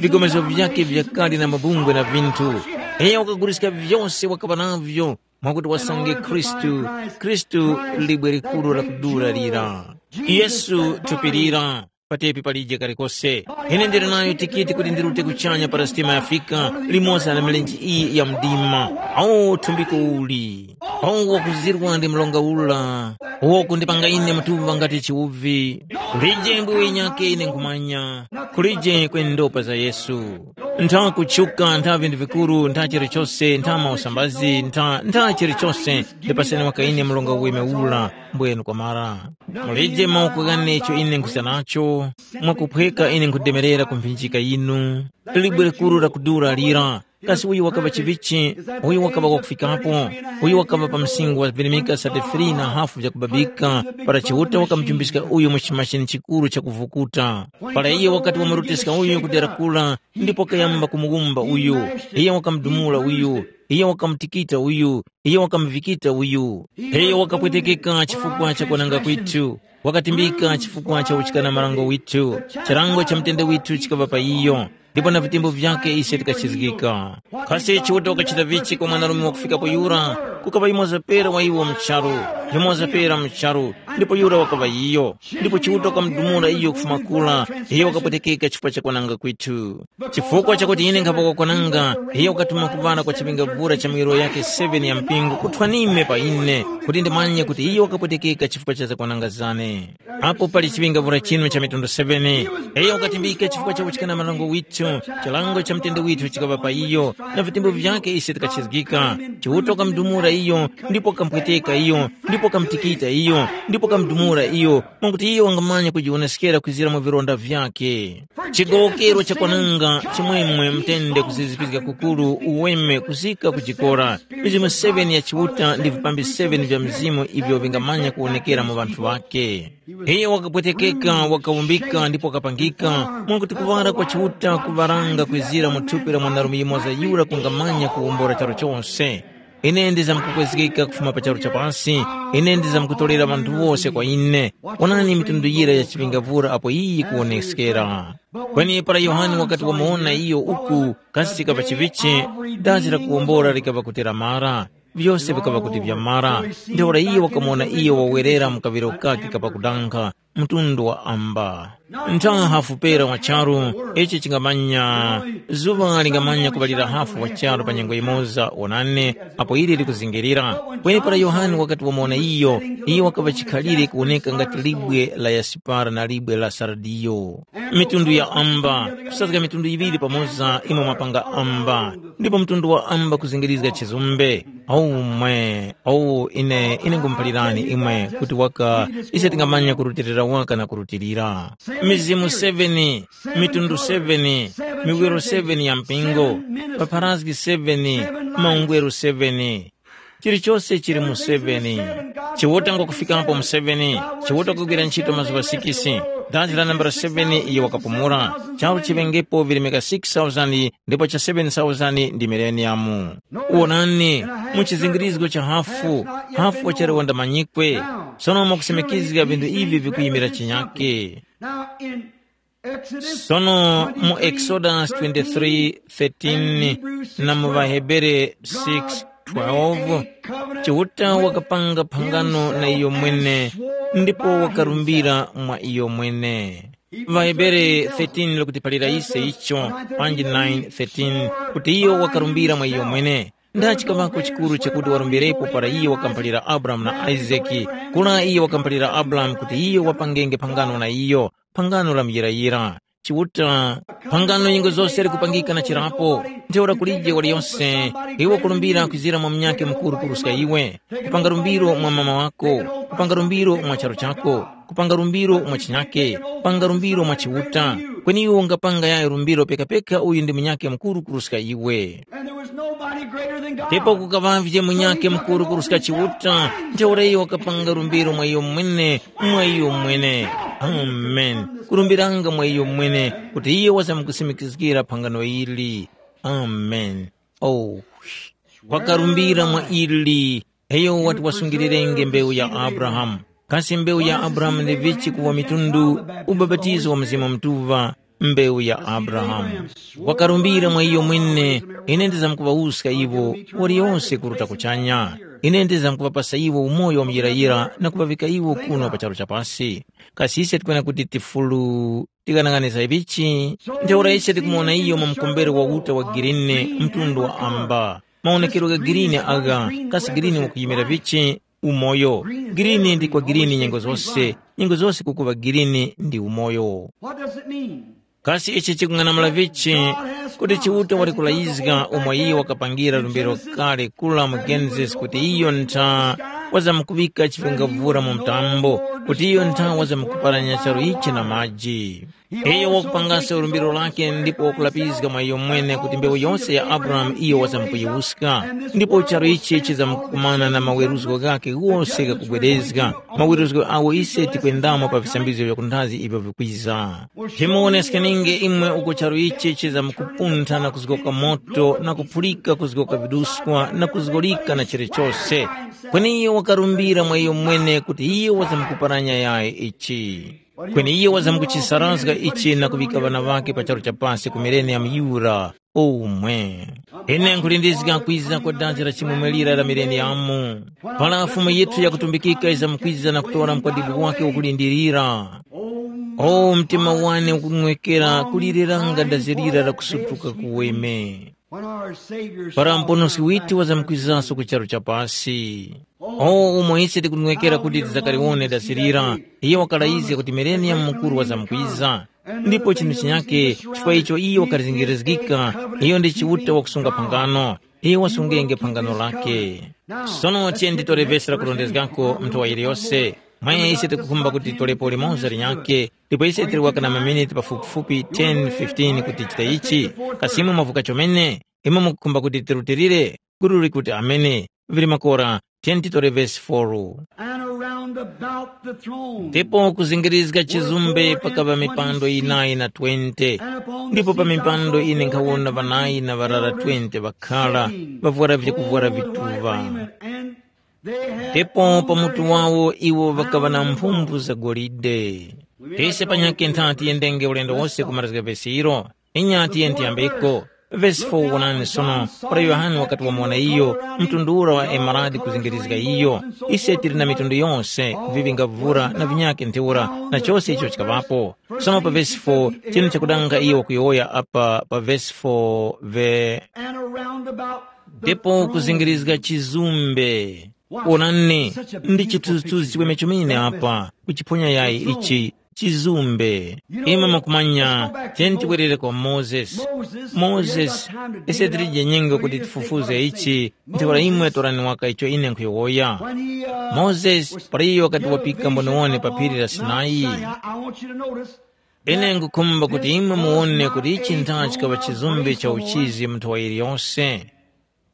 Vigomezo vyakhe vyakali na mabungwe na vinthu. Iye wakaguliska vyose wakaŵa navyo mwakuti wasange Khristu. Khristu libwe likuru la kudula lira. Yesu thupi lira. Patepi palije kalikose. Ine ndili nayo tikiti kuti ndirute kuchanya para sitima yafika, limoza na milenje iyi ya mdima. Awo thumbiko uli. Awo wakuzirwa ndi mlonga ula. Uwo kundipanga ine mutuŵa ngati chiwuvi. Kulije mbwiwe inyake ine nkhumanya. Kulije kwe ndopa za Yesu. Ntha kuchuka, ntha vindu vikuru, ntha chilichose, ntha mausambazi, ntha, ntha chilichose. Ndipaseni waka ine mlonga uweme ula. Mbwenu kwamara. Mulije mawoko ghane icho ine nkhuza nacho, mwakuphweka ine nkhudemerera ku mphinjika yinu. Libwe likuru lakudura lira, kasi uyu wakaŵa chivichi? Uyu wakaŵa wakufikapo. Uyu wakaŵa pa msinkhu wa virimika sate three na hafu vyakubabika, para Chiuta wakamuchumbiska uyu mu chimashini chikuru chakuvukuta. Para iye wakati wamuroteska uyu kudera kura, ndipo kayamba kumuwumba uyu, iye wakamudumula uyu, iye wakamutikita uyu, iye wakamuvikita uyu. Iyo wakapwetekeka chifukwa cha kwananga kwithu, wakatimbika chifukwa cha uchikana marango withu, chilango cha mutende withu chikaŵa pa iyo, ndipo na vitembo vyakhe ise tikachizgika. Kasi Chiuta wakachita vichi kwa mwanarume wakufikapo yura? Kukaŵa yumoza pera wa iwo mu charu, yumoza pera mu charu, ndipo yura wakaŵa iyo. Ndipo Chiuta wakamudumula iyo kufuma kura, iyo wakapwetekeka chifukwa cha kwananga kwithu. Chifukwa chakuti ine nkhapoka kwananga, iyo wakatuma kuŵana kwa chiŵingavura cha miwiro yake seven ya mpingo kuthwanime pa ine, kuti ndimanye kuti iyo wakapwetekeka chifukwa cha zakwananga zane. Apo pali chiŵingavura chinu cha mitundu seven, iyo wakatimbika chifukwa cha kuchikana malango withu, chilango cha mtende withu chikaŵa pa iyo, na vitembo vyake ise tikachizgika. Chiuta wakamudumula iyo, ndipo wakampweteka iyo, ndipo wakamutikita iyo, ndipo wakamudumula iyo, mwakuti iyo wangamanya kujiwoneskera kwizira mu vilonda vyakhe. Chigowokero cha kwananga, chimwemwe, mtende, kuzizipizga kukuru, uweme, kuzika kujikora. Mizimu seven ya Chiuta ndi vipambi seven vya Mzimu ivyo vingamanya kuwonekera mu ŵanthu ŵakhe. Iyo wakapwetekeka, wakawumbika ndipo wakapangika, mwakuti kuŵala kwa Chiuta kuŵaranga kwizira mu thupi la mwanarume yumoza yura kungamanya kuwombora charu chose. Ine ndizamkukwezgeka kufuma pa charu cha pasi, ine ndizamkutorera ŵanthu wose kwa ine. Wonani mitundu yira ya chiŵingavura apo iyi yikuwoneskera. Kweni para Yohane wakati wamuwona iyo uku, kasi chikaŵa chivichi, dazi la kuwombora likaŵa kuti lamara, vyose vikaŵa kuti vyamara. Ntheura iyo wakamuwona iyo wawerera mu kaŵiro kake kapakudankha, mtundu wa amba. Ntha hafu pera wa charu, ichi chingamanya, zuŵa lingamanya kuŵalira hafu wa charu pa nyengo yimoza, wonani, apo ili likuzingirira. Kweni para Yohane wakati wamuwona iyo, iyo wakaŵa chikhalire kuwoneka ngati libwe la yasipara na libwe la sardiyo. Mitundu ya amba, kusazga mitundu yiŵiri pamoza imwe mwapanga amba, ndipo mtundu wa amba kuzingirizga chizumbe. Aumwe, awu ine, ine ngumuphalirani imwe kuti waka ise tingamanya kurutilira waka na kurutilira. Mizimu seven, mitundu seven, miwiro seven ya mpingo, papharazgi seven, maungweru seven. Chilichose chili mu seven. Chiuta ngwakufikapo mu seven. Chiuta kugwira ntchito mazuŵa sikisi. Dazi la nambala seven iyo wakapumula. Charu chiŵengepo virimika six thousand ndipo cha seven thousand ndi mileniyamu. Wonani, mu chizingirizgo cha hafu, hafu wachali wandamanyikwe. Sono mwakusimikizga vinthu ivi vikuyimira chinyake. Now in Exodus Sono mu Exodus twenty-three thirteen na mu ŵaHebere six twelve, Chiuta wakapanga phangano na iyo mwene ndipo wakarumbira mwa iyo mwene. VaHebere thirteen likutiphalira ise icho, panji nine thirteen, kuti iyo wakarumbira mwa iyo mwene. Ndachi kamako chikuru chakuti warumbirepo para iyo wakamphalira Abrahamu na Isaki, kula iyo wakamphalira Abrahamu kuti iyo wapangenge phangano na iyo, phangano la muyirayira. Chiuta, phangano nyengo zose likupangika na chirapo, ntheura kulije waliyonse, iwe kulumbira kwizira mwa munyakhe mukuru kuruska iwe, kupanga lumbiro mwa mama wako, kupanga lumbiro mwa charu chako, kupanga lumbiro mwa chinyake, kupanga lumbiro mwa Chiuta, kweni iwe ungapanga yayo lumbiro pekapeka uyu ndi munyakhe mukuru kuruska iwe. And there was nobody greater than God. Ndipo kukaŵavye munyakhe mukuru kuruska Chiuta, ntheura iyo wakapanga lumbiro mwa iyo mwene, mwa iyo mwene. Amen. Kurumbiranga mwa iyo mwene, kuti iyo wazamkusimikizgira phangano ili. Amen. Oh, wakarumbira mwa ili, iyo wati wasungilirenge mbewu ya Abrahamu. Kasi mbewu ya Abrahamu ndi vichi kuwa mitundu? Ubapatizo wa Mzimu Mutuŵa, mbewu ya Abrahamu. Wakarumbira mwa iyo mwene, ine ndizamkuŵawuska iwo, waliyonse kuruta kuchanya. Ine ndizamkuŵapasa iwo umoyo wa muyirayira na kuŵavika iwo kuno pa charu cha pasi. Kasi ise tikwena kuti tifulu tikanang'aniza ivichi? Ntheura ise tikumuwona iyo mu mkombero wa uta wa girini, mtundu wa amba. Mawonekero gha girini agha, kasi girini wakuyimira vichi? Umoyo. Girini ndi kwa girini nyengo zose, nyengo zose kukuŵa girini ndi umoyo. What does it mean? Kasi ichi chikung'anamula vichi? Kuti Chiuta wali kulayizga umo iyo wakapangira lumbiro kale kula mu Genesis kuti iyo ntha wazamkuŵika chipingavura mu mtambo, kuti iyo ntha wazamkuparanya charu ichi na maji. Iyo wakupangaso lumbiro lake ndipo wakulapizga mwa iyo mwene kuti mbewu yose ya Abrahamu iyo wazamkuyiwuska. Ndipo charu ichi chizamkukumana na maweruzgo ghake ghose ghakubwerezga, maweruzgo agho ise tikwendamo pa visambizgo vya kunthazi ivyo vikwiza. Chimuwoneskaninge imwe uko charu ichi chizamkupuntha na kuzgoka moto na kuphulika kuzgoka viduskwa na kuzgolika na chilichose. Kweni iyo wakarumbira mwa iyo mwene kuti iyo wazamkuparanya yayi ichi. Kweni iyo wazamkuchisarazga ichi na kuŵika ŵana ŵakhe pa charu cha pasi ku mileniyamu yura umwe. Ine nkhulindizga kwiza kwa dazi la chimwemwe lira la mileniyamu, para Fumu yithu yakutumbikika yizamkwiza na kutora mukwadibwi wake wakulindirira. O mtima wane ukunwekera kulireranga dazi lira la kusutuka kuweme. Para Muponoski withu wazamkwizaso ku charu cha pasi. O umo ise tikunwekera kuti tizakaliwone dasilira, iyo wakalayizga kuti mileniyamu mukuru wazamkwiza. Ndipo chinthu chinyake, chifukwa icho iyo wakalizingirizgika, iyo ndi Chiuta wakusunga phangano. Iyo wasungenge phangano lake. Sono tiyeni titore vesi la kurondezgako nthowa yiliyose. Mwa ise tikukhumba kuti titolepo limoza linyakhe, ndipo ise tili waka na maminiti pafupifupi ten fifteen kuti tichite ichi. Kasi imwe mwavuka chomene? Imwe mukukhumba kuti tirutilire? Gulu likuti amene. Vili makora, tiyeni titore vesi four. And around about the throne. Ndipo kuzingirizga chizumbe pakava mipando yinayi na twenty. Ndipo pa mipando ine nkhawona ŵanayi na ŵarara twenty ŵakhala, ŵavwara vyakuvwara vituŵa. Ndipo pa mutu wawo iwo ŵakaŵa na mphumbu za golide. Tise panyakhe ntha tiyendenge ulendo wose kumarizga vesi ilo. Inya tiyeni tiyambeko. Vesi four wonani sono, para Yohane wakati wamuwona iyo, mtundu ura wa emeradi kuzingirizga iyo. Ise tili na mitundu yose, vivi nga vura na vinyakhe ntheura, na chose icho chikaŵapo. Sono pa vesi four, chinu chakudanga iyo wakuyowoya apa pa vesi four ve. And around about the ndipo throne. Kuzingirizga chizumbe. Onani, ndi chithunzithunzi chiweme chomene apa, kuchiphonya yayi ichi, chizumbe. Imwe mukumanya, tiyeni tibwerere kwa Mozesi. Mozesi, ise tilije nyengo kuti tifufuze ichi, ntheura imwe torani waka icho ine nkhuyowoya. Mozesi, para iyo wakati wapika mboniwone pa phiri la Sinai. Ine nkhukhumba kuti imwe muwone kuti ichi ntha chikaŵa chizumbe cha uchizi mu nthowa yiliyose.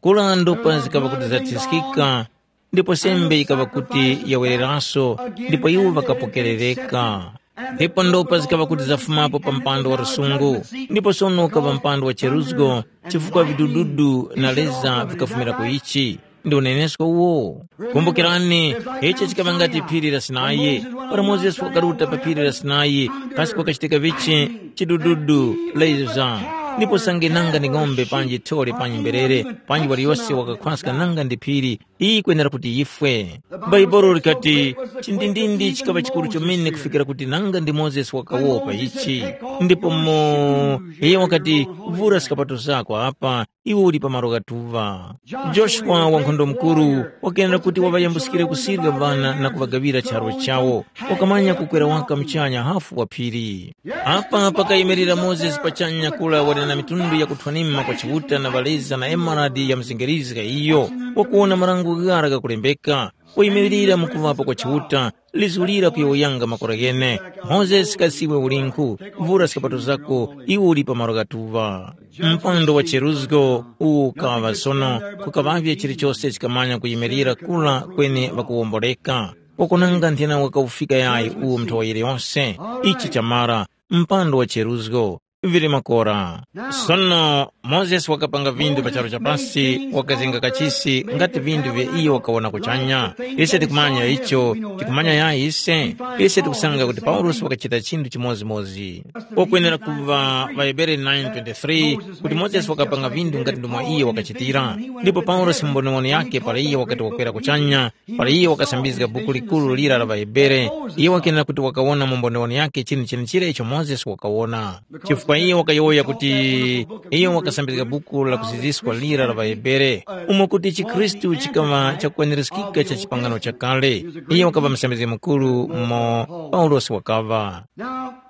Kura ndupa zikaŵa kuti zathiskika, ndipo sembe yikaŵa kuti yawereraso, ndipo iwo ŵakapokerereka. Ndipo ndopa zikaŵa kuti zafumapo pa mpando wa lusungu, ndipo sono ukaŵa mpando wa cheruzgo, chifukwa vidududu na leza vikafumira ku ichi. Ndi unenesko uwo. Kumbukirani, ichi chikaŵa ngati phiri la Sinai. Para Mozesi wakaruta pa phiri la Sinai, kasi kwakachitika vichi? Chidududu, leza. Ndipo sange nanga ndi ng'ombe panji thole panji mberere, panji waliyose wakakhwaska nanga ndi phiri, iyi yikwenera kuti yifwe. Bhaibuli likati, chindindindi chikaŵa chikuru chomene kufikira kuti nanga ndi Mozesi wakawopa ichi. Ndipo mo, iye wakati, vura skapato zako apa, iwe uli pa malo ghatuŵa. Joshua wankhondo mukuru wakenera kuti waŵayambuskire kusirya ŵana na kuŵagaŵira charu chawo. Wakamanya kukwera waka muchanya hafu wa phiri. Apa pakayimirira Mozesi pachanya kula wali na mitundu yakuthwanima kwa Chiuta na ŵaleza na emeradi ya mzengerizga iyo, wakuwona marango ghara ghakulembeka, wayimiririra mu kuŵapo kwa Chiuta, lizulira kuyowoyanga makora ghene. Mozesi, kasi iwe ulinkhu? Vura skapato zako, iwe uli pa malo ghatuŵa. Mpando wa cheruzgo uwu ukaŵa sono, kukaŵavye chilichose chikamanya kuyimirira kula kweni ŵakuwomboleka. Wakunanga nthena wakawufika yayi uwu mnthowa yiliyose. Ichi chamara, mpando wa cheruzgo, vili makora. Sono Mozesi wakapanga vindu pa charu cha pasi, wakazenga kachisi ngati vindu vya iyo wakawona kuchanya. Ise tikumanya icho, tikumanya yayi ise. Ise tikusanga kuti Paulosi wakachita chinthu chimodzimodzi. Kokwenera kuva ŵaHebere nine twenty-three, kuti Mozesi wakapanga vindu ngati ndomwe iyo wakachitira. Ndipo Paulosi mu mboniwoni yake para iyo wakati wakwera kuchanya, para iyo wakasambizga buku likuru lira la ŵaHebere, iyo wakenera kuti wakawona mu mboniwoni yake chinthu chenechira icho Mozesi wakawona. Chifukwa iyo wakayowoya kuti iyo wakasambizga buku la kuziziskwa lira la ŵaHebere, umo kuti chikhristu chikaŵa chakukwaniriskika cha chipangano chakale. Iyo wakaŵa musambizgi mukuru umo Paulosi wakaŵa.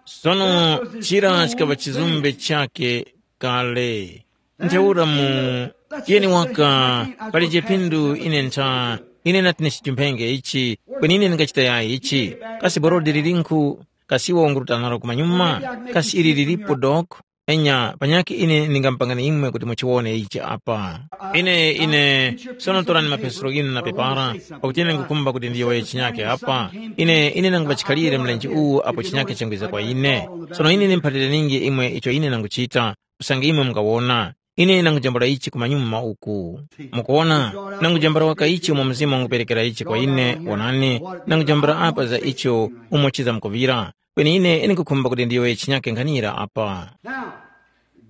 Sono chira chikaŵa chizumbe chake kale. Ntheura mu, tiyeni waka, pali chipindu ine ntha, ine nati ni chimphenge ichi, kweni ine ndingachita yayi ichi? Kasi borodi lilinkhu? Kasi iwo wanguruta nalo kumanyuma? Kasi ili lilipo dok? Enya, panyakhe ine ndingamupangani imwe kuti muchiwone ichi apa. Ine, ine, sono torani mapenselo ghinu na pepara, pakuti ine ngukhumba kuti ndiyowoye chinyakhe apa. Ine, ine nanguŵa chikhalire mlenje uwu apo chinyakhe changwiza kwa ine. Sono ine ndimphalire ningi imwe icho ine nanguchita. Usange imwe mungawona, ine nangujambula ichi kumanyuma uku. Mukuwona, nangujambula waka ichi umo Mzimu wanguperekera ichi kwa ine, wonani, nangujambula apa za icho umo chizamkuŵira. Kweni ine ndikukhumba kuti ndiyowoye chinyake nkhanira apa. Now,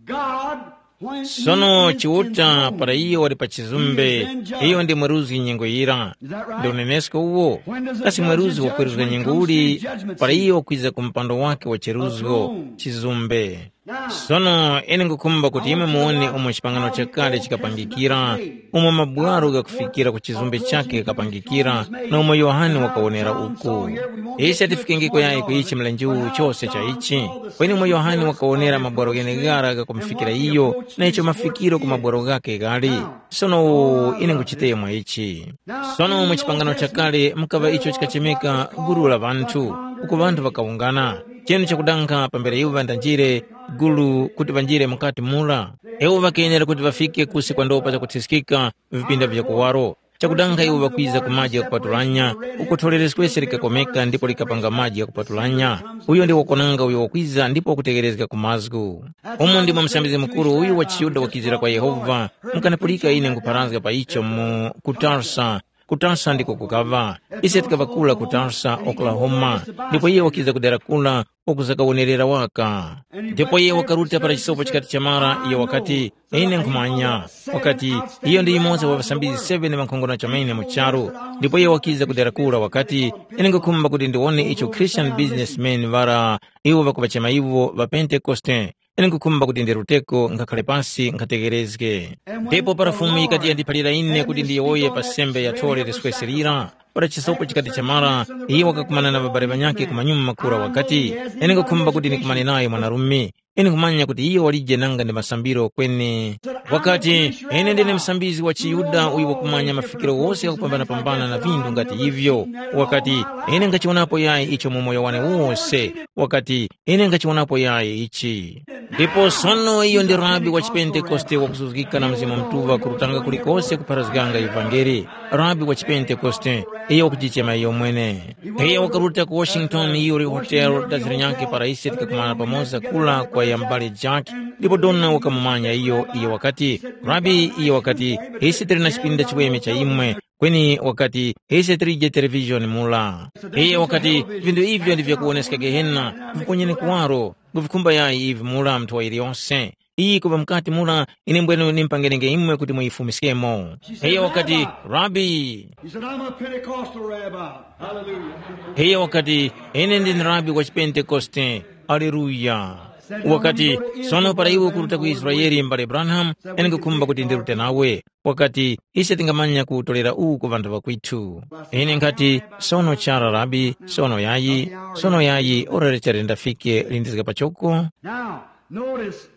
God, when he Sono is Chiuta in para throne, iyo wali pa chizumbe, iyo ndi mweruzgi nyengo yira. Is that right? Ndi unenesko uwo? When does a Kasi judge mweruzgi judge wakweruzga when he nyengo comes to uli? Judgment Para seat? Iyo wakwiza ku mpando wake wa cheruzgo, chizumbe. Sono ine ngukhumba kuti imwe muwone umo chipangano chakale chikapangikira, umo mabwaro ghakufikira ku chizumbe chakhe ghakapangikira, na umo Yohane wakawonera uku. Ise tifikengeko yayi ku ichi mlenje uwu chose cha ichi, kweni umo Yohane wakawonera mabwaro gheneghara ghakumufikira iyo, na icho mafikiro ku mabwaro ghakhe ghali. Sono ine nguchitemo ichi. Sono mu chipangano chakale mukaŵa icho chikachemeka gulu la ŵanthu, uko ŵanthu ŵakawungana. Chinu chakudanga pambere iwo ŵandanjire gulu kuti ŵanjire mukati mura, iwo ŵakenera kuti ŵafike kusi kwa ndopa zakuthiskika vipinda vya kuwaro. Chakudanga iwo ŵakwiza ku maji ghakupatulanya, uko tholeres kwese likakomeka ndipo likapanga maji ghakupatulanya. Uyo ndi wakonanga uyo wakwiza ndipo wakutegherezga ku mazgu. Umu ndimo msambizgi mukuru uyu wa chiYuda wakizira kwa Yehova, mukanapulika ine nkupharazga pa icho mu ku Tarsa. Ku Tarsa ndiko kukaŵa. Ise tikaŵa kura ku Tarsa, Oklahoma, ndipo iye wakiza ku dera kura, wakuzakawonerera waka. Ndipo iye wakaruta para chisopo chikati chamara, iye wakati, ine nkhumanya. Wakati, iyo ndi yumoza wa ŵasambizgi seven ŵankhongono chomene mu charu. Ndipo iye wakiza ku dera kura wakati, ine nkhukhumba kuti ndiwone icho Christian businessmen ŵara, iwo ŵakuŵachema iwo ŵa Pentekoste. Ine nkhukhumba kuti ndiruteko nkhakhale pasi nkhategherezge. Ndipo para Fumu yikati yandiphalira ine kuti ndiyowoye pa sembe ya thole liswese lira, para chisopo chikati chamara, iye wakakumana na ŵabale ŵanyakhe kumanyuma makura wakati, ine nkhukhumba kuti ndikumane nayo mwanarume. Ine nkhumanya kuti iyo walije nanga ndi masambiro kweni. Wakati, “Ine ndine musambizgi wa chiYuda uyo wakumanya mafikiro ghose ghakupambanapambana na vinthu ngati ivyo.” Wakati, “Ine ngachiwonapo yayi icho mu moyo wane wose.” Wakati, “Ine ngachiwonapo yayi ichi.” Ndipo sono iyo ndi rabi wa chipentekoste wakuzuzgika na Mzimu Mutuŵa kurutanga kulikose kupharazganga ivangeli, rabi wa chipentekoste, iyo wakujichema iyomwene. Iyo wakaruta ku Washington Erie Hotel dazi linyakhe para ise tikakumana pamoza kula kwa ya m'bale Jack, ndipo dona wakamumanya iyo, iyo wakati, “Rabi,” iyo wakati, “ise tili na chipinda chiweme cha imwe, kweni,” wakati, “ise tilije televizhoni mura.” Iyo wakati, “Vinthu ivyo ndi vyakuwoneska Gehena, viponyeni kuwaro, nguvikhumba yayi ivi mura mnthowa yiliyose. Iyi kuŵa mukati mura, ine mbwenu nimpangenenge imwe kuti muyifumiskemo.” Iyo wakati, “Rabi,” He said, "I'm a Pentecostal rabbi." Hallelujah. Iyo wakati, “Ine ndine rabi wa chipentekoste.” Aleluya. Wakati, “Sono para iwe ukuruta ku Israele, mbale Branham, ine nkukhumba kuti ndirute nawe.” Wakati, “Ise tingamanya kuwutolera uwu ku ŵanthu ŵakwitu.” Ine nkhati, “Sono chara, rabi, sono yayi, sono yayi, ora lichali ndafike lindizga pachoko.” Now, notice,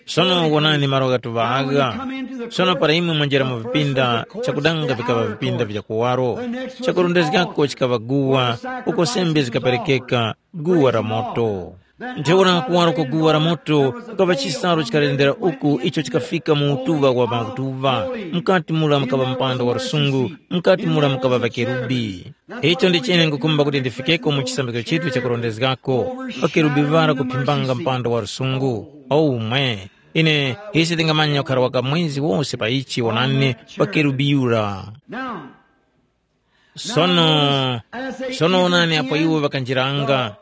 sono wonani malo ghatuŵa agha. Sono para imwe mwanjera mu vipinda, chakudanga vikaŵa vipinda vya kuwaro, chakurondezgako chikaŵa guwa, uko sembe zikaperekeka, guwa la moto. Ntheura kuwaro kwa guwa la moto kukaŵa chisalu chikalendera uku icho chikafika mu utuŵa wa makutuŵa. Mukati mura mukaŵa mpanda wa lusungu, mukati mura mukaŵa ŵakerubi. Icho ndichine ngukumba kuti ndifikeko mu chisambizgo chitu chakurondezgako, ŵakerubi ŵara kuphimbanga mpanda wa lusungu. Omwe! Ine ise tingamanya ukhara waka mwezi wose pa ichi wonani ŵakerubi yura. Now, sono, sono wonani apo iwo ŵakanjiranga,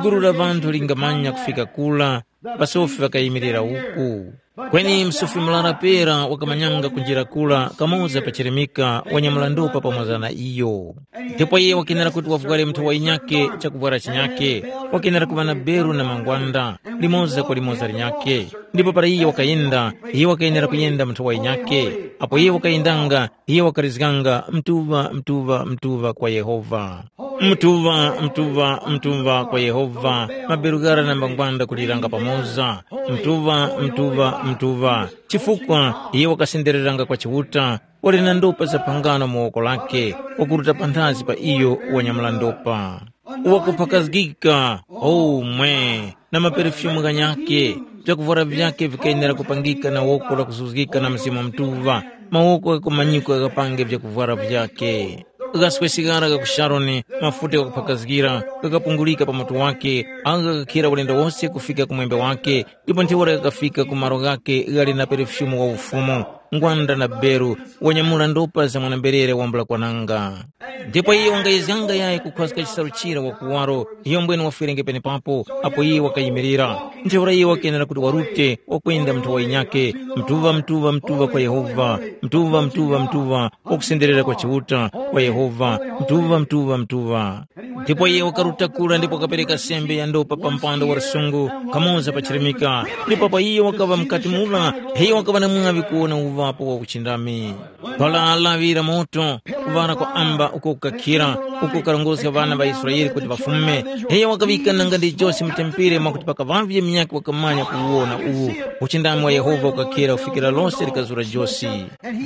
gulu la ŵanthu lingamanya kufika kura, ŵasofi ŵakayimirira uku. Kweni msofi murara pera wakamanyanga kunjira kura kamoza pa chirimika wanyamula ndopa pamoza na iyo. Ndipo iye wakenera kuti wavware mnthowa yinyakhe chakuvwara chinyakhe, wakenera kuŵa na beru na mangwanda, limoza kwa limoza linyakhe. Ndipo para iye wakayenda, iye wakayenera kuyenda mnthowa yinyakhe. Apo iye wakayendanga, iye wakarizganga mtuŵa mtuŵa mtuŵa kwa Yehova. Mtuŵa mtuŵa mtuŵa kwa Yehova, maberu ghara na mbangwanda kuliranga pamoza. Mtuŵa mtuŵa mtuŵa, chifukwa iye wakasendereranga kwa Chiuta, wali na ndopa za phangano mu woko lake, wakuruta panthazi pa iyo wanyamula ndopa. Wakuphakazgika, omwe, na maperefyumu ghanyakhe, vyakuvwara vyakhe vikayenera kupangika na woko lakuzuzgika na Mzimu Mutuŵa, mawoko ghakumanyikwa ghapange vyakuvwara vyakhe. Ghaswe sigara gha ku Sharoni, mafuta ghakuphakazgira, ghakapungulika pa mutu wake, agho ghakakhira ulendo wose kufika ku mwembe wake, ndipo ntheura ghakafika ku malo ghakhe ghali na perefyumu wa ufumu, ngwanda na beru, wanyamula ndopa za mwana-mberere wambula kwananga. Ndipo iye wangayezganga yayi kukhwaska chisalu chira wa kuwaro, iyo mbwene wafwerenge penepapo, apo iye wakayimirira. Ntheura iye wakenera kuti warute, wakwenda mnthowa yinyakhe, mtuŵa mtuŵa mtuŵa kwa Yehova, mtuŵa mtuŵa mtuŵa, wakusenderera kwa Chiuta, kwa Yehova, mtuŵa mtuŵa mtuŵa. Ndipo iye wakaruta kura ndipo wakapereka sembe ya ndopa pa mpanda wa lusungu, kamoza pa chirimika. Ndipo pa iye wakaŵa mukati mura, iye wakaŵa na mwaŵi kuwona uŵapo wa uchindami. Pala laŵira moto, kuŵala kwa amba uko kukakhira, uko kukarongozga ŵana ŵa Israele kuti ŵafume. Iye wakaŵika nanga ndi josi mu tempere mwakuti pakaŵavye munyakhe wakamanya kuwona uwu. Uchindami wa Yehova ukakhira kufikira lose likazura josi.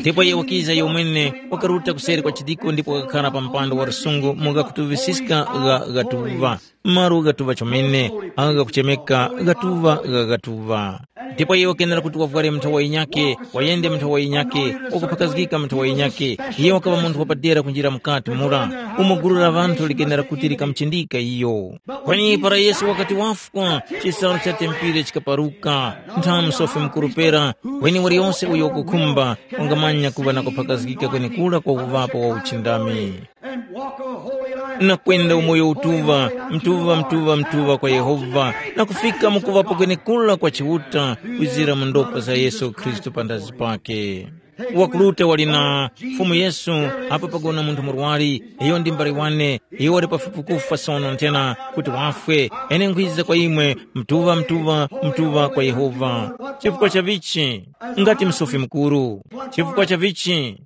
Ndipo iye wakiza iyo mwene, wakaruta kuseri kwa chidiko ndipo wakakhara pa mpando wa lusungu mu ghakutuŵisiska gha ghatuŵa, malo ghatuŵa chomene, agho ghakuchemeka ghatuŵa gha ghatuŵa. Ndipo iye wakenera kuti wavware mnthowa yinyakhe, wayende mnthowa yinyakhe, wakuphakazgika mnthowa yinyakhe. Iye wakaŵa munthu wapadera kunjira mukati mura, umo gulu la ŵanthu likenera kuti likamuchindika iyo. Kweni para Yesu wakati wafwa, chisalu cha tempere chikaparuka. Nthamu sofi mukuru pera, kweni waliyose uyo wakukhumba wangamanya kuŵa na kuphakazgika kwenekura kwa uŵapo wa uchindami. Na kwenda umoyo utuŵa, mtuŵa mtuŵa mtuŵa kwa Yehova, na kufika mu kuŵapo kwenekura kwa Chiuta, kwizira mu ndopa za Yesu Khristu panthazi pake. Wakuruta wali na Fumu Yesu, apo pagona munthu murwari, iyo ndi mbale wane, iyo wali pafupi kufwa sono nthena kuti wafwe, ine nkhwiza kwa imwe, mtuŵa mtuŵa mtuŵa kwa Yehova. Chifukwa cha vichi? Ngati msofi mukuru. Chifukwa cha vichi?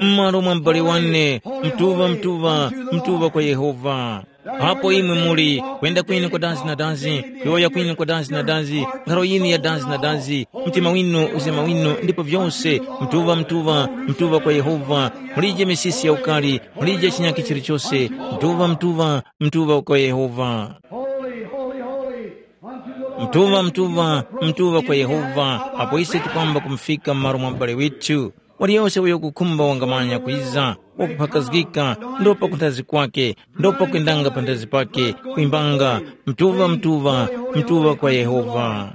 M'malo mwa m'bale wane, mtuŵa mtuŵa mtuŵa kwa Yehova. Apo imwe muli, kwenda kwinu kwa dazi na dazi, kuyowoya kwinu kwa dazi na dazi, nkharo yinu ya dazi na dazi, mtima winu, uzema winu, ndipo vyose, mtuŵa, mtuŵa, mtuŵa kwa Yehova, mulije misisi ya ukali, mulije chinyakhe chilichose, mtuŵa, mtuŵa, mtuŵa kwa Yehova. Holy, holy, holy, unto the Lord. Mtuŵa, mtuŵa, mtuŵa kwa Yehova, apo ise tikwamba kumufika m'malo mwa m'bale withu. Waliyose uyo kukhumba wangamanya kwiza, wakuphakazgika, ndopa kunthazi kwake, ndopa kwendanga panthazi pake, kwimbanga, mtuŵa, mtuŵa, mtuŵa kwa Yehova.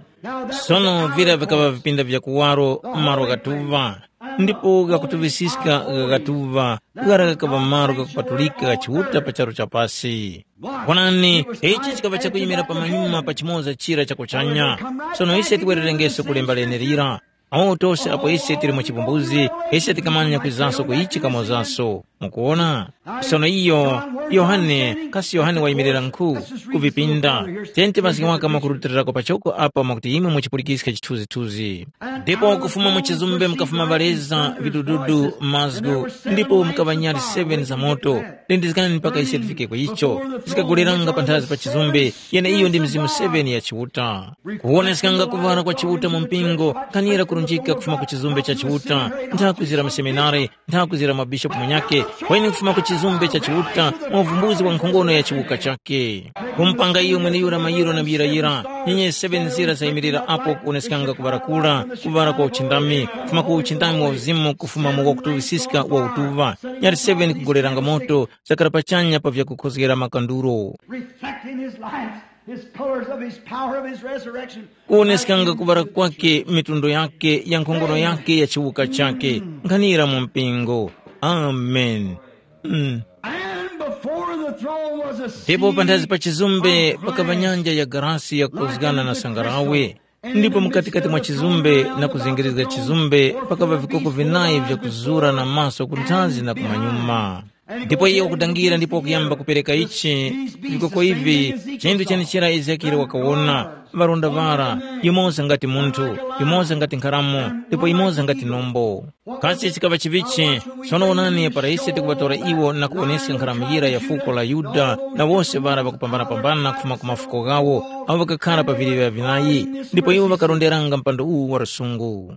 Sono vira vikaŵa vipinda vya kuwaro m'malo ghatuŵa, ndipo ghakutuŵisiska ghaghatuŵa, ghara ghakaŵa malo ghakupatulika gha Chiuta pa charu cha pasi. Wonani, ichi chikaŵa chakuyimira pamanyuma pa chimoza chira cha kuchanya. Sono ise tiwererengeso ku lemba lenelira. Awo tose apo ise tili mu chipumbuzi, ise tikamanya kwizaso ku ichi kamozaso. Mukuwona? Sono iyo, Yohane, kasi Yohane wayimirira nkhu ku vipinda? Tenti mazgi waka mwakurutilirako pachoko apa mwakuti imwe muchipulikiska chithunzithunzi. Ndipo kufuma mu chizumbe mukafuma ŵaleza, vidududu, mazgu, ndipo mukaŵa nyali seven za moto. Lindizgani mpaka ise tifike ku icho. Zikagoleranga panthazi pa chizumbe, yeneiyo ndi mizimu seven ya Chiuta. Kuwoneskanga kuŵala kwa Chiuta mu mpingo, kanira kurunjika kufuma ku chizumbe cha Chiuta, ntha kwizira mu seminari, ntha kwizira mwa bishopu munyakhe, kweni kufuma ku chizumbe cha Chiuta, mwa uvumbuzi wa nkhongono ya chiwuka chakhe. Kumupanga iyo mweneyura mayiro na muyirayira, nyenye seven nzira zayimirira apo kuwoneskanga kuŵala kura, kuŵala kwa uchindami, kufuma ku uchindami wa uzimu kufuma mu wakutuŵisiska wa utuŵa, nyali seven kugoleranga moto, zakara pachanya pa vyakukhozgera makanduro. Reflecting his light, his colors of his power of his resurrection. Kuwoneskanga kuŵala kwake, mitundo yake ya nkhongono yake ya chiwuka chake, nkhanira mu mpingo. Amen. Mm. And before the throne was a ndipo panthazi pa chizumbe pakava nyanja ya garasi yakozgana na sangarawe, ndipo mukatikati mwa chizumbe na kuzengerezga chizumbe pakava vikoko vinayi vyakuzura na maso kunthazi na kumanyuma. Ndipo iye wakudangira ndipo wakuyamba kupereka ichi, vikoko ivi, chinthu chenichira Ezekiele wakawona, ŵaronda ŵara, yumoza ngati munthu, yumoza ngati nkharamo, ndipo yumoza ngati nombo. Kasi chikaŵa chivichi? Sono wonani, para ise tikuŵatora iwo na kuwoneska nkharamuyira ya fuko la Yuda na wose ŵara ŵakupambanapambana kufuma ku mafuko ghawo, awo ŵakakhara pa viliŵa vinayi, ndipo iwo ŵakaronderanga mpando uwu wa lusungu.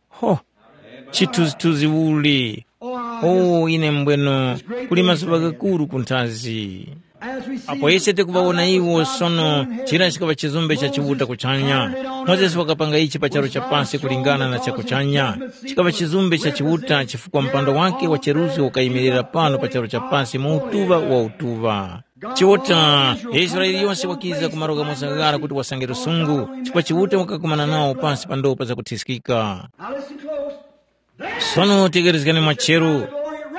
Ho! Chithunzithunzi uli! O, ine mbweno, kuli mazuŵa ghakuru kunthazi. Apo ise tikuŵawona iwo sono, chira chikaŵa chizumbe cha Chiuta kuchanya. Mozesi wakapanga ichi pa charu cha pasi kulingana na cha kuchanya. Chikaŵa chizumbe cha Chiuta chifukwa mpando wake wa cheruzgo ukayimirira pano pa charu cha pasi mu utuŵa wa utuŵa. Chiuta, Israele yose wakiza ku malo ghamoza ghara kuti wasange lusungu, chifukwa Chiuta wakakumana nawo pasi pa ndopa zakuthiskika. Now listen close. Sono tekerezgani mwacheru.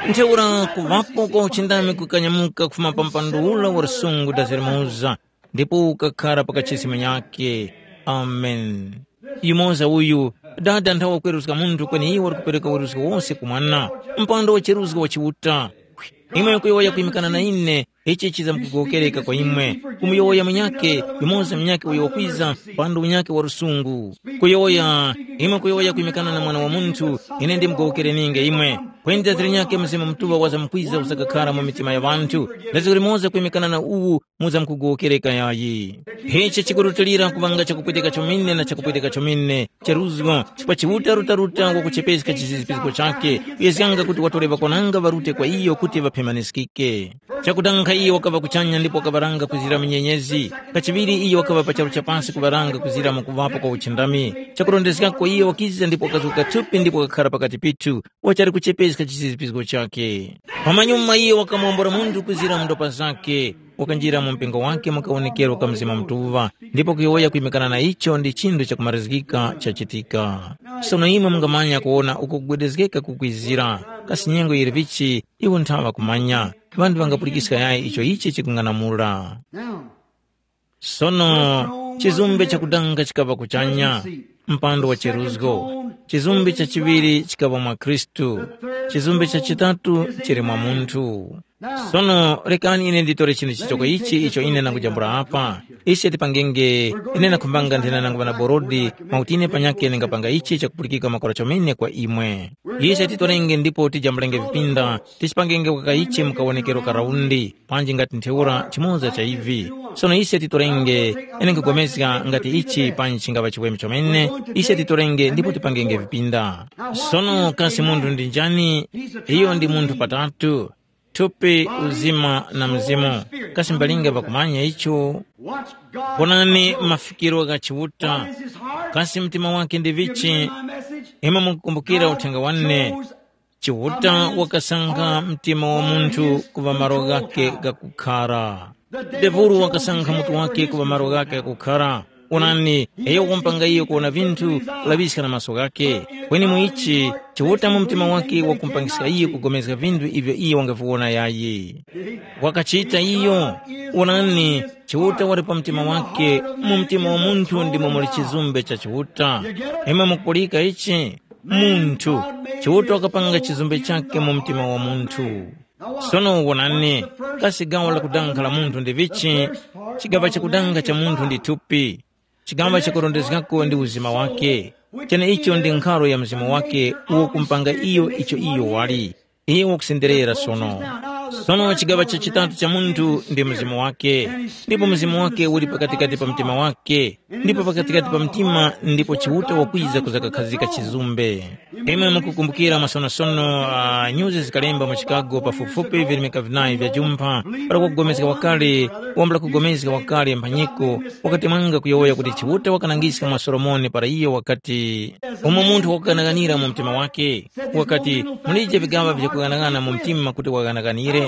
Ntheura kuŵapo kwa uchindami kukanyamuka kufuma pa mpando ura wa lusungu dazirimuza, ndipo ukakhara pa kachisi munyakhe. Amen. Yumoza uyu, Dada nthawa kweruzga munthu kweni iwo wali kupereka weruzgi wose ku Mwana, mpando wa cheruzgo wa Chiuta. Imwe mukuyowoya kwimikana na ine, ichi chizamkugowokereka kwa imwe. Kumuyowoya munyakhe, yumoza munyakhe uyo wakwiza, mpando unyakhe wa lusungu. Kuyowoya, imwe kuyowoya kwimikana na Mwana wa Munthu, ine ndimgowokereninge imwe. Kweni dazira nyakhe Mzimu Mutuŵa wazamkwiza usakakhara mu mitima ya ŵanthu, daziko limoza kwimikana na uwu muzamkugowokereka yayi. Ichi chikurutilira kuŵanga chakupweteka chomene na chakupweteka chomene, cheruzgo, chifukwa Chiuta rutaruta wakuchepeska chizizipizgo chakhe, kuyezganga kuti watore ŵakwananga ŵarute kwa iyo kuti ŵaphemaniskike. Chakutankha iyo wakaŵa kuchanya ndipo wakaŵaranga kuzira mu nyenyezi. Kachiŵiri iyo wakaŵa pa charu cha pasi kuŵaranga kuzira mu kuŵapo kwa uchindami. Chakurondezgako iyo wakiza ndipo wakazuka thupi ndipo wakakhara pakati pithu, wachali kuchepeska chizizipizgo chakhe. Pamanyuma iyo wakamuwombora munthu kuzira mu ndopa zakhe, wakanjira mu mpingo wake mu kawonekero ka Mzimu Mutuŵa, ndipo kuyowoya kwimikana na icho ndi chinthu chakumarizgika chachitika. Sono imwe mungamanya kuwona uko kugwedezgeka kukwizira, kasi nyengo yili vichi, iwo nthawa kumanya. Ŵanthu ŵangapulikiska yayi icho ichi chikung'anamula. Now, sono, chizumbe chakudanga chikaŵa kuchanya, mpando wa cheruzgo. Chizumbe cha chiŵiri chikaŵa mwa Khristu. Chizumbe cha chitatu chili mwa munthu. Sono rekani ine nditore chinthu chichoko ichi icho ine ndangujambula apa. Ise tipangenge, ine ndakhumbanga nthena nangu ŵana borodi, mwakuti ine panyakhe ndingapanga ichi chakupulikika makora chomene kwa imwe. Ise titorenge ndipo tijambulenge vipinda, tichipangenge waka ichi mu kawonekero ka raundi, panji ngati ntheura chimoza cha ivi. Sono ise titorenge, ine nkugomezga ngati ichi panji chingava chiweme chomene, ise titorenge ndipo tipangenge vipinda. Sono kasi munthu ndi njani? Iyo ndi munthu patatu, thupi, uzima na mzimu. Kasi mbalinga pakumanya icho? Wonani mafikiro gha Chiuta. Kasi mtima wake ndi vichi? Imwe mukukumbukira uthenga wane. Chiuta wakasankha mtima wa munthu kuŵa malo ghake ghakukhara. Devulu wakasankha mutu wake kuŵa malo ghake ghakukhara. Onani, iyo wakumpanga iyo kuwona vinthu kulaŵiska na maso ghakhe. Kweni mu ichi, Chiuta mu mtima wake wakumpangiska iyo kugomezga vinthu ivyo iyo wangaviwona yayi. Wakachita iyo. Onani, Chiuta wali pa mtima wake, mu mtima wa munthu ndimo muli chizumbe cha Chiuta. Imwe mukupulika ichi? Munthu. Chiuta wakapanga chizumbe chakhe mu mtima wa munthu. Sono wonani, kasi gawo lakudanga la munthu ndi vichi? Chigaŵa chakudanga cha munthu ndi thupi. Chigaŵa chakurondezgako ndi uzima wake. Cheneicho ndi nkharo ya mzimu wake uwo kumpanga iyo icho iyo wali. Iyo wakusenderera sono. Sono chigaŵa cha chitatu cha munthu ndi mzimu wake, ndipo mzimu wake uli pakatikati pa mtima wake, ndipo pakatikati pa mtima ndipo Chiuta wakwiza kuzakakhazika chizumbe. Imwe mukukumbukira masonosono uh, nyuzi zikalemba mu Chicago pafupifupi virimika vinayi vya jumpha, para kugomezga wakale, wambula kugomezga wakale mphanyiko, wakati mwanga kuyowoya kuti Chiuta wakanangiska mwa Solomoni para iyo wakati, umo munthu wakuganaganira mu mtima wake, wakati, mulije vigaŵa vyakuganagana mu mtima kuti waganaganire.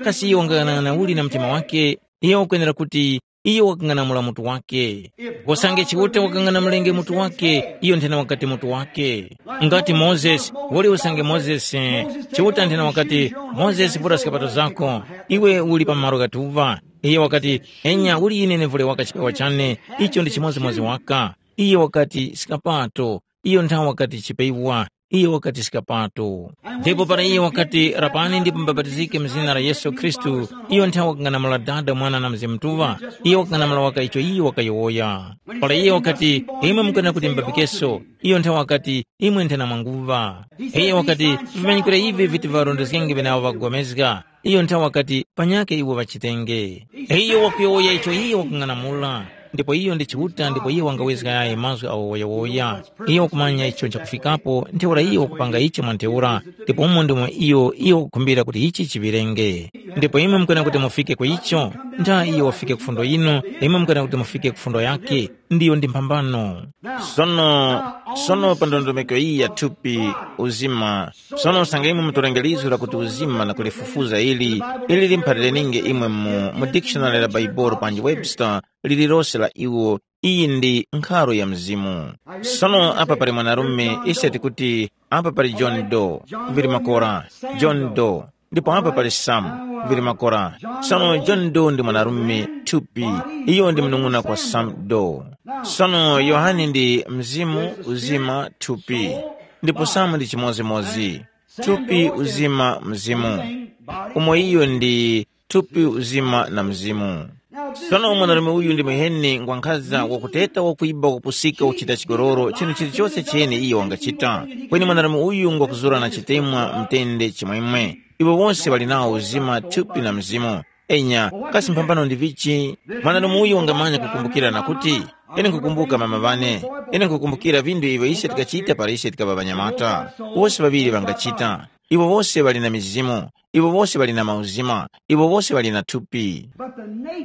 Kasi iyo wangaganagana uli na mtima wake? Iyo wakwenera kuti iyo wakang'anamula mutu wake. Usange Chiuta wakang'anamulenge mutu wake, iyo nthena wakati mutu wake. Ngati Mozesi, uli usange Mozesi, Chiuta nthena wakati, Mozesi vura skapato zako, iwe uli pa malo ghatuŵa. Iyo wakati, enya uli ine nevule waka chipewa chane, icho ndi chimodzimodzi waka. Iyo wakati, skapato, iyo nthawe wakati chipewa, iyo wakati skapato. Ndipo para iyo wakati, rapani ndipo mubapatizike mu zina la Yesu Khristu, iyo nthawe wakang'anamula Dada, Mwana na Mzimu Mutuŵa, iyo wakang'anamula waka icho iyo wakayowoya. Para iyo wakati, imwe mukwenda kuti mubapikeso, iyo nthawe wakati, imwe nthena mwanguŵa. Iyo wakati, vimanyikiro ivi viti varondezgenge ŵenawo ŵakupulikana. Iyo nthawe wakati, panyakhe iwo ŵachitenge. Iyo wakuyowoya icho iyo wakung'anamula. Ndipo iyo ndi Chiuta ndipo iyo wangawezga yaye mazgu awo woyawoya. Iyo wakumanya icho nchakufikapo ntheura iyo wakupanga icho mwa ntheura, ndipo umo ndimo iyo iyo wakukhumbira kuti ichi chiŵirenge. Ndipo imwe mukwena kuti mufike ku icho, ntha iyo wafike ku fundo yinu, imwe mukwena kuti mufike ku fundo yake, ndiyo ndi mphambano. Sono, sono pa ndondomeko iyi ya thupi, uzima, sono usange imwe mutorenge lizgu lakuti uzima na kulifufuza ili, ili limphalire ninge imwe mu, mu dictionary la Baibolo panji Webster, lililose la iwo, iyi ndi nkharo ya mzimu. Sono apa pali mwanarume, ise tikuti apa pali John Doe, vili makora, John Doe, ndipo apa pali Sam, vili makora. Sono John Doe ndi mwanarume thupi, iyo ndi mnung'una kwa Sam Doe. Sono Yohane ndi mzimu, uzima, thupi, ndipo Sam ndi chimodzimodzi, thupi, uzima, mzimu. Umo iyo ndi thupi, uzima na mzimu. Sono mwanarume uyu ndi muheni ngwankhaza wakuteta, wakwiba, wakupusika, wakuchita chigololo, chinthu chilichose chene iyo wangachita. Kweni mwanarume uyu ngwakuzura na chitemwa mtende chimwemwe. Iwo wose ŵali nawo uzima, thupi na mzimu. Enya, kasi mphambano ndi vichi? Mwanarume uyu wangamanya kukumbukira na kuti, ine nkukumbuka mama ŵane, ine nkukumbukira vinthu ivyo ise tikachita para ise tikaŵa ŵanyamata. Wose ŵaŵiri ŵangachita. Iwo wose ŵali na mizimu, iwo wose ŵali na mauzima, iwo wose ŵali na thupi.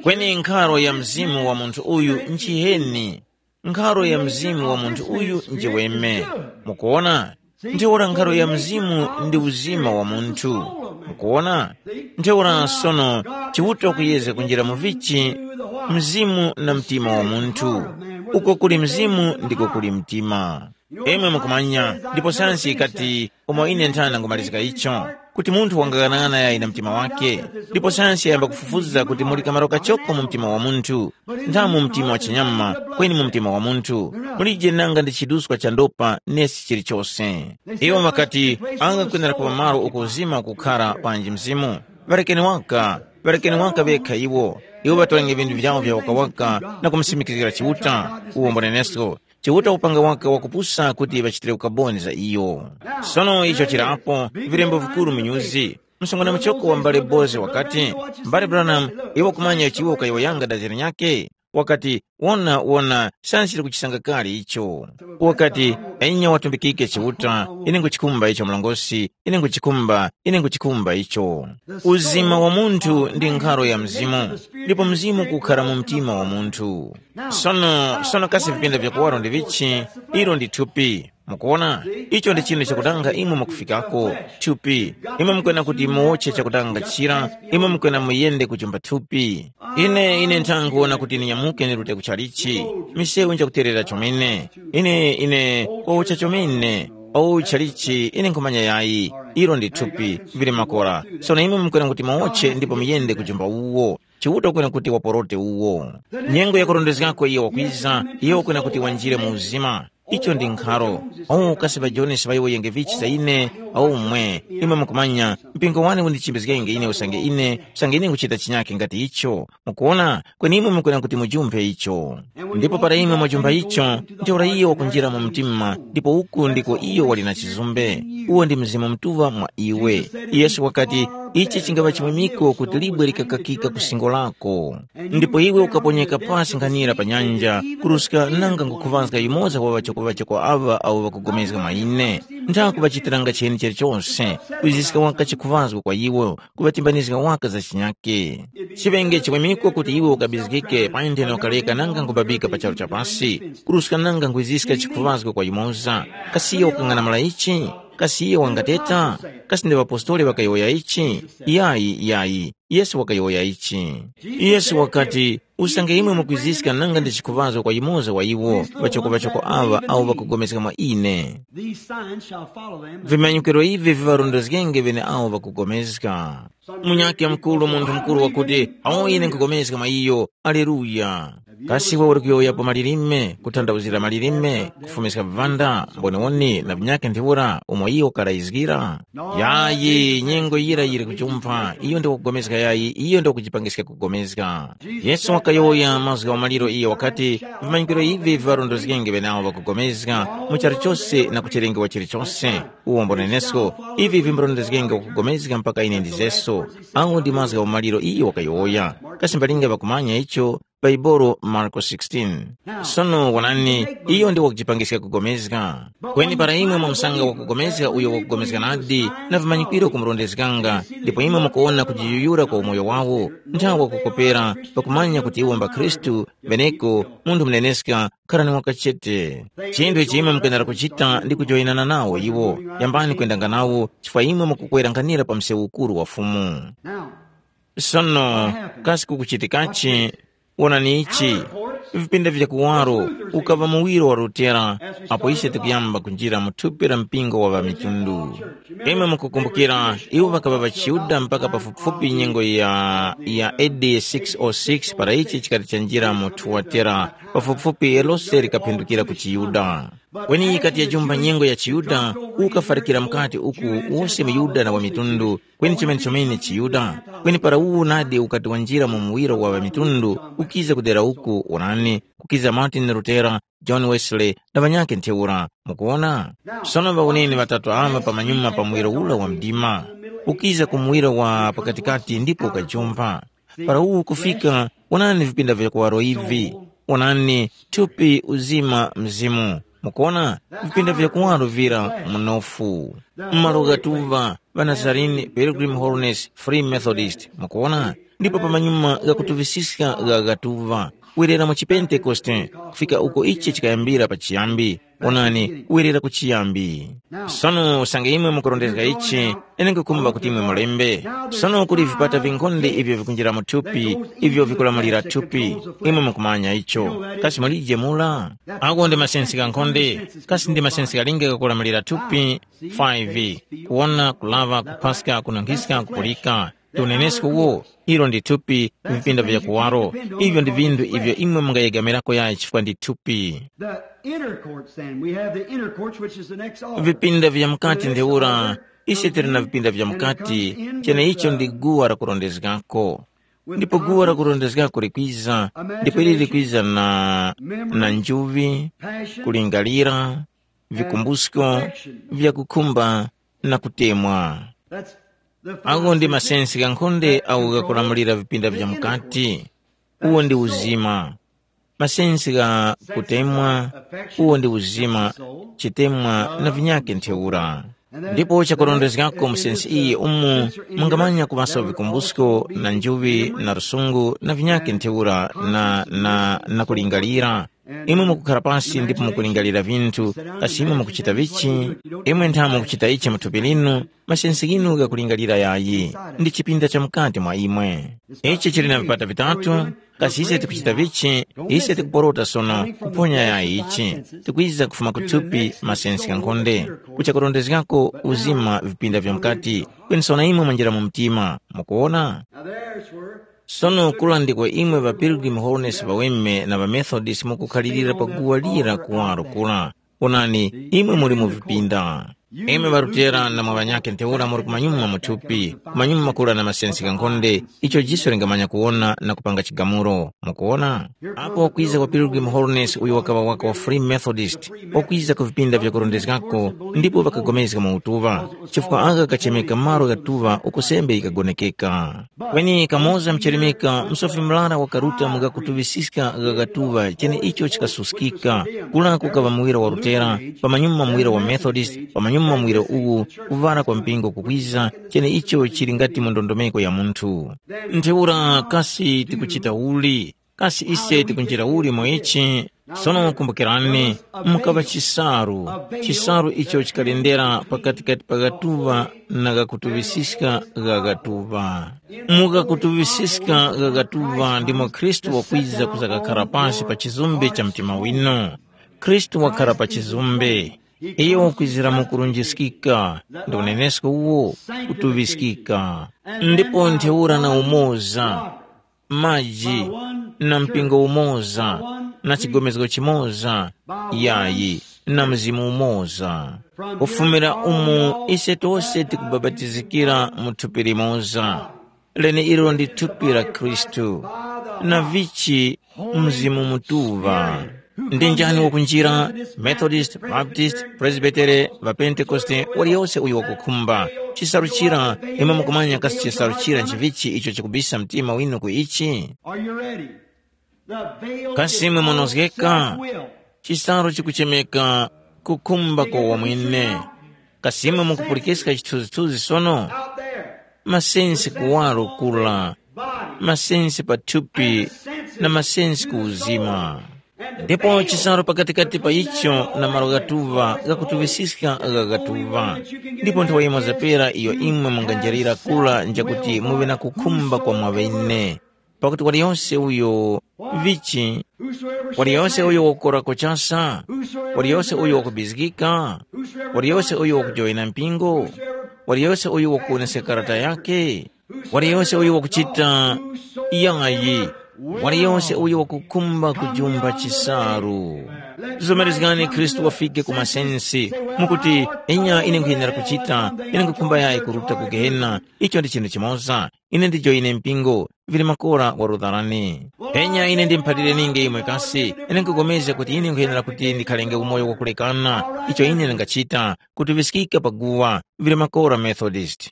Kweni nkharo ya mzimu wa munthu uyu nchiheni. Nkharo ya mzimu wa munthu uyu njiweme. Mukuona? Ntheura nkharo ya mzimu ndi uzima wa munthu. Mukuona? Ntheura sono, Chiuta kuyezga kunjira mu vichi? Mzimu na mtima wa munthu. Uko kuli mzimu ndiko kuli mtima. Imwe mukumanya, ndipo sayansi ikati, umo ine nthana ngumalizika icho, kuti munthu wangaghanagana yayi na mtima wake. Ndipo sayansi yayamba kufufuza kuti muli kamaro kachoko mu mtima wa munthu, ntha mu mtima wa chinyama, kweni mu mtima wa munthu mulije nanga ndi chiduskwa cha ndopa nesi chilichose. Iwo ŵakati, angakwenera kuŵa malo uko uzima ukukhara panji mzimu. Ŵarekeni waka, ŵarekeni waka ŵekha iwo. Iwo ŵatolenge vinthu vyawo vya wakawaka na kumusimikizgira Chiuta, uwo mbonenesko. Chiuta upanga waka wakupusa kuti ŵachitire ukaboni za iyo. Sono icho chirapo, vilembo vikuru munyuzi. Msungwana muchoko wa mbale Bozi wakati, "Mbale Branham, iwe kumanya chiwo kayowoyanga dazira nyake?" Wakati, "Wona, wona, sanchili kuchisanga kale icho." Wakati, "Enya watumbikike Chiuta, ine nguchikhumba icho mlongosi, ine nguchikhumba, ine nguchikhumba icho." Uzima wa munthu ndi nkharo ya mzimu, ndipo mzimu kukhara mu mtima wa munthu. Sono, sono kasi vipinda vya kuwaro ndi vichi? Ilo ndi thupi. Mukuona, icho ndi chinthu chakutanga imwe mukufikako, thupi. Imwe mukwena kuti muwotche chakutanga chira, imwe mukwena muyende kuchumba thupi. Ine, ine nthanguwona kuti ninyamuke nirute ku chalichi. Misewu njakuterera chomene. Ine, ine, kwawotcha chomene. Au chalichi, ine nkhumanya yayi. Ilo ndi thupi, vili makora. Sono imwe mukwena kuti muwotche ndipo muyende kuchumba uwo. Chiuta ukwena kuti waporote uwo. Nyengo yakurondezgako iyo wakwiza, iyo ukwena kuti wanjire mu uzima. Icho ndi nkharo. Oh, kasi ŵajonesi ŵaiwoyenge vichi za ine? Aumwe, imwe mukumanya, mpingo wane undichimbizgenge ine usange ine, usange ine nkuchita chinyakhe ngati icho. Mukuona, kweni imwe mukwena kuti mujumphe icho. Ndipo para imwe mwajumpha icho, ntheura iyo wakunjira mu mtima, ndipo uku ndiko iyo wali na chizumbe. Uwo ndi Mzimu Mutuŵa mwa iwe. Yesu wakati, ichi chingava chimwemeko kuti libwe likakakika ku singo lako. Ndipo iwe ukaponyeka pasi nkhanira pa nyanja, kuruska nanga nkukhuŵazga yumoza wa ŵachokoŵachoko aŵa awo ŵakupulikana mwa ine. Nthakuŵachitiranga cheni chilichose, kuziska waka chikhuŵazgo kwa iwo, kuŵatimbanizga waka za chinyake. Chiŵenge chimwemeko kuti iwe ukabizgike pa ntheno ukaleka nanga nkubabika pa charu cha pasi, kuruska nanga nkwiziska chikhuŵazgo kwa yumoza. Kasi iyo wakang'anamula ichi? Kasi iyo wangateta? Kasi ndi ŵapostoli ŵakayowoya ichi? Yayi, yayi. Yesu wakayowoya ichi. Yesu wakati, usange imwe mukwiziska nanga ndi chikhuŵazgo kwa yumoza wa iwo ŵachokoŵachoko aŵa awo ŵakupulikana mwa ine. These signs shall follow them that Vimanyikiro ivi viŵarondezgenge ŵeneawo ŵakupulikana. Munyakhe mukuru, munthu mukuru wakuti, awo ine nkupulikana mwa iyo. Aleluya. Kasi iwe uli kuyowoyapo malilime, kuthandauzira malilime, kufumiska vivanda, mboniwoni na vinyakhe ntheura umo iyo karayizgira? Yayi, nyengo yira yiri kujumpha, iyo ndi wakupulikana yayi, iyo ndi wakujipangiska kupulikana. Yesu wakayowoya mazgu gha umaliro iyo wakati, vimanyikiro ivi viŵarondezgenge ŵenawo ŵakupulikana mu charu chose na kuchilengewa chilichose. Uwo mbonenesko, ivi vimbarondezgenge wakupulikana mpaka ine ndizeso. Agho ndi mazgu gha umaliro iyo wakayowoya. Kasi mbalinga ŵakumanya icho, Baibolo Marko sixteen. Sono wonani, iyo ndi wakujipangiska kupulikana. Kweni para imwe mwamusanga wakupulikana uyo wakupulikana nadi, na vimanyikiro kumurondezganga, ndipo imwe mukuwona kujiyuyura kwa umoyo wawo, nthawi wakukopera, pakumanya kuti iwo mba Khristu, beneko, munthu muneneska, kharani wakachete. Chinthu ichi imwe mukwenera kuchita ndi kujoyinana nawo iwo, yambani kwendanga nawo, chifukwa imwe mukukwera nkhanira pa msewu ukuru wa Fumu. Now, Sono, kasi kukuchitikachi? Wonani ichi, vipinda vya kuwaro ukaŵa muwiro wa Lutera, apo ise tikuyamba kunjira mu thupi la mpingo wa ŵamitundu. Imwe mukukumbukira, iwo ŵakaŵa ŵachiYuda mpaka pafupifupi nyengo ya, ya A D six oh six para ichi chikati chanjira mu Thuwatera, pafupifupi lose likaphindukira ku chiYuda. Kweni yikati yajumba nyengo ya chiYuda, ukafarikira mukati uku wose muYuda na wa mitundu, kweni chomene chomene chiYuda. Kweni para uwu nadi ukati wanjira mu muwiro wa ŵamitundu, ukiza kudera uku, onani, kukiza Martin Lutera, John Wesley, na ŵanyakhe ntheura. Mukuwona? Sono ŵawoneni ŵatatu aŵa pamanyuma pa muwiro ula wa mdima, ukiza ku muwiro wa pakatikati ndipo ukajumpa. Para uwu kufika, wonani vipinda vya kuwaro ivi. Wonani, thupi, uzima, mzimu. Mukuwona? Vipinda vya kuwaro vira munofu. M'malo ghatuŵa, ŵa Nazarene, Pilgrim Holiness, Free Methodist. Mukuwona? Ndipo pamanyuma ghakutuŵisiska gha ghatuŵa. Werera mu Chipentekoste, kufika uko ichi chikayambira pachiyambi. Onani, werera ku chiyambi. Sono usange imwe mukurondezga ichi, ine nkukhumba kuti imwe mulembe. Sono kuli vipata vinkhonde ivyo vikunjira mu thupi, ivyo vikulamulira thupi. Imwe mukumanya icho. Kasi mulije mula? Ako ndi masensi ghankhonde. Kasi ndi masensi ghalinga ghakulamulira thupi? five. Kuwona, kulaŵa, kuphaska, kununkhiska, kupulika. Ndi unenesko uwo, ilo ndi thupi, vipinda vya kuwaro. Ivyo ndi vinthu ivyo imwe mungayegamirako yayi chifukwa ndi thupi. The inner courts, then. We have the inner courts, which is the next altar. Vipinda vya mukati ntheura, ise tili na vipinda vya mukati, cheneicho ndi guwa lakurondezgako. Ndipo guwa lakurondezgako likwiza, ndipo ili likwiza na, na njuŵi, kulingalira, vikumbusko, vyakukhumba, na kutemwa. Agho ndi masensi ghankhonde agho ghakulamulira vipinda vya mukati. Uwo ndi uzima. Masensi gha kutemwa, uwo ndi uzima, chitemwa na vinyakhe ntheura. Ndipo chakurondezgako mu sensi iyi umu mungamanya kuŵaso vikumbusko na njuŵi na lusungu na vinyakhe ntheura na, na, na kulingalira. Imwe mukukhara pasi ndipo mukulingalira vinthu, kasi imwe mukuchita vichi? Imwe ntha mukuchita ichi mu thupi linu, masensi ghinu ghakulingalira yayi, ndi chipinda cha mukati mwa imwe. Ichi chili na vipata vitatu, kasi ise tikuchita vichi? Ise tikuporota sono kuphonya yayi ichi, tikwiza kufuma ku thupi masensi ghankhonde, kucha kurondezgako uzima vipinda vya mukati, kweni sono imwe mwanjira mu mtima. Mukuwona? Sono kula ndiko imwe ŵa Pilgrim Holiness ŵaweme na ŵa Methodist mukukhalirira pa guwa lira kuwaro kula. Onani, imwe muli mu vipinda. Imwe ŵarutera na mwa ŵanyakhe ntheura muli kumanyuma mu thupi, kumanyuma kura na masensi ghankhonde, icho jiso lingamanya kuwona na kupanga chigamulo. Mukuwona? Apo wakwiza kwa Pilgrim Holiness uyo wakaŵa waka wa Free Methodist, wakwiza ku vipinda vyakurondezgako ndipo ŵakapulikana mu utuŵa, chifukwa agha kachemeka malo ghatuŵa uko sembe yikagonekeka. Kweni kamoza mchelemeka msofi murara wakaruta mu ghakutuŵisiska gha ghatuŵa cheneicho chikasuskika, kula kukaŵa muwira wa Lutera, pamanyuma muwira wa Methodist, pamanyuma muwira uwu, kuŵala kwa mpingo kukwiza, cheneicho chili ngati mu ndondomeko ya munthu. Ntheura kasi tikuchita uli? Kasi ise tikunjira uli mu ichi? Sono kumbukirani, mukaŵa chisaru, chisaru icho chikalendera pakatikati pa ghatuŵa na ghakutuŵisiska gha ghatuŵa. Mu ghakutuŵisiska gha ghatuŵa ndimo Khristu wakwiza kuzakakhara pasi pa chizumbe cha mtima winu. Khristu wakhara pa chizumbe. Iyo wakwizira mu kurunjiskika, ndi unenesko uwo, kutuŵiskika. Ndipo ntheura na umoza, maji, na mpingo umoza, na chigomezgo chimoza, yayi, na Mzimu umoza. Kufumira umu ise tose tikubapatizikira mu thupi limoza, leneilo ndi thupi la Khristu, na vichi Mzimu Mutuŵa. Ndi njani wakunjira, Methodist, Baptist, Presbytere, ŵaPentekoste, waliyose uyo wakukhumba? Chisaru chira, imwe mukumanya kasi chisaru chira nchivichi icho chikubisa mtima winu ku ichi? Are you ready? The veil Kasi is imwe called munozgeka? Self-will. Chisaru chikuchemeka kukhumba kwa wamwene. Kasi imwe mukupulikiska chithunzithunzi sono? Out there. Masensi kuwaro kula, masensi pa thupi, na masensi ku uzima. Ndipo chisaru pakatikati pa icho na malo ghatuŵa ghakutuŵisiska gha ghatuŵa. Ndipo nthawa yimoza pera iyo imwe munganjarira kula njakuti muŵe na kukhumba kwa mwaŵene. Pakuti waliyose uyo vichi, waliyose uyo wakukora kuchasa, waliyose uyo wakubizgika, waliyose uyo wakujoyina mpingo, waliyose uyo wakuwoneska karata yake, waliyose uyo wakuchita yayi, waliyose uyo wakukhumba kujumba chisaru. Zomerezgani Khristu wafike ku masensi, mukuti, enya ine nkhuyenera kuchita, ine nkhukhumba yayi kuruta ku gehena, icho ndi chinthu chimoza, ine ndijoyine mpingo, vili makora warutharani. Penya ine ndimuphalirenge imwe kasi, ine nkupulikana kuti ine nkhuyenera kuti ndikhalenge umoyo wakulekana, icho ine ndingachita, kuti viskika paguwa, vili makora Methodist.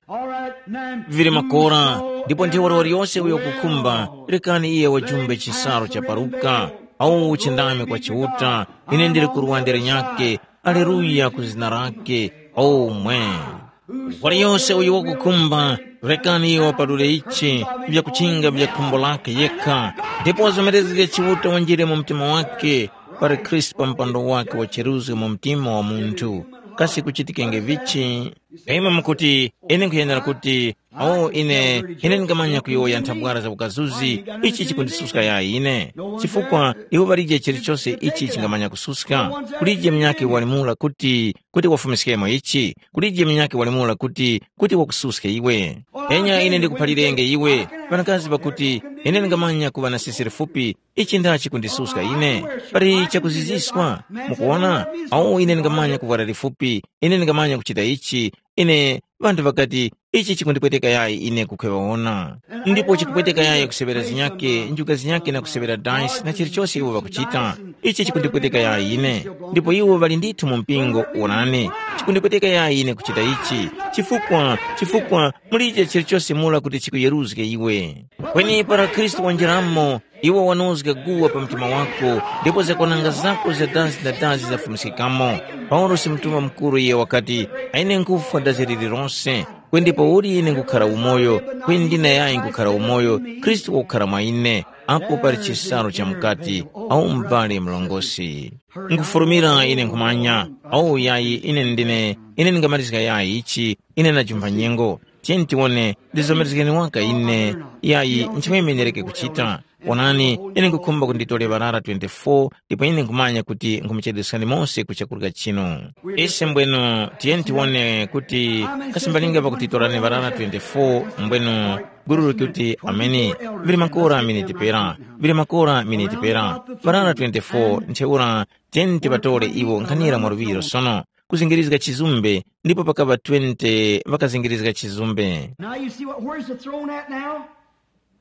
Vili makora, ndipo ntheura waliyose uyo kukhumba, rekani iye wajumbe chisaru cha paruka, au uchindami kwa Chiuta, ine ndili kurwandere nyake, aleluya ku zina lake, omwe. Waliyose uyo wakukhumba, rekani iyo wapalule ichi, vyakuchinga vya khumbo lake yekha, ndipo wazomerezge Chiuta wanjire mu mtima wake, pali Khristu pa mpando wake wa cheruzgo mu mtima wa munthu. Kasi kuchitikenge vichi? Imwe mukuti, ine nkhuyenera kuti, o ine, ine ndingamanya kuyowoya nthabwara za ukazuzi, ichi chikundisuska yayi ine. Chifukwa iwo palije chilichose ichi chingamanya kususka. Kulije munyakhe walimula kuti, kuti wafumiskemo ichi, kulije munyakhe walimula kuti, kuti wakususke iwe. Enya ine ndikuphalirenge iwe, Ŵanakazi ŵakuti, ine ndingamanya kuŵa na sisi lifupi, ichi ndachi kundisuska ine? Pali chakuziziswa? Mukuona? Awu ine ndingamanya kuvwara lifupi, ine ndingamanya kuchita ichi, ine ŵanthu ŵakati, ichi chikundipweteka yayi ine kukhweŵawona. Ndipo chikupweteka yayi kusewera zinyake, njuga zinyake na kusewera dansi na chilichose iwo ŵakuchita. Ichi chikundipweteka yayi ine. Ndipo iwo ŵali ndithu mu mpingo, wonani, chikundipweteka yayi ine kuchita ichi. Chifukwa, chifukwa mulije chilichose mura kuti chikuyeruzge iwe. Kweni para Khristu wanjiramo, iwe wanozga guwa pa mtima wako, ndipo zakwananga zako za dansi na dansi zafumiskikamo. Paulosi mtumwa mukuru iye wakati, aine nkufwa dazi lililonse, kweni ndipo uli ine nkukhara umoyo, kweni ndine yayi nkukhara umoyo, Khristu wakukhara mwa ine, apo pali chisalu cha mukati, au m'bale mlongosi. Nkufurumira ine nkhumanya, au yayi ine ndine, ine ndingamalizika yayi ichi, ine najumba nyengo. Tiyeni tiwone, ndizomerezgeni waka ine, yayi nchimweme nereke kuchita. Onani, ine nkukhumba kuti nditole ŵarara twenty-four, ndipo ine nkhumanya kuti nkhumuchedweskani mose ku chakurya chinu. Ise mbwenu, tiyeni tiwone kuti kasimbalinga pakutitorani ŵarara twenty-four, mbwenu guru likuti ameni. Vili makora miniti pera, vili makora miniti pera, ŵarara twenty-four, ntheura tiyeni tiŵatore iwo nkhanira mwa luŵiro sono, kuzingirizga chizumbe, ndipo pakaŵa twenty ŵakazingirizga chizumbe. Now you see what, where's the throne at now?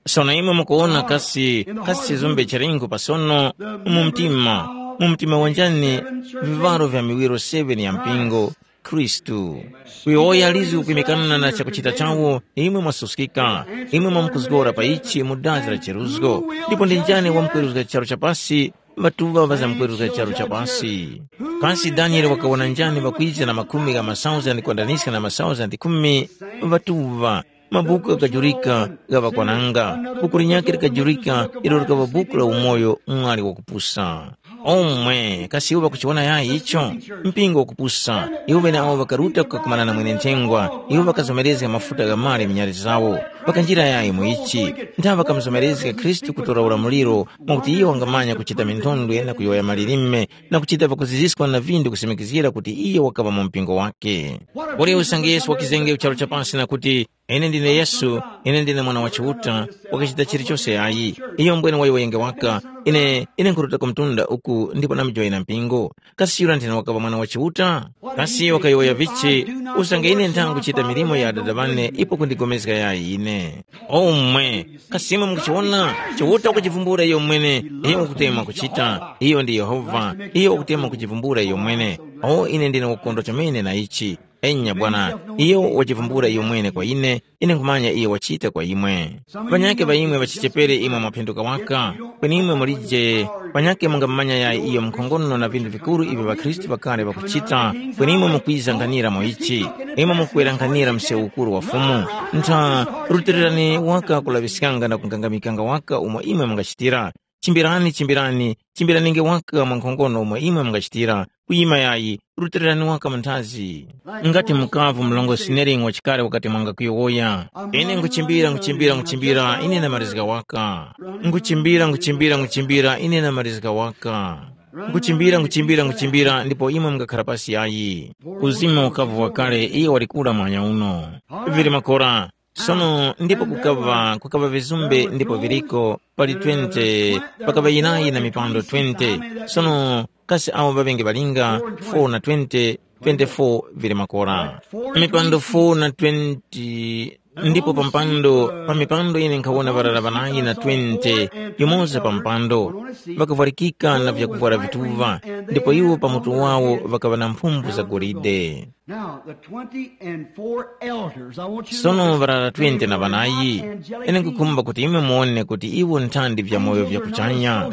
Sono imwe mukuwona kasi, kasi chizumbe chalingo pasono mu mtima, mu mtima wanjani, vivaro vya miwiro seven ya mpingo, Khristu. Kuyowoya lizu kwimikana na chakuchita chawo, imwe mwasuskika, imwe mwamkuzgora pa ichi mu dazi la cheruzgo. Ndipo ndi njani wamkweruzga charu chapasi? Ŵatuŵa ŵazamkweruzga charu chapasi. Kasi Daniele wakawona njani ŵakwiza na makhumi gha masauzandi kwandaniska na masauzandi khumi? Ŵatuŵa, mabuku ghakajurika gha ŵakwananga, buku linyakhe likajurika ilo likaŵa buku la umoyo mwali wakupusa. Omwe, kasi iwo ŵakuchiwona yayi icho? Mpingo wakupusa, iwo ŵeneawo ŵakaruta kukakumana na mwene-nthengwa, iwo ŵakazomerezga mafuta gha mali m'nyali zawo. Ŵakanjira yayi mu ichi? Ntha ŵakamuzomerezga Khristu kutora ulamuliro mwakuti iyo wangamanya kuchita minthondwe na kuyowoya malilime na kuchita pakuziziskwa na vindu kusimikizgira kuti iyo wakaŵa mu mpingo wake. Kodi usange Yesu wakizenge charu cha pasi na kuti, ine ndine Yesu, ine ndine Mwana wa Chiuta, wakachita chilichose ayi. Iyo mbwene wayowoyenge waka, ine, ine nkhuruta ku mtunda uku ndipo namjoyera mpingo. Kasi yura nthena wakaŵa Mwana wa Chiuta? Kasi wakayowoya vichi, usange ine nthangu kuchita milimo ya Adada ŵane ipo kundigomezga yayi ine? Omwe, kasi imwe mukuchiwona? Chiuta wakuchivumbula iyo mwene, iyo wakutema kuchita, iyo ndi Yehova, iyo wakutema kuchivumbula iyo mwene. O ine ndine wakukondwa chomene na ichi. Enya bwana, iyo wachivumbula iyo mwene kwa ine, ine nkhumanya iyo wachita kwa imwe. Panyake pa imwe ŵachichepere imwe mwaphenduka waka, kweni imwe mulije, panyake mungamumanya yayi iyo mkhongono na vinthu vikuru ivyo ŵakhristu ŵakale ŵakuchita, kweni imwe mukwiza nkhanira mu ichi, imwe mukwera nkhanira msewu ukuru wa Fumu. Ntha, rutilirani waka kulaŵiskanga na kungangamikanga waka umo imwe mungachitira. Chimbirani, chimbirani, chimbiraninge waka mwa nkhongono umo imwe mungachitira, kuyima yayi, rutilirani waka mu nthazi. Ngati mukavu mlongo Sinelingi wachikale wakati mwanga kuyowoya, ine nkuchimbira, nkuchimbira, nkuchimbira, ine namalizika waka. Nkuchimbira, nkuchimbira, nkuchimbira, ine namalizika waka. Nkuchimbira, nkuchimbira, nkuchimbira, ndipo imwe mungakhala pasi yayi. Uzima ukavu wakale, iye walikula mwanya uno. Vili makora. Sono ndipo kukaŵa, kukaŵa vizumbe ndipo viliko pali twenty, pakaŵa yinayi na mipando twenty. Sono kasi awo ŵaŵenge ŵalinga, four na twenty, twenty-four vili makora. Mipando four na twenty, ndipo pa mpando, pa mipando ine nkhawona ŵarara ŵanayi na twenty, yumoza pa mpando, ŵakavwarikika na vyakuvwara vituŵa, ndipo iwo pa mutu wawo ŵakaŵa na mphumbu za golide. Now, the twenty and four elders, I want you to Sono notice ŵarara they twenty na were ŵanayi, not angelic ine nkukhumba beings. Kuti imwe muone kuti iwo nthandi vyamoyo vya kuchanya.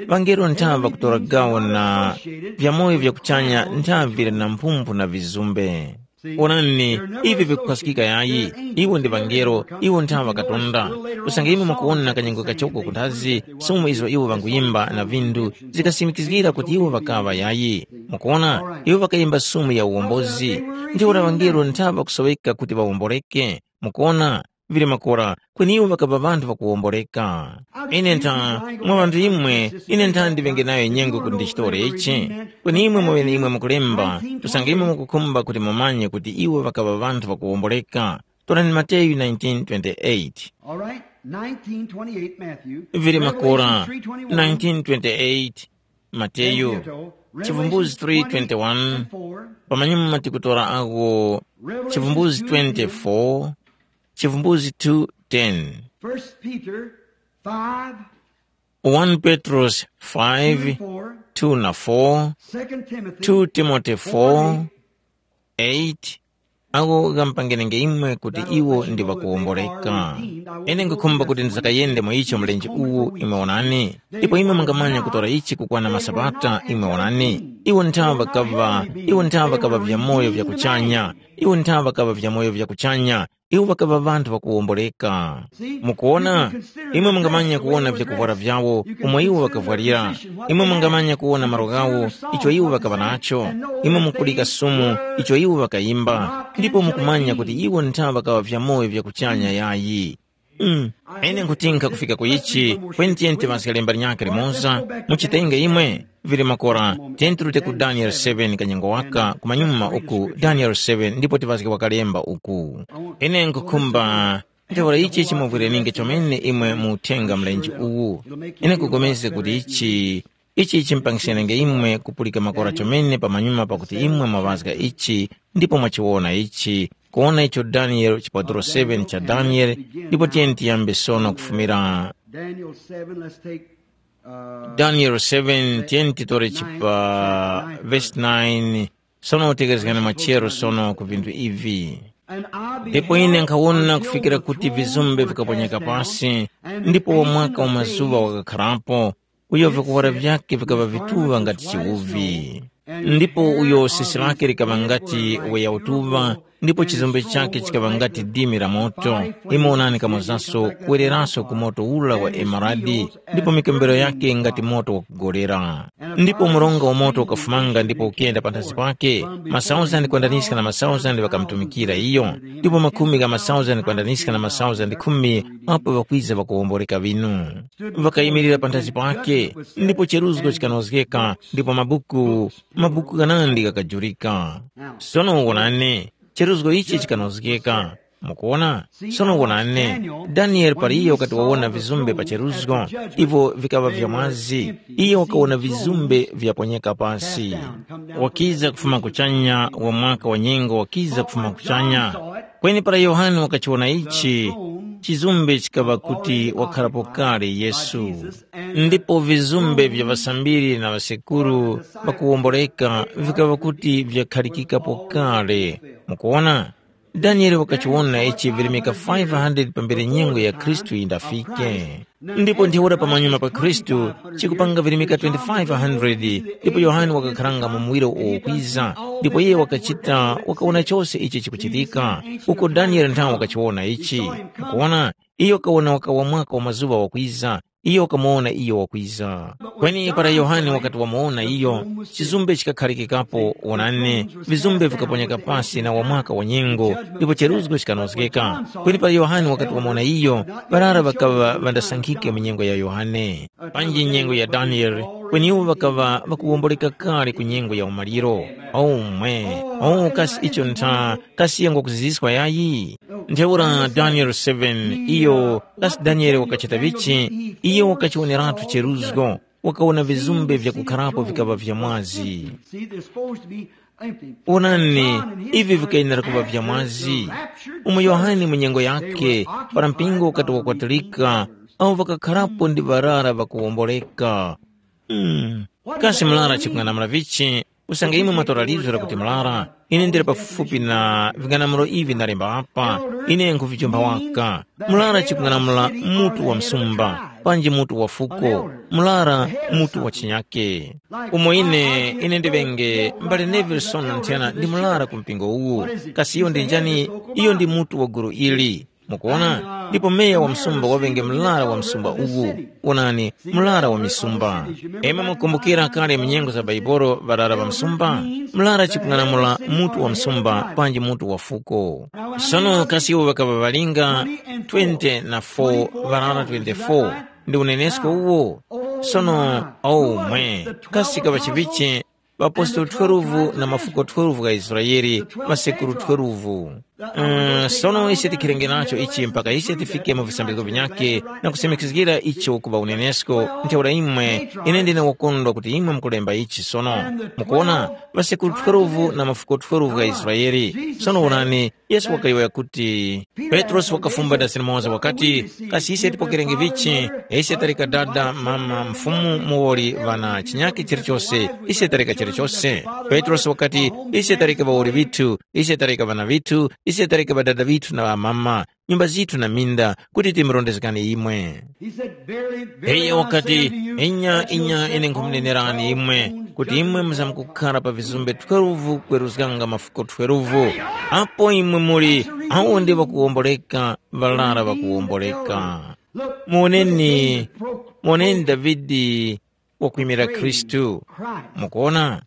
Vangelo ntha ŵakutora gawo na vyamoyo vya kuchanya ntha vili na mphumphu na vizumbe. Onani, ivi vikukhazikika yayi, iwo ndi vangelo, iwo ntha ŵakatonda. Usange imwe mukuwona kanyengo kachoko kunthazi, sumu izo iwo ŵanguyimba na vinthu, zikasimikizgira kuti iwo ŵakaŵa yayi. Mukuwona, iwo ŵakayimba sumu ya uwombozi. Ntheura ŵangelo ntha ŵakusoweka kuti ŵawomboreke. Mukuwona, vili makora, kweni iwo ŵakaŵa ŵanthu ŵakuwomboreka. Ine ntha, mwa ŵanthu imwe, ine ntha ndiŵenge nayo nyengo kuti ndichitore ichi. Kweni imwe mweneimwe mukulemba, usange imwe mukukhumba kuti mumanye kuti iwo ŵakaŵa ŵanthu ŵakuwomboreka. Torani Mateyu nineteen twenty-eight. All right? nineteen twenty-eight Matthew, vili Makora nineteen twenty-eight, Mateyu, Chivumbuzi three twenty-one, pamanyuma tikutora ako Chivumbuzi twenty-four, Chivumbuzi two ten, First Peter five, one Petros five, two na four, Second Timothy two Timothy four, eight, ako ghampangenenge imwe kuti iwo ndi ŵakuwomboreka. Ine nkhukhumba kuti ndisakayende mu icho mlenje uwu imwe wonani, ndipo imwe mungamanya kutora ichi kukwana masabata imwe wonani. Iwo nthawa ŵakaŵa, iwo nthawa ŵakaŵa vyamoyo vya kuchanya, iwo nthawa ŵakaŵa vyamoyo vya kuchanya, iwo ŵakaŵa ŵanthu ŵakuwomboreka. Mukuona, imwe mungamanya kuwona vyakuvwara vyawo umo iwo ŵakavwarira. Imwe mungamanya kuwona malo ghawo icho iwo ŵakaŵa nacho. Imwe mukudika sumu icho iwo ŵakayimba, ndipo mukumanya kuti iwo ntha ŵakaŵa vyamoyo vya kuchanya yayi. Mm. Ine nkhuti nkhakufika ku ichi, kweni tiyeni tiŵazge lemba linyakhe limoza, muchitenge imwe, vili makora, tiyeni tirute ku Daniel seven kanyengo waka, kumanyuma uku Daniel seven ndipo tiŵazge wakalemba uku. Ine nkhukhumba, ntheura ichi chimuvwireninge chomene imwe mu uthenga mlenje uwu. Ine nkugomezga kuti ichi, ichi chimpangisenenge imwe kupulika makora chomene pamanyuma pakuti imwe mwaŵazga ichi, ndipo mwachiwona ichi, kuwona icho Daniel chipaturo seven cha Daniel, ndipo tiyeni tiyambe sono kufumira Daniel seven, let's take, uh, Daniel seven, tiyeni titore chipa verse nine, sono utekezgani machero sono ku vinthu ivi. And I ndipo ine beheld nkhawona till kufikira the kuti throne vizumbe were vikaponyeka cast down, pasi, and the ndipo ancient wamwaka of wa mazuŵa days wakakharapo, uyo vikuwara vyake vikaŵa vituŵa ngati chiwuvi. Ndipo uyo sisi lake likaŵa ngati weya utuŵa, ndipo chizumbe chake chikaŵa ngati dimi la moto. Imwe onani kamozaso kuwereraso ku moto ula wa emeradi, ndipo mikembero yake ngati moto wakugolera. Ndipo mronga wa moto ukafumanga ndipo ukenda panthazi pake, masauzandi kwandaniska na masauzandi ŵakamutumikira iyo, ndipo makhumi gha masauzandi kwandaniska na masauzandi khumi apo ŵakwiza ŵakuwomboreka ŵinu. Ŵakayimirira panthazi pake, ndipo cheruzgo chikanozgeka, ndipo mabuku, mabuku ghanandi ghakajurika. Sono wonani, cheruzgo ichi chikanozgeka. Mukuona? Sono wonani, Danieli para iyo wakati wawona vizumbe pa cheruzgo, ivo vikaŵa vya mwazi, iyo wakawona vizumbe vyaponyeka pasi. Wakiza kufuma kuchanya wa mwaka wa nyengo, wakiza kufuma kuchanya. Kweni para Yohane wakachiwona ichi, chizumbe chikaŵa kuti wakharapo kale Yesu. Ndipo vizumbe vya ŵasambiri na ŵasekuru ŵakuwomboreka vikaŵa kuti vyakhalikikapo kale. Mukuwona? Danieli wakachiwona ichi virimika five hundred pambere nyengo ya Khristu yindafike. Ndipo ntheura pamanyuma pa Khristu chikupanga virimika twenty-five hundred, ndipo Yohane wakakharanga mu muwiro uwo ukwiza, ndipo iye wakachita wakawona chose ichi chikuchitika, uko Danieli nthawe wakachiwona ichi. Mukuwona, iyo wakawona wakawa mwaka wa mazuŵa wakwiza, iyo wakamuwona iyo wakwiza. Kweni para Yohane wakati wamuwona iyo, chizumbe chikakharikikapo, wonani, vizumbe vikaponyeka pasi na wamwaka wa nyengo, ndipo cheruzgo chikanozgeka. Kweni para Yohane wakati wamuwona iyo, ŵarara ŵakaŵa ŵandasankhike mu nyengo ya Yohane, panji nyengo ya Danieli, kweni iwo ŵakaŵa ŵakuwomboleka kale ku nyengo ya umaliro. Omwe, oh, kasi icho ntha, kasi yangwa kuziziswa yayi? Ntheura Danieli seven, iyo, kasi Danieli wakachita vichi? Iyo wakachiwoneratu cheruzgo, wakawona vizumbe vyakukharapo vikaŵa vya mwazi. See, they're supposed to be empty. Wonani, ivi vikayenera kuŵa vya mwazi. Umo Yohane mu nyengo yake, para mpingo ukati wakwatilika, awo ŵakakharapo ndi ŵarara ŵakuwomboleka. Hmm. Kasi mlara chikung'anamula vichi? Usange imwe mwatora lizgu lakuti mlara, ine ndili pafupifupi na ving'anamuro ivi ndalemba apa, ine nkhuvichumba waka. Mlara chikung'anamula mutu wa msumba, panji mutu wa fuko, mlara mutu wa chinyake. Umo ine, ine ndiŵenge mbale Nevilsoni nthena ndi mlara ku mpingo uwu. Kasi iyo ndi njani? Iyo ndi mutu wa gulu ili. Mukuona? Ndipo meya wa msumba waŵenge mlara wa msumba uwu. Wonani, mlara wa misumba. Imwe mukumbukira kale mu nyengo za Baibolo ŵarara ŵa msumba? Mlara chikung'anamula mutu wa msumba panji mutu wa fuko. Sono kasi iwo ŵakaŵa ŵalinga twenty na four, ŵarara twenty-four, ndi unenesko uwo? Sono, oh mwe, kasi kaŵa chivichi, ŵapostolo twelve na mafuko twelve gha Israele, masekuru twelve. Mm, sono ise tikhirenge nacho ichi mpaka ise tifike mu visambizgo vinyakhe na kusimikizgira icho kuŵa unenesko. Ntheura imwe, ine ndine wokondwa kuti imwe mukulemba ichi sono. Mukuona, ŵasekuru twelve na mafuko twelve gha Israele. Sono wonani, Yesu wakayowoya kuti, Petrosi wakafumba dasi limoza wakati, kasi ise tipokerenge vichi? Ise taleka dada, mama, mfumu, muwoli, ŵana, chinyakhe chilichose. Ise taleka chilichose. Petrosi wakati, ise taleka ŵawoli ŵithu, ise taleka ŵana ŵithu, ise taleka ŵadada ŵithu na ŵamama, nyumba zithu na minda, kuti timurondezgani imwe. He said, "Very, very, Iye I wakati, say unto you, inya, inya, ine nkhumunenerani imwe, kuti imwe muzamkukhala pa vizumbe twelve kweruzganga mafuko twelve. Apo imwe muli, awo ndi ŵakuwomboleka, ŵalara ŵakuwomboleka. Muoneni, muoneni Davide wakwimira Khristu. Mukuona?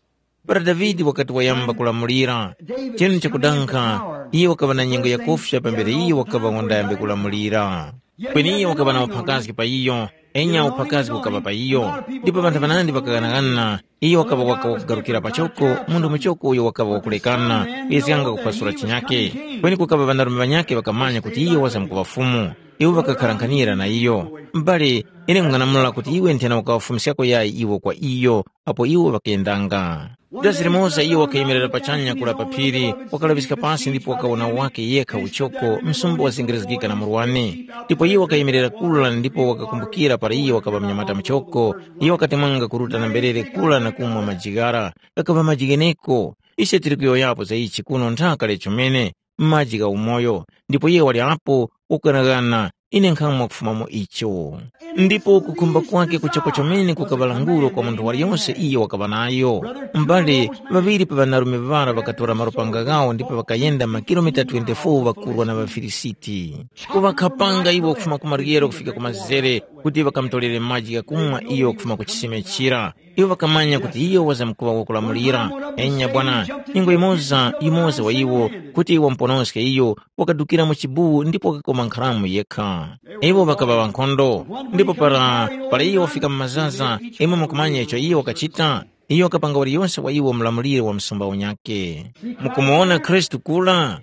Para Davide wakati wayamba kulamulira, chinu chakudankha, iyo wakaŵa na nyengo yakufya pambere iyo wakaŵa wandayambe kulamulira. Kweni iyo wakaŵa na uphakazgi pa iyo, enya uphakazgi ukaŵa pa iyo. Ndipo ŵanthu ŵanandi ŵakaghanaghana, iyo wakaŵa waka wakugarukira pachoko, munthu muchoko uyo wakaŵa wakulekana, kuyezganga kuphwasula chinyake. Kweni kukaŵa ŵanarume ŵanyakhe ŵakamanya kuti iyo wazamkuŵa Fumu. Iwo ŵakakharankhanira na iyo. M'bale, ine nkung'anamula kuti iwe nthena ukawafumiskako yayi iwo kwa iyo, apo iwo ŵakayendanga. Dazi limoza iyo wakayemerera pachanya kula pa phiri, wakalaŵiska pasi ndipo wakawona wake yekha uchoko, msumba wazengerezgika na murwani. Ndipo iyo wakayemerera kula ndipo wakakumbukira para iyo wakaŵa mnyamata muchoko, iyo wakatemwanga kuruta na mberere kula na kumwa maji ghara, ghakaŵa maji gheneko. Ise tili kuyowoyapo za ichi kuno nthaka lechomene, maji gha umoyo, ndipo iye wali apo wakughanaghana, ine nkhamwa kufumamo icho. Ndipo kukhumba kwake kuchoko chomene kukaŵa languro kwa munthu waliyonse iyo wakaŵa nayo. Mbale, ŵaŵiri pa ŵanarume ŵara ŵakatora malupanga ghawo ndipo ŵakayenda makilomita twenty-four ŵakurwa na ŵaFilisiti. Kuŵakhapanga iwo kufuma ku maryero kufika ku mazere kuti ŵakamutolere maji ghakumwa iyo kufuma ku chisime chira. Iwo ŵakamanya kuti iyo wazamkuŵa wakulamulira. Enya bwana, nyengo yimoza, yumoza wa iwo, kuti wamuponoske iyo, wakadukira mu chibuwu ndipo wakakoma nkharamu yekha. Iwo ŵakaŵa ŵankhondo, ndipo para, para iyo wafika mu mazaza, imwe mukumanya icho iyo wakachita? Iyo wakapanga waliyonse wa iwo mlamuliro wa msumba unyakhe. Mukumuwona Khristu kula?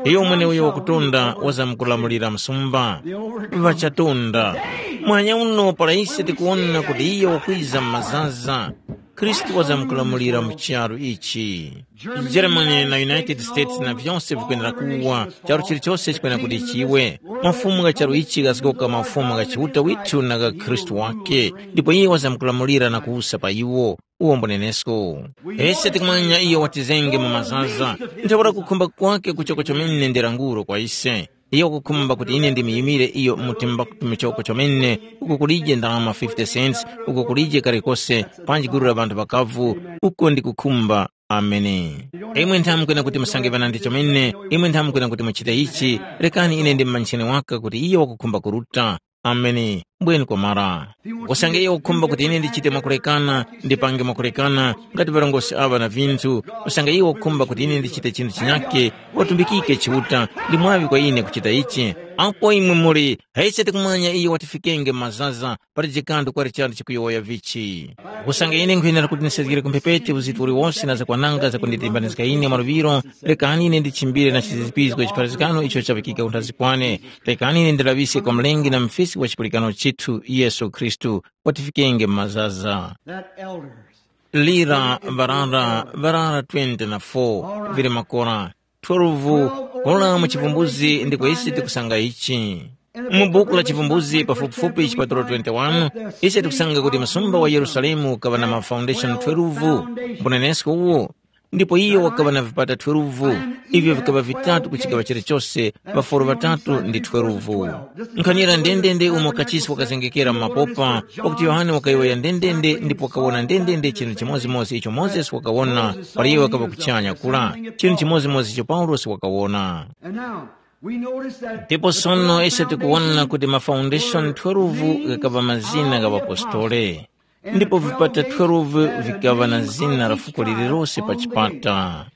Iyo mweneuyo wakutonda wazamkulamulira msumba. Ŵachatunda. Mwanya uno para ise tikuwona kuti iyo wakwiza mu mazaza, Khristu wazamkulamulira mu charu ichi. Germany na United States na vyonse vikwenera kuwa, charu chilichose chikwena kuti chiwe. Mafumu gha charu ichi ghazgoka mafumu gha Chiuta withu na gha Khristu wake, ndipo iye wazamkulamulira na kuwusa pa iwo. Uwo mbunenesko. Ese tikumanya iyo watizenge mu mazaza, ntheura kukhumba kwake kuchoko chomene ndi languro kwa ise. Iyo wakukhumba kuti ine ndimuyimire iyo mu timbaktu michoko chomene, uko kulije ndalama fifty cents, uko kulije kalikose, panji gulu la ŵanthu ŵakavu, uko ndikukhumba. Ameni. Imwe nthamkwena kuti musange ŵanandi chomene, imwe nthamkwena kuti muchite ichi, rekani ine ndimumanyisheni waka kuti iyo wakukhumba kuruta. Ameni. Mbweni kwamara. Usange iyo wakukhumba kuti ine ndichite mwakulekana, ndipange mwakulekana, ngati ŵarongozgi aŵa na vinthu, usange iyo wakukhumba kuti ine ndichite chinthu chinyake, watumbikike Chiuta, ndi mwaŵi kwa ine kuchita ichi. Apo imwe muli, hese tikumanya iyo watifikenge mazaza, pali jikanthu kwali chanthu chikuyowoya vichi. Usange ine nkhwenera kuti ndisezgere ku mphepete uziti uliwose na zakwananga zakunditembanizga ine mwaluŵiro, rekani ine ndichimbire na chizizipizgo chipharazgano icho chaŵikika kunthazi kwane. Rekani ine ndilaŵiske kwa Mlengi na mufisi wa chipulikano chithu Yesu Khristu, watifikenge mu mazaza. That elders. Lira ŵarara, ŵarara twenty na four, vili makora twelve, kola mu chivumbuzi ndiko ise tikusanga ichi. Mu buku la chivumbuzi pafupifupi chipatulo twenty-one, ise tikusanga kuti msumba wa Yerusalemu ukaŵa na ma foundation twelve, mbunenesko uwo, ndipo iyo wakaŵa na vipata twelve, ivyo vikaŵa vitatu ku chigaŵa chilichose, ŵaforo ŵatatu ndi twelve. Nkhanira ndendende umo kachisi wakazengekera mu mapopa, pakuti Yohane wakayowoya ndendende ndipo wakawona ndendende chinthu chimodzimodzi icho Mozesi wakawona, para iyo wakaŵa kuchanya kula, chinthu chimodzimodzi icho Paulosi wakawona. And now, we notice that Ndipo sono ise tikuwona kuti ma foundation twelve ghakaŵa mazina gha ŵapostole, ndipo vipata twelve vikaŵa na zina la fuko lililose pa chipata.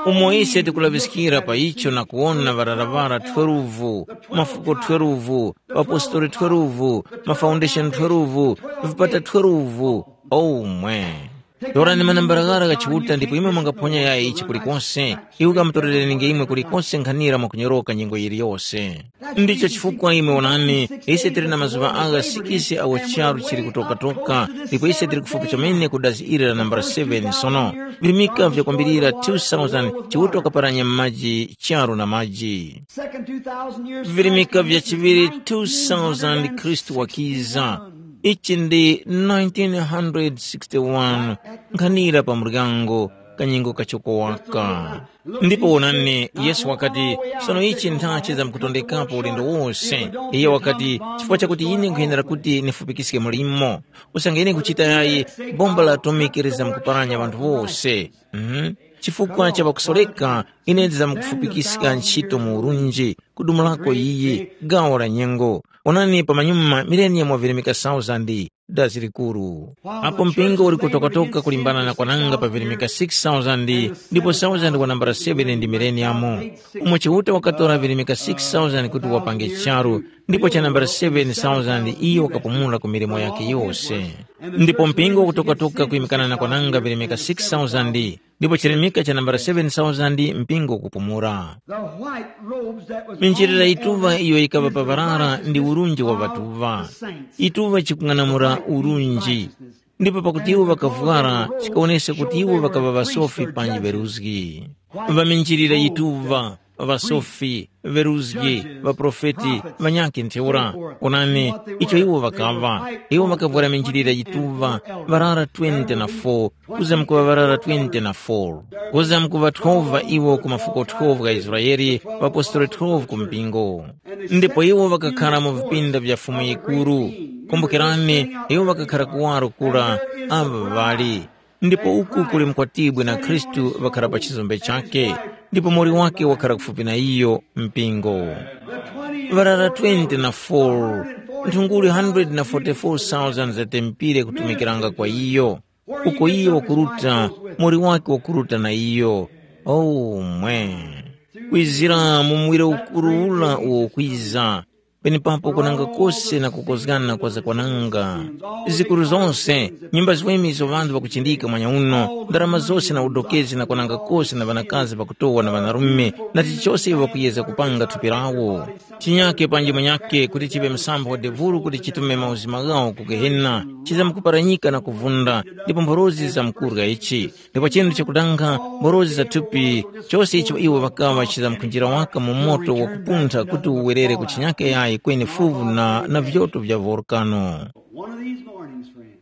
Umo ise tikulaŵiskira pa icho na kuwona ŵararaŵara twelve, mafuko twelve, ŵapostoli twelve, ma foundation twelve, vipata twelve, omwe. Torani manambaraghara gha Chiuta ndipo imwe mungaphonya yayi ichi kulikonse. Iwo kamutorereninge imwe kulikonse nkhanira mwakunyoroka nyengo yiliyose. Ndicho chifukwa imwe wonani, ise tili na mazuŵa agha sikisi awo charu chili kutokatoka, ndipo ise tili kufupi chomene ku dazi ili la nambala seven sono. Virimika vyakwambirira two thousand Chiuta wakaparanya m'maji charu na maji. Second two thousand years, virimika vya chiŵiri two thousand Khristu wakiza. Ichi ndi nineteen sixty-one, nkhanira pa muryango, kanyengo kachoko waka. Ndipo wonani, Yesu wakati, sono ichi nthachi zamkutondekapo ulendo wose. Iye wakati, chifukwa chakuti ine nkhuyenera kuti nifupikiske mulimo, usange ine nkuchita yayi, bomba la atomiki lizamkuparanya ŵanthu wose. Mhm. Chifukwa cha ŵakusoreka, ine ndizamkufupikiska ntchito mu urunji, kudumulako iyi, gawo la nyengo. Onani pamanyuma mileniya mwavirimika thousand, dazi likuru. Apo mpingo uli kutokatoka kulimbana na kwananga pa virimika six thousand, ndipo thousand wa nambala seven ndi mileniyamu. Umo Chiuta wakatora virimika six thousand kuti wapange charu, ndipo cha nambala seven thousand iyo wakapumula ku milimo yake yose. Ndipo mpingo wakutokatoka kuyimikana na kwananga virimika six thousand, ndipo chirimika cha nambala seven thousand mpingo kupumula. The white robes that was Minjilira on the yituva elders iyo yikaŵa pa ŵarara ndi urunji wa ŵatuva. Yituva chikung'anamula urunji. Ndipo pakuti iwo ŵakavwara, chikawoneska kuti iwo ŵakaŵa ŵasofi panji ŵeruzgi. Ŵaminjilira yituva, ŵasofi, ŵeruzgi, ŵaprofeti, ŵanyakhe ntheura. Onani, icho iwo ŵakaŵa. Iwo ŵakavwara minjilira yituva, ŵarara twenty na four, kuzamkuŵa ŵarara twenty na four. Kuzamkuŵa twelve iwo ku mafuko twelve gha Israele, ŵapostoli twelve ku mpingo. Ndipo iwo ŵakakhara mu vipinda vya Fumu yikuru. Kumbukirani, iwo ŵakakhara kuwaro kura, amba ŵali. Ndipo uku kuli mkwatibwi na Khristu ŵakhara pa chizombe chakhe, ndipo muwoli wake wakhara kufupi na iyo, mpingo. Ŵarara twenty na four, nthunguli hundred na forty-four thousand zatempire kutumikiranga kwa iyo. Uko iyo wakuruta, muwoli wake wakuruta na iyo. Oh, mwe! Kwizira mu muwiro ukuru ura uwo ukwiza, penepapo kunanga kose na kukozgana kwa zakwananga. Zikuru zose, nyumba ziweme izo ŵanthu ŵakuchindika mwanya uno, ndarama zose na udokezi na kwananga kose na ŵanakazi ŵakutowa na ŵanarume, na chilichose iwo ŵakuyezga kupanga thupi lawo. Chinyake panji munyake kuti chiŵe msampha wa devuru kuti chitume mauzima ghawo ku Gehena, chizamkuparanyika na kuvunda, ndipo mphorozi zizamkurya ichi. Ndipo chinthu chakudanga, mphorozi za thupi, chose icho iwo ŵakaŵa chizamkunjira waka mu moto wakupuntha kuti uwerere ku chinyake yayi kweni fuvu na, na vyoto vya volkano. One of these mornings, friend.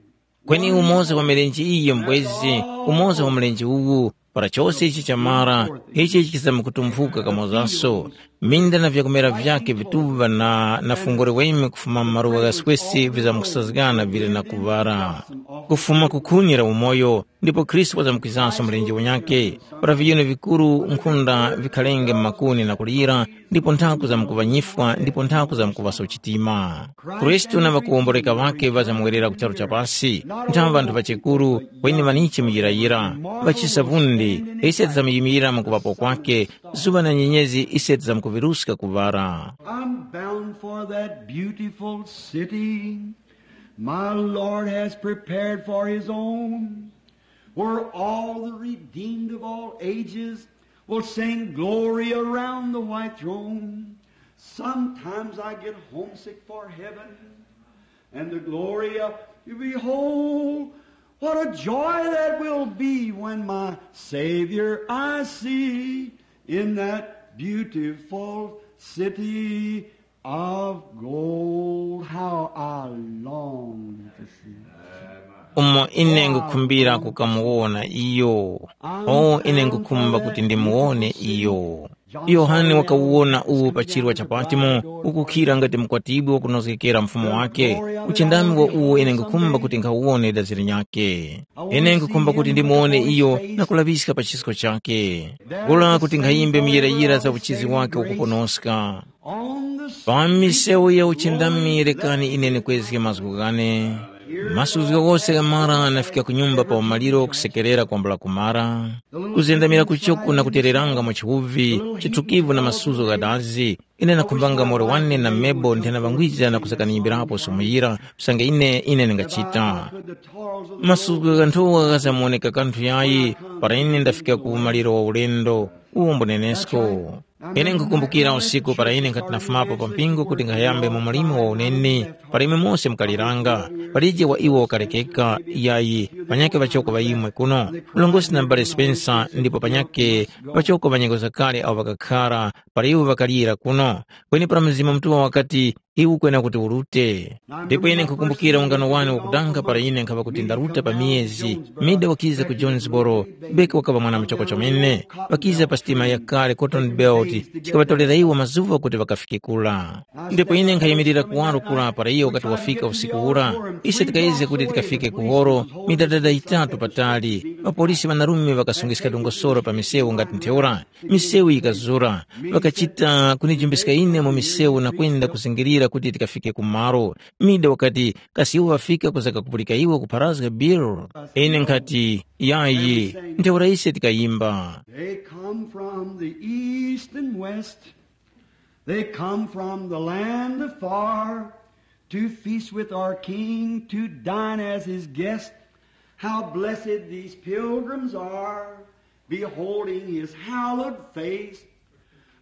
Kweni umoza wa milenje iyi mbwezi, umoza wa mlenje uwu, para chose ichi chamara, ichi chizamkutumphuka kamozaso. Minda na vyakumera vyake vituŵa na, na fungole weme kufuma mu maluwa gha swesi vizamkusazgana vili na kuŵala. Kufuma ku khuni la umoyo, ndipo Khristu wazamkwizanso mlenje wanyakhe, para viyuni vikuru nkhunda vikhalenge mu makuni na kulira, ndipo nthaku zamkuŵanyifwa ndipo nthaku zamkuŵaso chitima. Khristu na ŵakuwomboreka ŵakhe ŵazamuwerera ku charu cha pasi, nthawe ŵanthu ŵachekuru, kweni ŵanichi muyirayira, ŵachisa vundi, ise tizamuyimilira mu kuŵapo kwakhe, zuŵa na nyenyezi ise tizamkuviruska kuŵala. I'm bound for that beautiful city my Lord has prepared for his own, where all the redeemed of all ages will sing glory around the white throne. Sometimes I get homesick for heaven and the glory of, behold, what a joy that will be when my Savior I see in that beautiful city of gold. How I long to see. Umo ine ngukhumbira kukamuwona iyo. O, ine ngukhumba kuti ndimuwone iyo. Yohane wakawuwona uwu pa chirwa cha Patimo, ukukhira ngati mkwatibwi wakunozgekera mfumu wake. Uchindami wa uwo ine ngukhumba kuti nkhawuwone dazi linyakhe. Ine ngukhumba kuti ndimuwone iyo na kulaŵiska pa chisko chakhe. Kula kuti nkhayimbe muyirayira za uchizi wake wakuponoska. Pa misewu ya uchindami rekani ine nikwezge mazgu ghane. Masuzgo ghose ghamara nafika ku nyumba pa umaliro kusekerera kwambula kumara, kuzendamira kuchoko na kutereranga mwa chiwuvi, chithukivu na masuzgo ghadazi, ine nakhumbanga moro wane na mebo nthenaŵangwiza na kuzakanyimbirapo somo yira, usange ine ine ndingachita. Masuzgo ghanthuwa ghazamuwoneka kanthu yayi, para ine ndafika ku umaliro wa ulendo, uwo mbunenesko. Ine nkhukumbukira usiku para ine nkhati nafumapo pa mpingo kuti nkhayambe mu mlimo wa uneni, para imwe mose mukaliranga, palije wa iwo wakalekeka, yayi, panyakhe ŵachoko ŵa imwe kuno, mlongosi na m'bale Spencer, ndipo panyakhe ŵachoko ŵa nyengo zakale awo ŵakakhara, para iwo ŵakalira kuno. Kweni para Mzimu Mutuŵa wakati, iwe ukwena kuti urute. Ndipo ine nkhukumbukira ungano wane wakudanga para ine nkhaŵa kuti ndaruta pa miyezi, Mida wakiza ku Jonesboro, Beki wakaŵa mwana muchoko chomene, wakiza pa sitima yakale Cotton Belt, chikaŵatorera iwo mazuŵa kuti ŵakafike kura. Ndipo ine nkhayimirira kuwaro kura para iyo wakati wafika usiku ura, ise tikayezga kuti tikafike ku horo, midadada yitatu patali, ŵapolisi ŵanarume ŵakasungiska dongosolo pa misewu ngati ntheura, misewu yikazura, ŵakachita kunijumbiska ine mu misewu na kwenda kuzingirira kuti tikafike ku malo. Mida wakati, kasi iwo ŵafika kuza kakupulika iwe kupharazga Bill? Ine nkhati, yayi, ntheura ise tikayimba. They come from the east and west. They come from the land afar to feast with our King, to dine as his guest. How blessed these pilgrims are, beholding his hallowed face,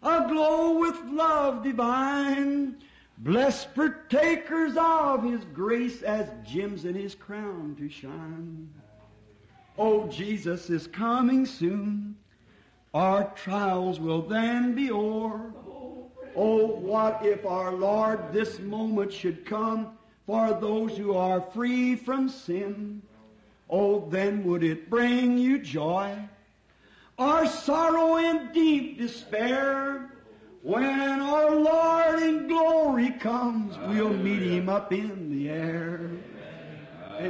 aglow with love divine, blessed partakers of his grace as gems in his crown to shine. Oh, Jesus is coming soon. Our trials will then be o'er. Oh, what if our Lord this moment should come for those who are free from sin? Oh, then would it bring you joy or sorrow and deep despair? When our Lord in glory comes, we'll meet him up in the air.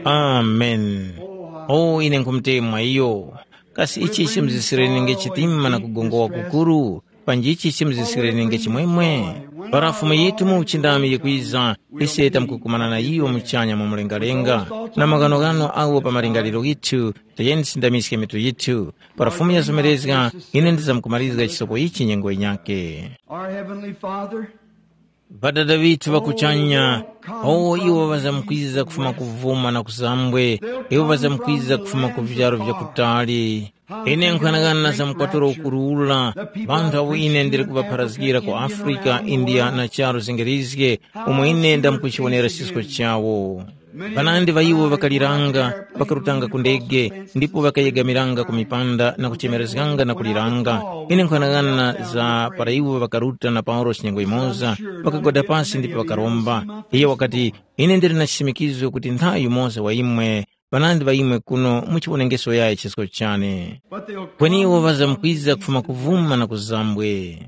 Amen. O ine nkhumutemwa iyo. Kasi ichi chimuzisireni nge chitima na kugongowa kukuru? Panji ichi chimuzisireni nge chimwemwe? Para Fumu yithu mu uchindami yikwiza, ise tamkukumana na iyo muchanya mu mlengalenga, na maghanoghano agho pa malingaliro ghithu, tayeni tisindamiske mitu yithu. Para Fumu yazomerezga, ine ndizamkumarizga chisopo ichi nyengo yinyakhe. Our Heavenly Father, Ŵadada ŵithu ŵa kuchanya, awo iwo ŵazamkwiza kufuma kuvuma na kuzambwe, iwo ŵazamkwiza kufuma ku vyaro vya kutali. Ine nkhanang'ana za mkwatulo ukuru ula, ŵanthu awo ine ndili kuŵapharazgira ku Afrika, India na charu zingirizge, umo ine ndamkuchiwonera chisko chawo. Ŵanandi ŵa iwo ŵakaliranga, ŵakarutanga ku ndege, ndipo ŵakayegamiranga ku mipanda na kuchemerezganga na kuliranga. Ine nkhanang'ana za para iwo ŵakaruta na Paulosi nyengo yimoza, ŵakagwada pasi ndipo ŵakaromba. Iye wakati, “Ine ndili na chisimikizo kuti nthawi yumoza wa imwe, ŵanandi ŵa imwe kuno muchiwonengeso yayi chisko chane.” Kweni iwo ŵazamkwiza kufuma kuvuma na kuzambwe.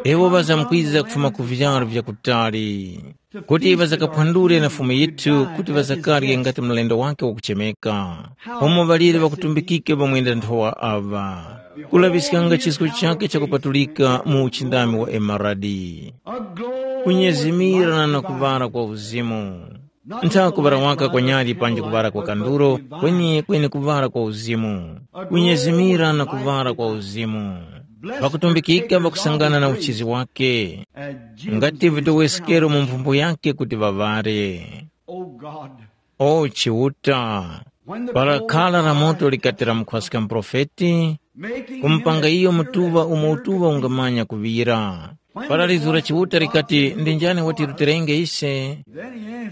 Iwo ŵazamkwiza kufuma ku vyaro vya kutali, kuti ŵazakaphwandule na Fumu yithu, kuti ŵazakarye ngati mlendo wake wakuchemeka. Umo ŵaliri ŵakutumbikike pamwenda nthowa aŵa, kulaŵiskanga chisko chake chakupatulika mu uchindami wa emaradi. Kunyezimira na kuŵala kwa uzimu. Ntha kuŵala waka kwa nyali panji kuŵala kwa kanduro, kweni kweni kuŵala kwa uzimu. Kunyezimira na kuŵala kwa uzimu. Ŵakutumbikika ŵakusangana na uchizi wake, ngati vitowesekero mu mphumbo yake kuti ŵaŵare. O Chiuta, para khala la moto likati lamukhwaska muprofeti, kumupanga iyo mutuŵa umo utuŵa ungamanya kuŵira. Para lizu la Chiuta likati, “Ndi njani watirutirenge ise?”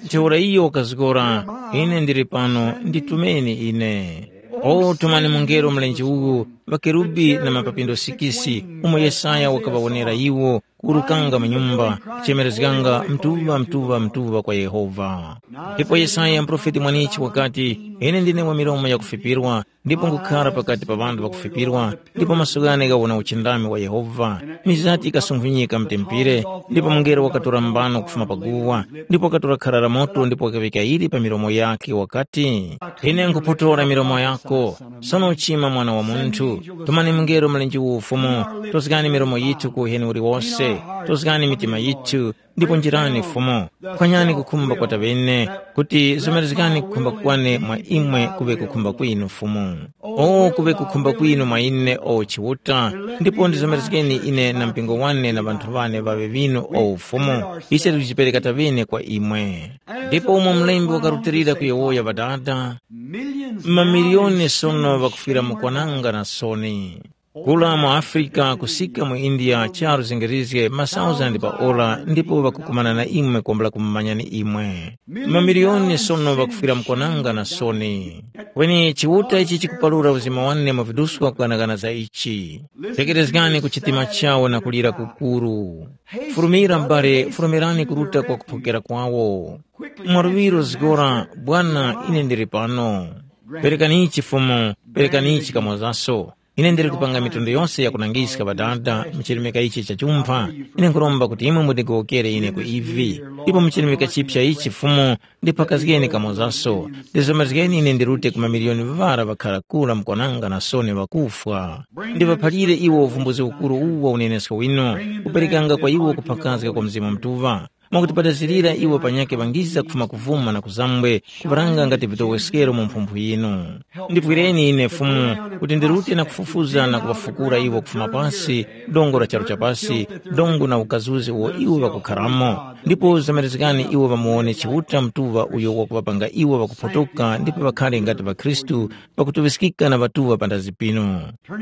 Ntheura iyo wakazgora, “Ine ndili pano, nditumeni ine.” O tumani mungelo mlenje uwu, ŵakerubi na mapapindo sikisi, umo Yesaya wakaŵawonera iwo, kuwurukanga mu nyumba, kuchemerezganga, “Mtuŵa, mtuŵa, mtuŵa kwa Yehova.” Ndipo Yesaya muprofeti mwanichi wakati, “Ine ndine wa milomo yakufipirwa, ndipo nkhukhara pakati pa ŵanthu ŵakufipirwa, ndipo maso ghane ghawona uchindami wa Yehova.” Mizati ikasunkhunyika mu tempere, ndipo mungelo wakatora mbano kufuma pa guwa, ndipo wakatora khara la moto ndipo wakaŵika ili pa milomo yakhe wakati, “Ine nkhupotora milomo yako, sono uchima mwana wa munthu, tumani mungelo mlenje uwu ufumu, tozgani milomo yithu ku uheni uliwose, Tozgani mitima yithu, ndipo njirani Fumu. Phwanyani kukhumba kwa taŵene, kuti zomerezgani kukhumba kwane mwa imwe kuŵe kukhumba kwinu Fumu. O kuŵe kukhumba kwinu mwa ine o Chiuta, ndipo ndizomerezgeni ine na mpingo wane na ŵanthu wane ŵaŵe ŵinu o Fumu. Ise tikujipereka taŵene kwa imwe. Ndipo umo mlembi wakarutilira kuyowoya Ŵadada, mamiliyoni sono ŵakufwira mu kwananga na soni. Kula mu Afrika kusika mu India charu zingirizge masauzandi pa ora ndipo ŵakukumana na imwe kwambula kumumanyani imwe. Mamiliyoni sono ŵakufwira mkwananga na soni. Kweni Chiuta ichi chikupalura uzima wane mu viduswa kuganagana za ichi. Tekerezgani ku chitima chawo na kulira kukuru. Furumira m'bale, furumirani kuruta kwa kuphokera kwawo. Mwaluŵiro zgora, Bwana, ine ndili pano. Perekani ichi Fumu, perekani ichi kamozaso. Ine ndili kupanga mitundu yonse yakunangiska Ŵadada mu chirimika ichi cha chumpha. Ine nkhuromba kuti imwe mundigowokere ine ku ivi. Ndipo mu chirimika chipya ichi Fumu, ndiphakazgeni kamozaso. Ndizomezgeni ine ndirute ku mamiliyoni ŵara ŵakhara kura mukwananga na soni ŵakufwa. Ndiŵaphalire iwo uvumbuzi ukuru uwu wa unenesko winu, kuperekanga kwa iwo kuphakazga kwa Mzimu Mutuŵa. Mwakuti padazirira iwo panyakhe ŵangiza kufuma kuvuma na kuzambwe, kuŵaranga ngati vitoweskero mu mphumphu yinu. Ndipwireni ine Fumu, kuti ndirute na kufufuza na kuŵafukura iwo kufuma pasi, dongo la charu chapasi, dongo na ukazuzi uwo iwo ŵakukharamo. Ndipo zamerezgani iwo ŵamuwone Chiuta Mutuŵa uyo wakuŵapanga iwo ŵakuphotoka ndipo ŵakhare ngati ŵakhristu, ŵakutuŵiskika na ŵatuŵa pandazi pinu.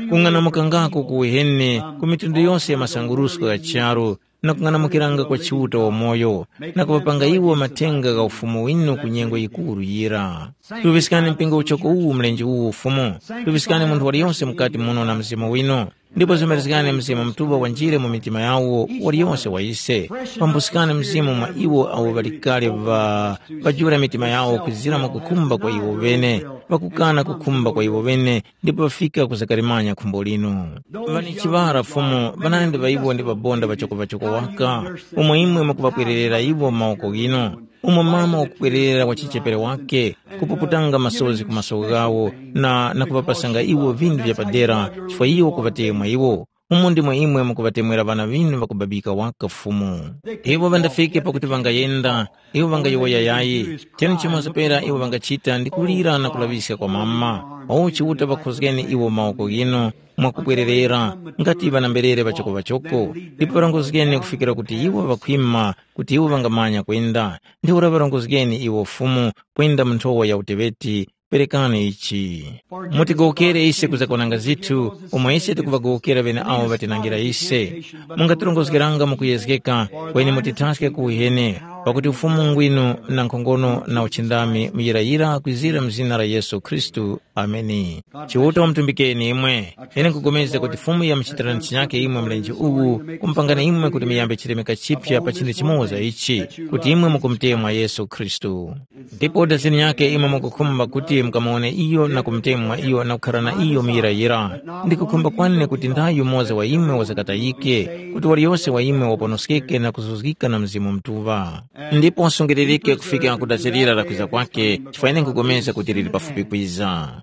Kung'anamukangako ku uheni ku mitundu yose ya masangurusko gha charu, na kung'anamukiranga kwa Chiuta wamoyo, na kuŵapanga iwo mathenga gha Ufumu winu ku nyengo yikuru yira. Tuŵiskani mpingo uchoko uwu mlenje uwu Fumu, tuŵiskani munthu waliyonse mukati muno na Mzimu winu, ndipo zimarizgani Mzimu Mutuŵa wanjire mu mitima yawo waliyonse wa ise. Pambuskani Mzimu mwa iwo awo ŵali kale ŵa ŵajula mitima yawo kwizira mwa kukhumba kwa iwo ŵene, ŵakukana kukhumba kwa iwo ŵene, ndipo ŵafika kuzakalimanya khumbo linu. Ŵani chiŵara Fumu, ŵanandi ŵa iwo ndi ŵabonda ŵachoko-ŵachoko waka, umo imwe mukuŵapwererera iwo mu mawoko ghinu, umo mama wakupwererera wachichepere wake, kupuputanga masozi ku maso ghawo, na, na kuŵapasanga iwo vinthu vya padera, chifukwa iwo kuŵatemwa iwo. Umo ndimo imwe mukuŵatemwera ŵana ŵinu ŵakubabika waka Fumu. Iwo ŵandafike pakuti ŵangayenda, iwo ŵangayowoya yayi, chene chimoza pera iwo ŵangachita ndi kulira na kulaŵiska kwa mama. O Chiuta ŵakhozgeni iwo mawoko ghinu, mwakubwererera, ngati ŵanamberere ŵachoko-ŵachoko, ndipo ŵarongozgeni kufikira kuti iwo ŵakhwima, kuti iwo ŵangamanya kwenda. Ntheura ŵarongozgeni iwo Fumu kwenda mu nthowa ya uteŵeti, perekani ichi. Mutigowokere ise kuzakwananga zithu, umo ise tikuŵagowokera ŵeneawo ŵatinangira ise. Mungatirongozgeranga mukuyezgeka, kweni mutithaske ku uheni, pakuti ufumu ngwinu na nkhongono na uchindami muyirayira kwizira mu zina la Yesu Khristu. Ameni. Chiuta wamutumbikeni imwe. Ine nkupulikana kuti Fumu yamuchitira chinyake imwe mlenje uwu, kumupangani imwe kuti muyambe chilemeka chipya pa chinthu chimoza ichi, kuti imwe mukumutemwa Yesu Khristu. Ndipo dazini yake imwe mukukhumba kuti mukamuwone iyo na kumutemwa iyo na kukhala na iyo muyirayira. Ndikukhumba kwane kuti ndayi yumoza wa imwe wazakatayike, kuti waliyose wa imwe waponoskeke na kuzuzgika na Mzimu Mutuŵa. Ndipo wasungiririke kufika ku dazirira la kwiza kwake, chifukwa ine nkupulikana kuti lili pafupi kwiza.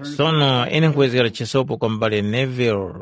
Sono ine nkuwezgera chisopo kwa m'bale Neville.